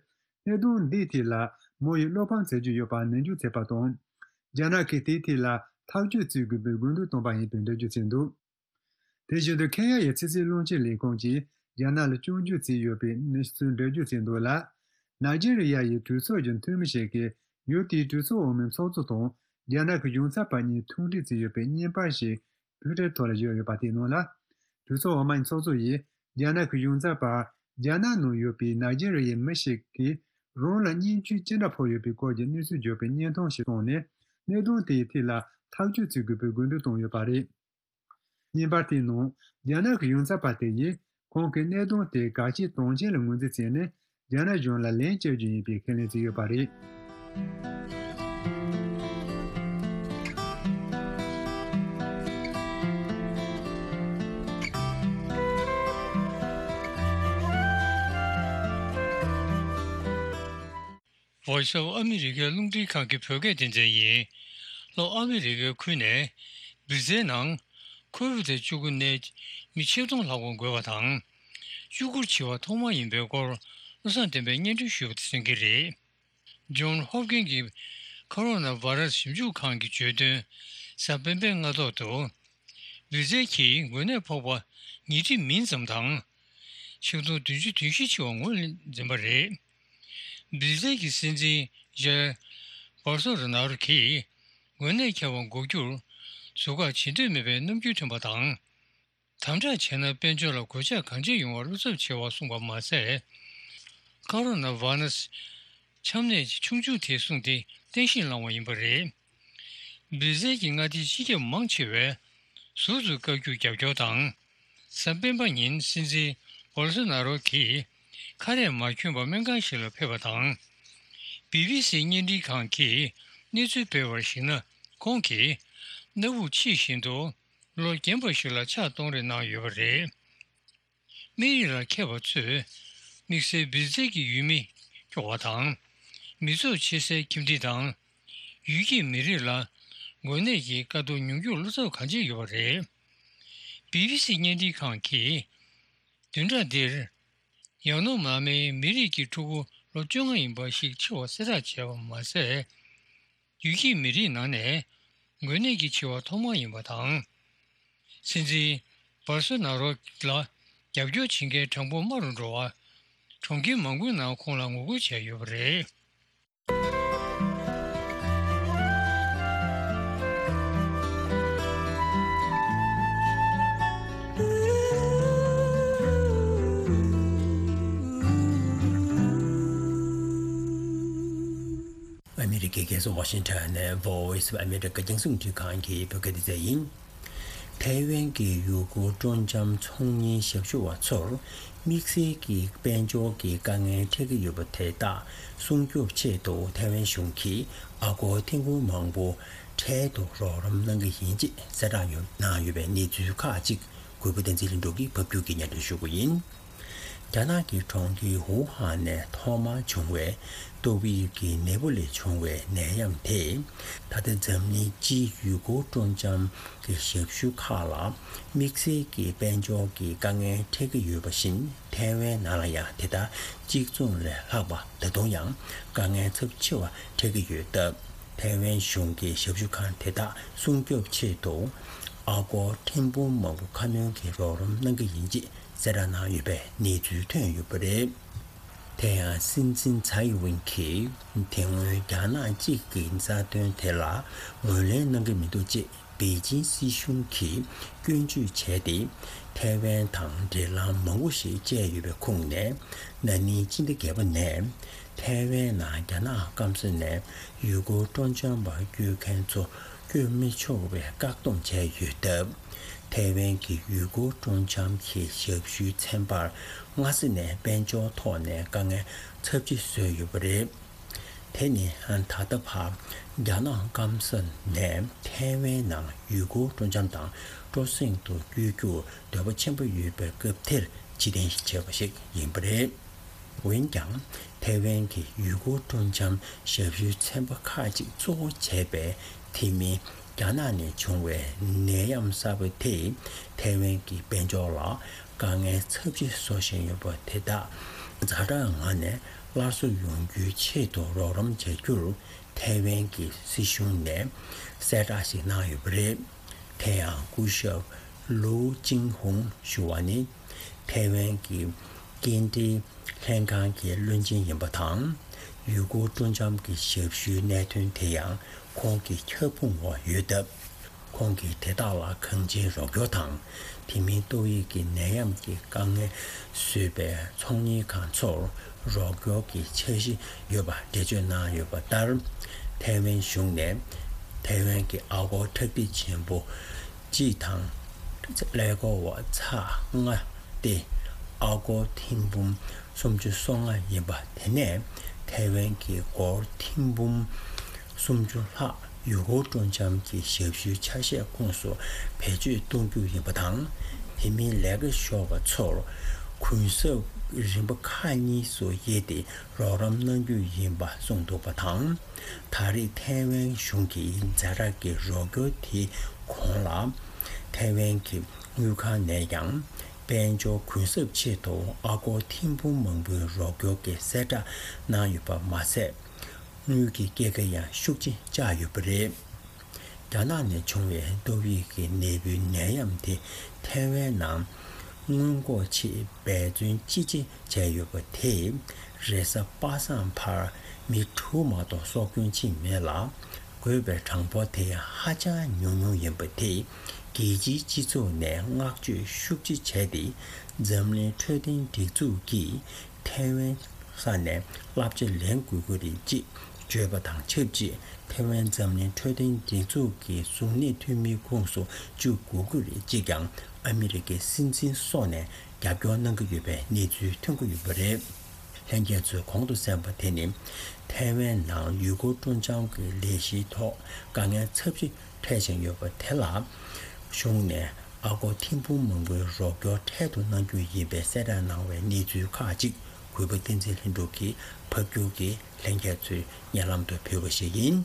གནད་དོན་འདིའི་ཐད་ལ་མོ་ཡིས་བློ་ཕམ་བྱེད་རྒྱུ་ཡོད་པ་ནན་བརྗོད་བྱས་པ་དང་། རྒྱ་ནག་གིས་དེའི་ཐད་ལ་ཐག་གཅོད་བྱེད་དགོས་པའི་དགོས་འདུན་བཏོན་པ་ཡིན་པའི་འགྲེལ་བརྗོད་བྱས་འདུག་དེ་བཞིན་དུ་ཁེན་ཡ་ཡི་ཕྱི་སྲིད་བློན་ཆེན་ལས་ཁུངས་ཀྱིས་རྒྱ་ནག་ལ་སྐྱོན་བརྗོད་བྱས་ཡོད་པའི་གནས་ཚུལ་འགྲེལ་བརྗོད་བྱས་འདུག་ལ། ནཱི་ཇེ་རི་ཡ་ཡི་གྲོས་ཚོགས་ཀྱི་འཐུས་མི་ཞིག་གིས་ཡུལ་དེའི་གྲོས་ཚོགས་འོག་མའི་ཚོགས་གཙོ་དང་རྒྱ་ནག་གི་གཞུང་ཚབ་པ་གཉིས་ཐུག་འཕྲད་བྱས་ཡོད་པའི་བརྙན་པར་ཞིག་ཊུའི་ཊར་ཐོག་ལ་བཞག་ཡོད་པ་དེའི་ནང་ལ། གྲོས་ཚོགས་འོག་མའི་ཚོགས་གཙོ་ཡིས་རྒྱ་ནག་གི་གཞུང་ཚབ་པར་རྒྱ་ནག་ནང་ཡོད་པའི་ནཱི་ཇེ་རི་ཡའི་མི་ཞིག་གིས་རང་ལ་བརྙས་བཅོས་ཅི་འདྲ་ཕོག་ཡོད་པའི་སྐོར་གྱི་གནས་ཚུལ་བརྗོད་པའི་བརྙན་ཐུང་ཞིག་བཏོན་ནས། གནད་དོན་དེའི་ཐད་ལ་ཐག་གཅོད་བྱེད་དགོས་པའི་དགོས་འདུན་བཏོན་ཡོད་པ་རེད། བརྙན་པར་དེའི་ནང་རྒྱ་ནག་གི་གཞུང་ཚབ་པ་དེ་ཡིས་ཁོང་གིས་གནད་དོན་དེ་གལ་ཆེའི་དོན་ཆེན་ལ་ངོས་འཛིན་བྱས་ནས་རྒྱ་ནག་གཞུང་ལ་ལན་བསྐྱལ་རྒྱུ་ཡིན་པའི་ཁས་ལེན་བྱས་ཡོད་པ་རེད། Voice of America རླུང་འཕྲིན་ཁང་གི་བོད་སྐད་སྡེ་ཚན་ཡིན། ལྷོ་ཨ་མི་རི་ཀའི་ཁུལ་ནས་བི་ཛའི་ནང་ཁོ་བིད་བཅུ་དགུ་ནད་མི་ཆིག་སྟོང་ལྷག་པ་འགོས་པ་དང་། བཅུ་དགུར་བྱེད་པ་ཐོག་མ་ཡིན་པའི་སྐོར་བློ་བཟང་བསྟན་པས་སྙན་སྒྲོན་ཞུས་པ་དེ་གསན་གྱི་རེད། ཇོན་ཧོབ་ཀིན་གྱི་ཁོ་རོ་ན་བྷ་ར་སི་ཞིབ་འཇུག་ཁང་གིས་བརྗོད་དོན། གཟའ་སྤེན་པའི་སྔ་ཐོག་ཏུ། བི་ཛེལ་གྱིས་འགོས་ནད་ཕོག་པ་ཉིས་ཁྲི་མིན་ཙམ་དང་། ཆིག་སྟོང་བདུན་ཅུ་དོན་བཞི་འཆི་བ་ངོས་ལ་འཛིན་པ་རེད། བི་ཛེལ་གྱི་སྲིད་འཛིན་ཇའེ་བོལ་སོ་ནཱ་རོ་གིས་འགོས་ནད་ཁྱབ་པ་འགོག་རྒྱུར་ཟུར་བཀག་བྱེད་འདོད་མེད་པའི་རྣམ་འགྱུར་བསྟན་པ་དང་། དམ་དྲག་བྱས་ན་དཔལ་འབྱོར་ལ་གོད་ཆག་གང་ཆེ་ཡོང་བར་བློ་འཚབ་ཆེ་བ་གསུངས་པ་མ་ཟད། ཁོ་རོ་ན་བྷ་ར་སི་ཆམ་ནད་ཆུང་ཆུང་དེ་གསུངས་ཏེ་བསྟན་བཤིག་བསླངས་པ་ཡིན་པ་རེད། བི་ཛེལ་གྱི་མངའ་སྡེའི་སྤྱི་ཁྱབ་མང་ཆེ་བས་ཟུར་དུ་བཀག་རྒྱུར་རྒྱབ་སྐྱོར་དང་། གཟའ་སྤེན་པ་ཉིན་སྲིད་འཛིན་བོལ་སོ་ནཱ་རོ་གིས་ཁ་རས་མ་གྱོན་པར་སྨན་ཁང་ཞིག་ལ་ཕེབས་པ་དང་། བི་བི་སི་བརྙན་འཕྲིན་ཁང་གིས་གནས་ཚུལ་སྤེལ་བར་གཞིགས་ན། ཁོང་གིས་སྣ་བུག་ཕྱི་བཞིན་དུ་ལོ་རྒན་པ་ཞིག་ལ་ཕྱག་གཏོང་རེས་གནང་ཡོད་པ་རེད། མི་རིགས་ལ་མཁས་པ་ཚོས་དམིགས་བསལ་བི་ཛེལ་གྱི་ཡུལ་མི་སྐྱོ་བ་དང་། མི་ཚོགས་ཆེ་སའི་ཁྱིམ་སྡེ་དང་། ཡུལ་སྐྱེས་མི་རིགས་ལ་འགོས་ནད་ཀྱི་དཀའ་སྡུག་མྱོང་རྒྱུར་བློ་འཚབ་གང་ཆེ་ཡོད་པ་རེད། བི་བི་སི་བརྙན་འཕྲིན་ཁང་གིས་བདུན་ཕྲག་འདིར་ཡང་ནོ་མ་མའི་མི་རིགས་ཀྱི་ཕྲུ་གུ་ལོ་བཅོ་ལྔ་ཡིན་པ་ཞིག་འཆི་བ་གསལ་བསྒྲགས་བྱས་པ་མ་ཟད། ཡུལ་སྐྱེས་མི་རིགས་ནང་ནས་འགོས་ནད་ཀྱིས་འཆི་བ་ཐོག་མ་ཡིན་པ་དང་། སྲིད་འཛིན་བྷོལ་སོ་ནཱ་རོ་ལ་རྒྱབ་སྐྱོར་བྱེད་མཁན་གྲངས་འབོར་དམའ་རུ་འགྲོ་བར། གྲོང་ཁྱེར་མང་པོའི་ནང་ཁོང་ལ་ངོ་རྒོལ་བྱས་ཡོད་པ་རེད། ཨ་མི་རི་ཀའི་རྒྱལ་ས་ཝ་ཤིང་ཊོན་ནས་Voice of America རྒྱང་སྲིང་རླུང་འཕྲིན་ཁང་གི་བོད་སྐད་སྡེ་ཚན་ཡིན། ཐའེ་ཝན་གྱི་ཡུལ་སྐོར་སྤྲོ་འཆམ་ཚོང་གཉེར་ཞབས་ཞུ་བ་ཚོར་དམིགས་བསལ་གྱི་དཔལ་འབྱོར་གྱི་དཀའ་ངལ་འཕྲད་ཀྱི་ཡོད་པ་དེ་དག་སྲུང་སྐྱོབ་ཆེད་དུ་ཐའེ་ཝན་གཞུང་གིས་ཨ་སྒོར་ཐེར་འབུམ་མང་པོ་འཕྲལ་དུ་རོགས་རམ་གནང་གི་ཡིན་ཅེས་གསལ་བསྒྲགས་ཡོད་གནང་ཡོད་པའི་གནས་ཚུལ་ཁག་ཅིག་གུས་པ་བསྟན་འཛིན་ལྷུན་གྲུབ་ཀྱིས་ཕབ་སྒྱུར་གྱིས་སྙན་སྒྲོན་ཞུ་གི་ཡིན། རྒྱ་ནག་གི་གྲོང་ཁྱེར་ཝུ་ཧན་ནས་ཐོག་མར་བྱུང་བའི་ཏོག་དབྱིབས་ཀྱི་ནད་འབུ་ལས་བྱུང་བའི་ནད་ཡམས་དེས། ད་ལྟ་འཛམ་གླིང་སྤྱིའི་ཡུལ་སྐོར་སྤྲོ་འཆམ་གྱི་ཞབས་ཞུ་ཁག་ལ་དམིགས་བསལ་གྱི་དཔལ་འབྱོར་གྱི་དཀའ་ངལ་འཕྲད་ཀྱི་ཡོད་པ་བཞིན། ཐའེ་ཝན་ནང་ལ་ཡང་དེ་ལྟར་གཅིག་མཚུངས་ལས་ལྷག་པ་ད་དུང་ཡང་དཀའ་ངལ་ཚབས་ཆེ་བ་འཕྲད་ཀྱི་ཡོད་སྟབས། ཐའེ་ཝན་གཞུང་གིས་ཞབས་ཞུ་ཁང་དེ་དག་སྲུང་སྐྱོབ་ཆེད་དུ་ཨ་སྒོར་ཐེར་འབུམ་མང་པོ་ཁ་སྣོན་གྱི་རོགས་རམ་གནང་གི་ཡིན་ཅེས་གསལ་བསྒྲགས་གནང་ཡོད་པའི་གནས་ཚུལ་ཐོན་ཡོད་པ་རེད། དེ་ཡང་སྲིད་འཛིན་ཚའེ་ཝེན་གྱིས་དེ་སྔོན་རྒྱ་ནག་གཅིག་གི་རྩ་དོན་དེ་ལ་ངོས་ལེན་གནང་གི་མི་འདུག་ཅེས་པེ་ཅིན་སྲིད་གཞུང་གིས་སྐྱོན་བརྗོད་བྱས་ཏེ། ཐའེ་ཝན་དང་འབྲེལ་ལམ་མང་པོ་ཞིག་བཅད་ཡོད་པའི་ཁོངས་ནས། ན་ནིང་སྤྱི་ཟླ་བརྒྱད་པ་ནས་ཐའེ་ཝན་ནང་རྒྱ་ནག་སྐམ་ས་ནས་ཡུལ་སྐོར་སྤྲོ་འཆམ་པར་བསྐྱོད་མཁན་ཚོ་བསྐྱོད་མི་ཆོག་པའི་བཀག་སྡོམ་བྱས་ཡོད་སྟབས། ཐའེ་ཝན་གྱི་ཡུལ་སྐོར་སྤྲོ་འཆམ་གྱི་ཞབས་ཞུའི་ཚན་པར་སྔ་ས་ནས་དཔལ་འབྱོར་ཐོག་ནས་དཀའ་ངལ་ཚབས་ཆེ་བཟོས་ཡོད་པ་རེད། དེ་ནི་ད་ལྟ་བར་རྒྱ་ནག་སྐམ་ས་ནས་ཐའེ་ཝན་ནང་ཡུལ་སྐོར་སྤྲོ་འཆམ་དང་སྤྲོ་གསེང་དུ་བསྐྱོད་རྒྱུར་འདོད་པ་ཆེན་པོ་ཡོད་པའི་སྐབས་དེར་ཕྱིར་འཐེན་བྱས་པ་ཞིག་ཡིན་པ་རེད། འོན་ཀྱང་། ཐའེ་ཝན་གྱི་ཡུལ་སྐོར་སྤྲོ་འཆམ་ཞབས་ཞུའི་ཚན་པ་ཁག་ཅིག་གཙོ་བོ་བྱས་པའི་དེ་མིན་རྒྱ་ནག་ནས་བྱུང་བའི་ནད་ཡམས་གསར་པ་དེས་ཐའེ་ཝན་གྱི་དཔལ་འབྱོར་ལ་དཀའ་ངལ་ཚབས་ཆེ་བཟོ་བཞིན་ཡོད་པ་དེ་དག་ཛ་དྲག་ངང་ནས་སླར་གསོ་ཡོང་རྒྱུའི་ཆེད་དུ་རོགས་རམ་བྱ་རྒྱུར་ཐའེ་ཝན་གྱི་སྲིད་གཞུང་ནས་གསལ་བསྒྲགས་ཤིག་གནང་ཡོད་པ་རེད། དེ་ཡང་སྐུ་ཞབས་ལུའུ་ཅིན་ཧུང་ཞུ་བ་ནི་ཐའེ་ཝན་གྱི་སྐྱེལ་འདྲེན་ལྷན་ཁང་གི་བློན་ཆེན་ཡིན་པ་དང་། ཡུལ་སྐོར་སྤྲོ་འཆམ་གྱི་ཞབས་ཞུའི་གནད་དོན་དེ་ཡང་ཁོང་གི་ཁྱབ་ཁོངས་འོག་ཡོད་སྟབས། ཁོང་གིས་དེ་དག་ལ་གང་ཅིའི་རོགས་སྐྱོར་དང་། དེ་མིན་ཏོག་དབྱིབས་ཀྱི་ནད་ཡམས་ཀྱི་དཀའ་ངལ་བཟོས་པའི་ཚོང་གཉེར་ཁང་ཚོར་རོགས་སྐྱོར་གྱི་འཆར་གཞི་ཡོད་པ་འགྲེལ་བརྗོད་གནང་ཡོད་པ་ལྟར། ཐའེ་ཝན་གཞུང་ནས་ཐའེ་ཝན་གྱི་ཨ་སྒོར་ཁྲག་ཁྲིག་ཆེན་པོ་གཅིག་དང་ཀླད་ཀོར་བ་ཚེག་ལྔ་སྟེ། ཨ་སྒོར་ཐེར་འབུམ་སུམ་ཅུ་སོ་ལྔ་ཡིན་པ་དེ་ནས་ཐའེ་ཝན་གྱི་སྒོར་ཐེར་འབུམ་སུམ་ཅུ་ལྷག་ཡུལ་སྐོར་སྤྲོ་འཆམ་གྱི་ཞབས་ཞུའི་ཆ་ཤས་ཁོངས་སུ་བེད་སྤྱོད་གཏོང་རྒྱུ་ཡིན་པ་དང་། དེ་མིན་ལས་ཀ་ཤོར་བ་ཚོར་གུན་གསབ་རིམ་པ་ཁག་གཉིས་སུ་དབྱེ་སྟེ་རོགས་རམ་གནང་རྒྱུ་ཡིན་པ་གསུངས་འདུག་པ་དང་། ད་རེས་ཐའེ་ཝན་གཞུང་གིས་ཛ་དྲག་གི་རོགས་སྐྱོར་དེའི་གོང་ལ། ཐའེ་ཝན་གྱི་དངུལ་ཁང་ནས་ཀྱང་དཔལ་འབྱོར་གུན་གསབ་ཆེད་དུ་ཨ་སྒོར་ཐེར་འབུམ་མང་པོའི་རོགས་སྐྱོར་གྱི་གསལ་བསྒྲགས་གནང་ཡོད་པ་མ་ཟད། དངུལ་གྱི་སྐྱེད་ཀ་ཡང་ཤུགས་ཆེ་བཅག་ཡོད་པ་རེད། རྒྱ་ནག་ནས་བྱུང་བའི་ཏོག་དབྱིབས་ཀྱི་ནད་འབུའི་ནད་ཡམས་དེ་ཐའེ་ཝན་ནང་སྔོན་འགོག་ཆེད་འབད་བརྩོན་ཅི་ཆེ་བྱས་ཡོད་པ་དེས་རེས་གཟའ་པ་སངས་བར་མི་དྲུག་མ་གཏོགས་སྲོག་སྐྱོན་ཕྱིན་མེད་ལ། འགོས་པའི་གྲངས་འབོར་དེ་ཧ་ཅང་ཉུང་ཉུང་ཡིན་པ་དེས་རྒྱལ་སྤྱིའི་སྤྱི་ཚོགས་ནས་བསྔགས་བརྗོད་ཤུགས་ཆེ་བྱས་ཏེ། འཛམ་གླིང་འཕྲོད་བསྟེན་སྒྲིག་འཛུགས་ཀྱིས་ཐའེ་ཝན་ས་ནས་བསླབ་བྱ་ལེན་དགོས་ཀྱི་རེད་ཅེས་བརྗོད་པ་དང་ཆབས་ཅིག་ཐའེ་ཝན་འཛམ་གླིང་འཕྲོད་བསྟེན་སྒྲིག་འཛུགས་ཀྱི་གཟུགས་གནས་འཐུས་མིའི་ཁོངས་སུ་བཅུག་དགོས་ཀྱི་རེད་ཅེས་ཀྱང་ཨ་མི་རི་ཀའི་སྲིད་འཛིན་སོགས་ནས་རྒྱབ་སྐྱོར་གནང་གི་ཡོད་པའི་གནས་ཚུལ་ཐོན་གྱི་ཡོད་པ་རེད། ལྷན་རྒྱས་ཚོས་གོང་དུ་གསན་པ་དེ་ནི་ཐའེ་ཝན་ནང་ཡུལ་སྐོར་སྤྲོ་འཆམ་གྱི་ལས་གཞིའི་ཐོག་དཀའ་ངལ་ཚབས་ཆེ་འཕྲད་བཞིན་ཡོད་པ་དེ་ལ་གཞུང་ནས་ཨ་སྒོར་ཐེར་འབུམ་མང་པོའི་རོགས་སྐྱོར་འཕྲལ་དུ་གནང་རྒྱུ་ཡིན་པའི་གསལ་བསྒྲགས་གནང་བའི་གནས་ཚུལ་ཁག་ཅིག་གུས་པ་བསྟན་འཛིན་ལྷུན་གྲུབ་ཀྱིས་ཕབ་སྒྱུར་གྱིས་ལྷན་རྒྱས་ཚོའི་སྙན་ལམ་དུ་ཕུལ་བ་ཞིག་ཡིན།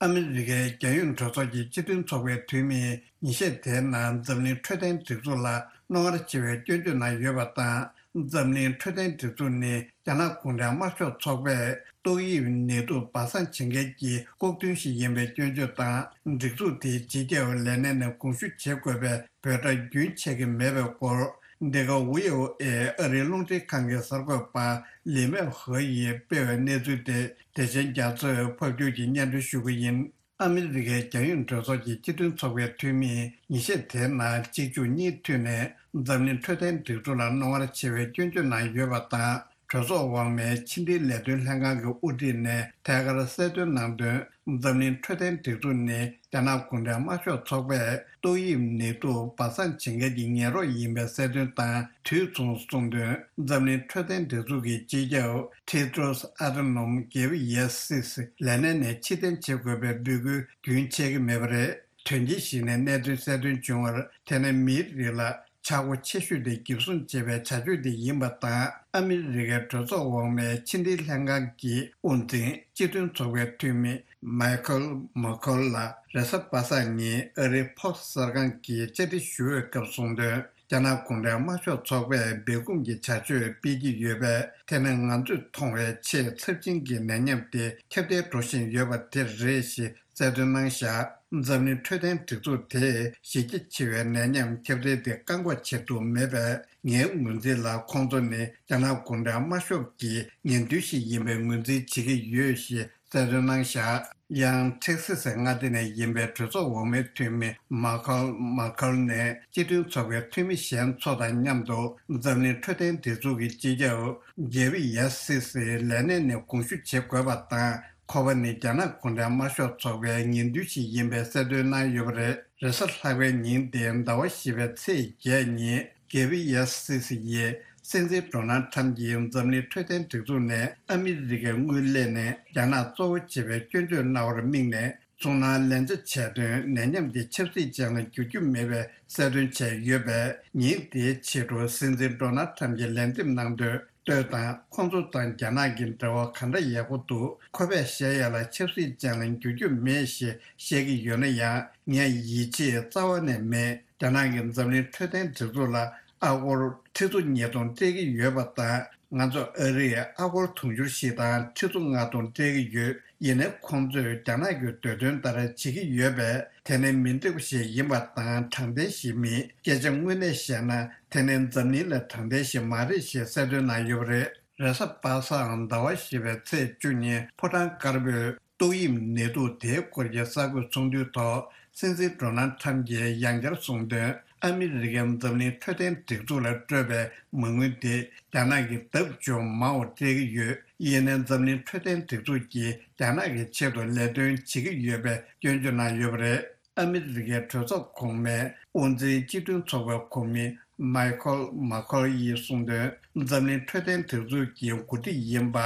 ཨ་མི་རི་ཀའི་རྒྱལ་ཡོངས་གྲོས་ཚོགས་ཀྱི་སྤྱི་མཐུན་ཚོགས་པའི་འཐུས་མིས་ཉིན་ཤས་དེའི་ནང་འཛམ་གླིང་འཕྲོད་བསྟེན་སྒྲིག་འཛུགས་ལ་རྣོ་ངར་ཆེ་བའི་སྐྱོན་བརྗོད་གནང་ཡོད་པ་དང་། འཛམ་གླིང་འཕྲོད་བསྟེན་སྒྲིག་འཛུགས་ནི་རྒྱ་ནག་གུང་ཁྲན་དམར་ཤོག་ཚོགས་པས་ཏོག་དབྱིབས་ནད་དུག་སྦ་གསང་བྱེད་མཁན་གྱི་ལྐོག་ཐུན་ཞིག་ཡིན་པའི་སྐྱོན་བརྗོད་དང་། སྒྲིག་འཛུགས་དེའི་སྤྱི་ཁྱབ་ལས་སྣེ་ནས་དགོངས་ཞུ་བྱེད་དགོས་པའི་འབོད་སྒྲ་རྒྱུན་ཆད་ཀྱི་མེད་པའི་སྐོར། འདི་ག་ཝི་ཨོ་ཨེ་ཨ་རིའི་རླུང་འཕྲིན་ཁང་གི་གསར་འགོད་པ་ལི་མེ་ཧོ་ཡིས་སྤེལ་བའི་གནས་ཚུལ་དེ་བདེ་ཆེན་རྒྱ་མཚོས་ཕབ་སྒྱུར་གྱིས་སྙན་སྒྲོན་ཞུ་གི་ཡིན། ཨ་མི་རི་ཀའི་རྒྱལ་ཡོངས་གྲོས་ཚོགས་ཀྱི་སྤྱི་མཐུན་ཚོགས་པའི་འཐུས་མིས་ཉིན་ཤས་དེའི་ནང་གཅིག་མཇུག་གཉིས་མཐུད་ནས་འཛམ་གླིང་འཕྲོད་བསྟེན་སྒྲིག་འཛུགས་ལ་རྣོ་ངར་ཆེ་བའི་སྐྱོན་བརྗོད་གནང་ཡོད་པ་དང་། གྲོས་ཚོགས་འོག་མའི་ཕྱི་འབྲེལ་ལས་དོན་ལྷན་ཁང་གི་དབུ་ཁྲིད་ནས་ཐད་ཀར་གསལ་སྟོན་གནང་དོན། འཛམ་གླིང་འཕྲོད་བསྟེན་སྒྲིག་འཛུགས་ནི་རྒྱ་ནག་གུང་ཁྲན་དམར་ཤོག་ཚོགས་པས་ཏོག་དབྱིབས་ནད་དུག་སྦ་གསང་བྱེད་མཁན་གྱི་ངན་རོགས་ཡིན་པའི་གསལ་སྟོན་དང་དུས་མཚུངས་གསུངས་དོན། འཛམ་གླིང་འཕྲོད་བསྟེན་སྒྲིག་འཛུགས་ཀྱི་སྤྱི་ཁྱབ་ཊེ་ཏྲོས་ཨ་ཐ་ནོམ་གེབ་ཡེ་སིས་ལས་སྣེ་ནས་ཕྱིར་འཐེན་བྱེད་དགོས་པའི་འབོད་སྐུལ་རྒྱུན་ཆད་ཀྱི་མེད་པ་རེད། དོན་རྐྱེན་ཞིག་ནས་གནད་དོན་གསལ་སྟོན་བྱུང་བར། དེ་ནི་མིའི་རིགས་ལ་ཆག་སྒོ་ཆེ་ཤོས་དེ་འགེབས་སྲུང་བྱེད་པའི་བྱ་སྤྱོད་དེ་ཡིན་པ་དང་། ཨ་མི་རི་ཀའི་གྲོས་ཚོགས་འོག་མའི་ཕྱི་འབྲེལ་ལྷན་ཁང་གི་དབུ་འཛིན་སྤྱི་མཐུན་ཚོགས་པའི་འཐུས་མི་མའི་ཁལ་མོ་ཁོལ་ལ་རེས་གཟའ་པ་སངས་ཉིན་ཨ་རིའི་ཕོག་གསར་ཁང་གིས་བཅར་འདྲི་ཞུ་བའི་སྐབས་གསུངས་དོན། རྒྱ་ནག་གུང་ཁྲན་དམར་ཤོག་ཚོགས་པས་སྦས་སྐུང་གི་བྱ་སྤྱོད་སྤེལ་གྱི་ཡོད་པས། དེ་ནི་ང་ཚོས་མཐོང་བའི་ཆེས་ཚབས་ཆེན་གྱི་ནད་ཡམས་དེ་ཁྱབ་གདལ་འགྲོ་བཞིན་ཡོད་པ་དེ་རེད་ཞེས་གསལ་སྟོན་གནང་བཞག་འཛམ་གླིང་འཕྲོད་བསྟེན་སྒྲིག་འཛུགས་དེས་གཞི་རྒྱ་ཆེ་བའི་ནད་ཡམས་ཁྱབ་གདལ་དེ་བཀག་འགོག་བྱེད་ཐུབ་མེད་པས། ངའི་ངོས་འཛིན་ལ་ཁོང་ཚོ་ནི་རྒྱ་ནག་གུང་ཁྲན་དམར་ཤོག་གི་ངན་ཐུལ་ཞིག་ཡིན་པའི་ངོས་འཛིན་བྱེད་ཀྱི་ཡོད་ཞེས་གསལ་སྟོན་གནང་བཞག་ཡང་ཐེག་སི་སི་མངའ་སྡེ་ནས་ཡིན་པའི་གྲོས་ཚོགས་འོག་མའི་འཐུས་མི་མ་ཁལ་མ་ཁལ་ནས་སྤྱི་མཐུན་ཚོགས་པའི་འཐུས་མི་གཞན་ཚོ་དང་མཉམ་དུ་འཛམ་གླིང་འཕྲོད་བསྟེན་སྒྲིག་འཛུགས་ཀྱི་སྤྱི་ཁྱབ་གེབ་ཡེ་སི་སི་ལས་སྣེ་ནས་དགོངས་ཞུ་བྱེད་དགོས་པ་དང་། ཁོ་པ་ནི་རྒྱ་ནག་གུང་ཁྲན་དམར་ཤོག་ཚོགས་པའི་ངན་ཐུལ་ཞིག་ཡིན་པའི་གསལ་སྟོན་གནང་ཡོད་པ་རེད། རེས་གཟའ་ལྷག་པའི་ཉིན་ཏེ་ཟླ་བ་བཞི་པའི་ཚེས་བརྒྱད་ཉིན་གེབ་ཡེ་སི་སི་ཡིས་སྲིད་འཛིན་ཌོ་ནལ་ཁྲམ་གྱིས་འཛམ་གླིང་འཕྲོད་བསྟེན་སྒྲིག་འཛུགས་ནས་ཨ་མི་རི་ཀའི་དངུལ་ལེན་ནས་རྒྱ་ནག་གཙོ་བོ་བྱེད་པའི་སྐྱོན་བརྗོད་གནང་བར་དམིགས་ནས། ཚོང་ནང་ལན་ཆ་བྱས་དོན། ནད་ཡམས་དེ་ཆབ་སྲིད་ཅན་ལ་འགྱུར་རྒྱུ་མེད་པའི་གསལ་སྟོན་བྱས་ཡོད་པས། ཉིན་དེའི་ཕྱི་དྲོ་སྲིད་འཛིན་ཌོ་ནལ་ཁྲམ་གྱིས་ལན་འདེབས་གནང་དོན། ལྟོས་དང་། ཁོང་ཚོ་དང་རྒྱ་ནག་གི་འབྲེལ་བ་ག་འདྲ་ཡག་པོ་འདུག་ཁོ་པས་བཤད་ཡ་ལ་ཆབ་སྲིད་ཅན་ལ་འགྱུར་རྒྱུ་མེད་ཞེས་བཤད་ཀྱི་ཡོད་ན་ཡང་། ངས་ཡིད་ཆེས་རྩ་བ་ནས་མེད། རྒྱ་ནག་གིས་འཛམ་གླིང་འཕྲོད་བསྟེན་སྒྲིག་འཛུགས་ལ་ཨ་སྒོར་ཁྲི་ཚོ་ཉིས་སྟོང་སྤྲད་ཀྱི་ཡོད་པ་དང་། ང་ཚོ་ཨ་རིས་ཨ་སྒོར་དུང་ཕྱུར་བཞི་དང་ཁྲི་ཚོ་ལྔ་སྟོང་སྤྲད་ཀྱི་ཡོད། ཡིན་ནའི་ཁོང་ཚོས་རྒྱ་ནག་གི་འདོད་དོན་ལྟར་བྱེད་ཀྱི་ཡོད་པས། དེ་ནི་མི་འདོད་པ་ཞིག་ཡིན་པ་དང་དྲང་བདེན་ཞིག་མིན། སྐད་ཆ་དངོས་གནས་བཤད་ན། དེ་ནི་འཛམ་གླིང་ལ་དྲང་བདེན་ཞིག་མ་རེད་ཞེས་གསལ་སྟོན་གནང་ཡོད་པ་རེད། རེས་གཟའ་པ་སངས་ཟླ་བ་བཞི་པའི་ཚེས་བཅུ་ཉིན་ཕོ་བྲང་དཀར་པོས་ཏོག་དབྱིབས་ནད་དུག་དེའི་སྐོར་གྱི་གསར་འགོད་ཚོགས་འདུའི་ཐོག་སྲིད་འཛིན་ཌོ་ནལ་ཁྲམ་གྱིས་ཡང་བསྐྱར་གསུངས་དོན། ཨ་མི་རི་ཀས་འཛམ་གླིང་འཕྲོད་བསྟེན་སྒྲིག་འཛུགས་ལ་སྤྲོད་པའི་མ་དངུལ་དེ་རྒྱ་ནག་གིས་ལྡབ་བཅུ་མང་བ་སྤྲད་ཀྱི་ཡོད། ཡིན་ནའི་འཛམ་གླིང་འཕྲོད་བསྟེན་སྒྲིག་འཛུགས་ཀྱིས་རྒྱ་ནག་གི་ཆེད་དུ་ལས་དོན་བྱེད་ཀྱི་ཡོད་པའི་སྐྱོན་བརྗོད་གནང་ཡོད་པ་རེད། ཨ་མི་རི་ཀའི་གྲོས་ཚོགས་གོང་མའི་དབུ་འཛིན་སྤྱི་མཐུན་ཚོགས་པའི་གོ་མི་མའི་ཁལ་མ་ཁལ་ཡིས་གསུངས་དོན། འཛམ་གླིང་འཕྲོད་བསྟེན་སྒྲིག་འཛུགས་ཀྱི་འགོ་ཁྲིད་ཡིན་པ་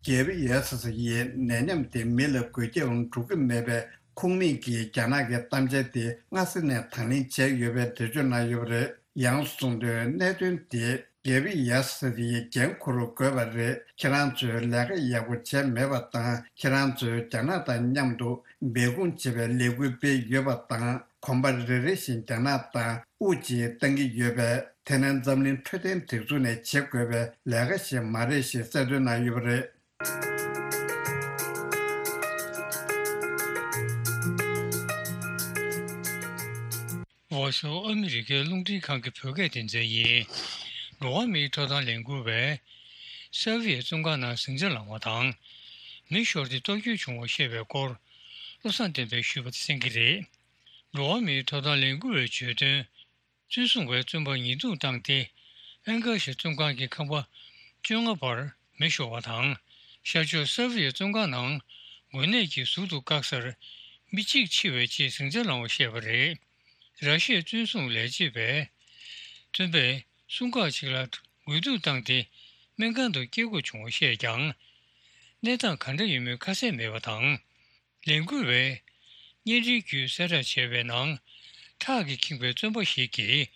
གེབ་ཡེ་སི་སི་ཡིས་ནད་ཡམས་དེ་མི་ལ་འགོས་ཁྱབ་འགྲོ་གི་མེད་པའི་ཁུངས་མེད་ཀྱི་རྒྱ་ནག་གི་གཏམ་འཆལ་དེ་སྔ་ས་ནས་དང་ལེན་བྱས་ཡོད་པའི་འགྲེལ་བརྗོད་གནང་ཡོད་པ་རེད། ཡང་གསུངས་དོན། གནད་དོན་དེ་ རྒྱལ་བི་ཡ་སི་ཡི་འགན་འཁུར་དགོས་པ་རེད། ཁྱེད་རང་ཚོས་ལས་ཀ་ཡག་པོ་བྱས་མེད་པ་དང་། ཁྱེད་རང་ཚོས་རྒྱ་ནག་དང་མཉམ་དུ་སྦས་སྐུང་བྱེད་པའི་ལས་འགུལ་སྤེལ་ཡོད་པ་དང་། གོམ་པ་རེ་རེ་བཞིན་རྒྱ་ནག་དང་དབུགས་གཅིག་བཏང་གི་ཡོད་པས། དེ་ནི་འཛམ་གླིང་འཕྲོད་བསྟེན་སྒྲིག་འཛུགས་ནས་བྱེད་དགོས་པའི་ལས་ཀ་ཞིག་མ་རེད་ཞེས་གསལ་སྟོན་གནང་ཡོད་པ་རེད། ཝོ་ཤོ་ཨ་མི་རི་ཀའི་རླུང་འཕྲིན་ཁང་གི་བོད་སྐད་སྡེ་ཚན་ཡིན། འགྲོ་བ་མིའི་ཐོབ་ཐང་ལས་འགུལ་བས་སེར་བྷི་ཡའི་བཙོན་ཁང་ནང་ཟིང་ཆ་ལངས་པ་དང་། མི་ཤོར་ཏེ་སྟོབས་སྐྱོན་བྱུང་བ་བཤད་པའི་སྐོར་བློ་བཟང་བསྟན་འཕེལ་ཞུས་པ་དེ་གསན་གྱི་རེད། འགྲོ་བ་མིའི་ཐོབ་ཐང་ལས་འགུལ་བས་བརྗོད་དོན། བཙོན་སྲུང་བས་བཙོན་པར་ཉེས་རྡུང་བཏང་སྟེ། ཨན་ཀར་ཤའི་བཙོན་ཁང་གི་ཁང་པ་བཅོ་ལྔ་པར་མེ་ཤོར་བ་དང་། ཤར་ཕྱོགས་སེར་བྷི་ཡའི་བཙོན་ཁང་ནང་འགོས་ནད་ཀྱིས་ཟུར་དུ་བཀག་སར་མི་གཅིག་འཆི་བའི་ཆེད་ཟིང་ཆ་ལངས་པ་བཤད་པ་རེད། ར་ཤི་ཡའི་བཙོན་སྲུང་ལས་བྱེད་པས། བཙོན་པས་སྲུང་སྐར་གཅིག་ལ་རྒོལ་རྡུང་བཏང་སྟེ་སྨན་ཁང་དུ་སྐྱེལ་དགོས་བྱུང་བ་བཤད་ཀྱང་། གནས་སྟངས་ག་འདྲ་ཡིན་མིན་ཁ་གསལ་མེད་པ་དང་། ལས་འགུལ་བས་བརྙན་འཕྲིན་བརྒྱུད་གསལ་བསྒྲགས་བྱས་པའི་ནང་། ཁྲག་གིས་ཁེངས་པའི་བཙོན་པ་ཞིག་གིས་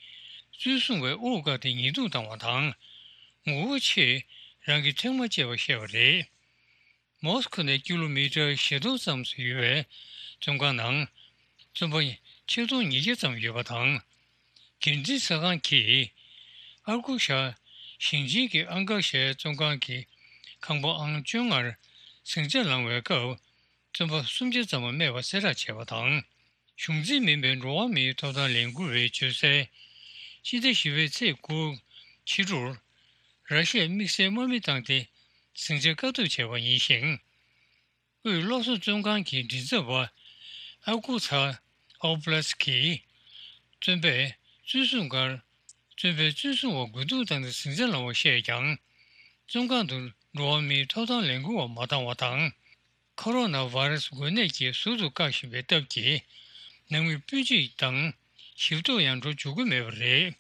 བཙོན་སྲུང་བའི་དབུ་བཀག་སྟེ་ཉེས་རྡུང་བཏང་བ་དང་། ངོ་བོ་ཆེས་རང་གི་ཐེངས་མ་བཅད་པ་བཤད་པ་རེད། མོ་སི་ཁོ་ནས་ཀི་ལོ་མི་ཊར་བཞི་སྟོང་ཙམ་ཞིག་ཡོད་པའི་བཙོན་ཁང་ནང་བཙོན་པ་ཆིག་སྟོང་ཉིས་བརྒྱ་ཙམ་ཡོད་པ་དང་། འགན་འཛིན་གསར་ཁང་གིས་ཨར་ཀུ་ཤ་ཞིང་ཆེན་གྱི་ཨན་ཀར་ཤའི་བཙོན་ཁང་གི་ཁང་པ་ཨང་བཅོ་ལྔར་ཟིང་ཆ་ལངས་པའི་སྐབས། བཙོན་པ་སུམ་བརྒྱ་ཙམ་རྨས་པ་གསལ་བསྒྲགས་བྱས་པ་དང་། གཞུང་འཛིན་མིན་པའི་འགྲོ་བ་མིའི་ཐོབ་ཐང་ལས་འགུལ་བས་བརྗོད་གསལ། ཕྱི་ཟླ་བཞི་པའི་ཚེས་དགུ་ཕྱི་དྲོར། ར་ཤི་ཡས་དམིགས་བསལ་དམག་མི་བཏང་སྟེ་ཟིང་ཆ་བཀག་སྡོམ་བྱས་པ་ཡིན་ཞིང་། དབུས་གློ་གསོ་བཙོན་ཁང་གི་མགྲིན་ཚབ་པ་ཨ་ཀུ་ཚ་ཨོ་བྷ་ལ་སི་ཀིས། བཙོན་པས་བཙོན་སྲུང་སྒར། བཙོན་པས་བཙོན་སྲུང་བ་རྒོལ་རྡུང་བཏང་སྟེ་ཟིང་ཆ་ལངས་པ་བཤད་ཀྱང་། བཙོན་ཁང་དུ་འགྲོ་བ་མིའི་ཐོབ་ཐང་ལས་འགུལ་བ་མ་བཏང་བ་དང་། ཁོ་རོ་ན་བྷ་ར་སི་འགོས་ནད་ཀྱིས་ཟུར་དུ་བཀག་བཞིན་པའི་སྟབས་ཀྱིས། ནང་མི་སྤུན་མཆེད་དང་ཞིབ་ཐོ་ཡང་འགྲོ་འཇུག་གི་མེད་པ་རེད།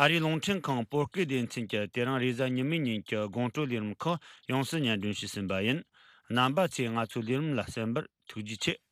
ཨ་རིའི་རླུང་འཕྲིན་ཁང་བོད་སྐད་སྡེ་ཚན་གྱིས་དེ་རིང་རེས་གཟའ་ཉི་མའི་ཉིན་གྱི་དགོང་དྲོའི་ལས་རིམ་ཁག་ཡོངས་སུ་སྙན་སྒྲོན་ཞུས་ཟིན་པ་ཡིན། རྣམ་པ་ཚོས་ང་ཚོའི་ལས་རིམ་ལ་གསན་པར་ཐུགས་རྗེ་ཆེ།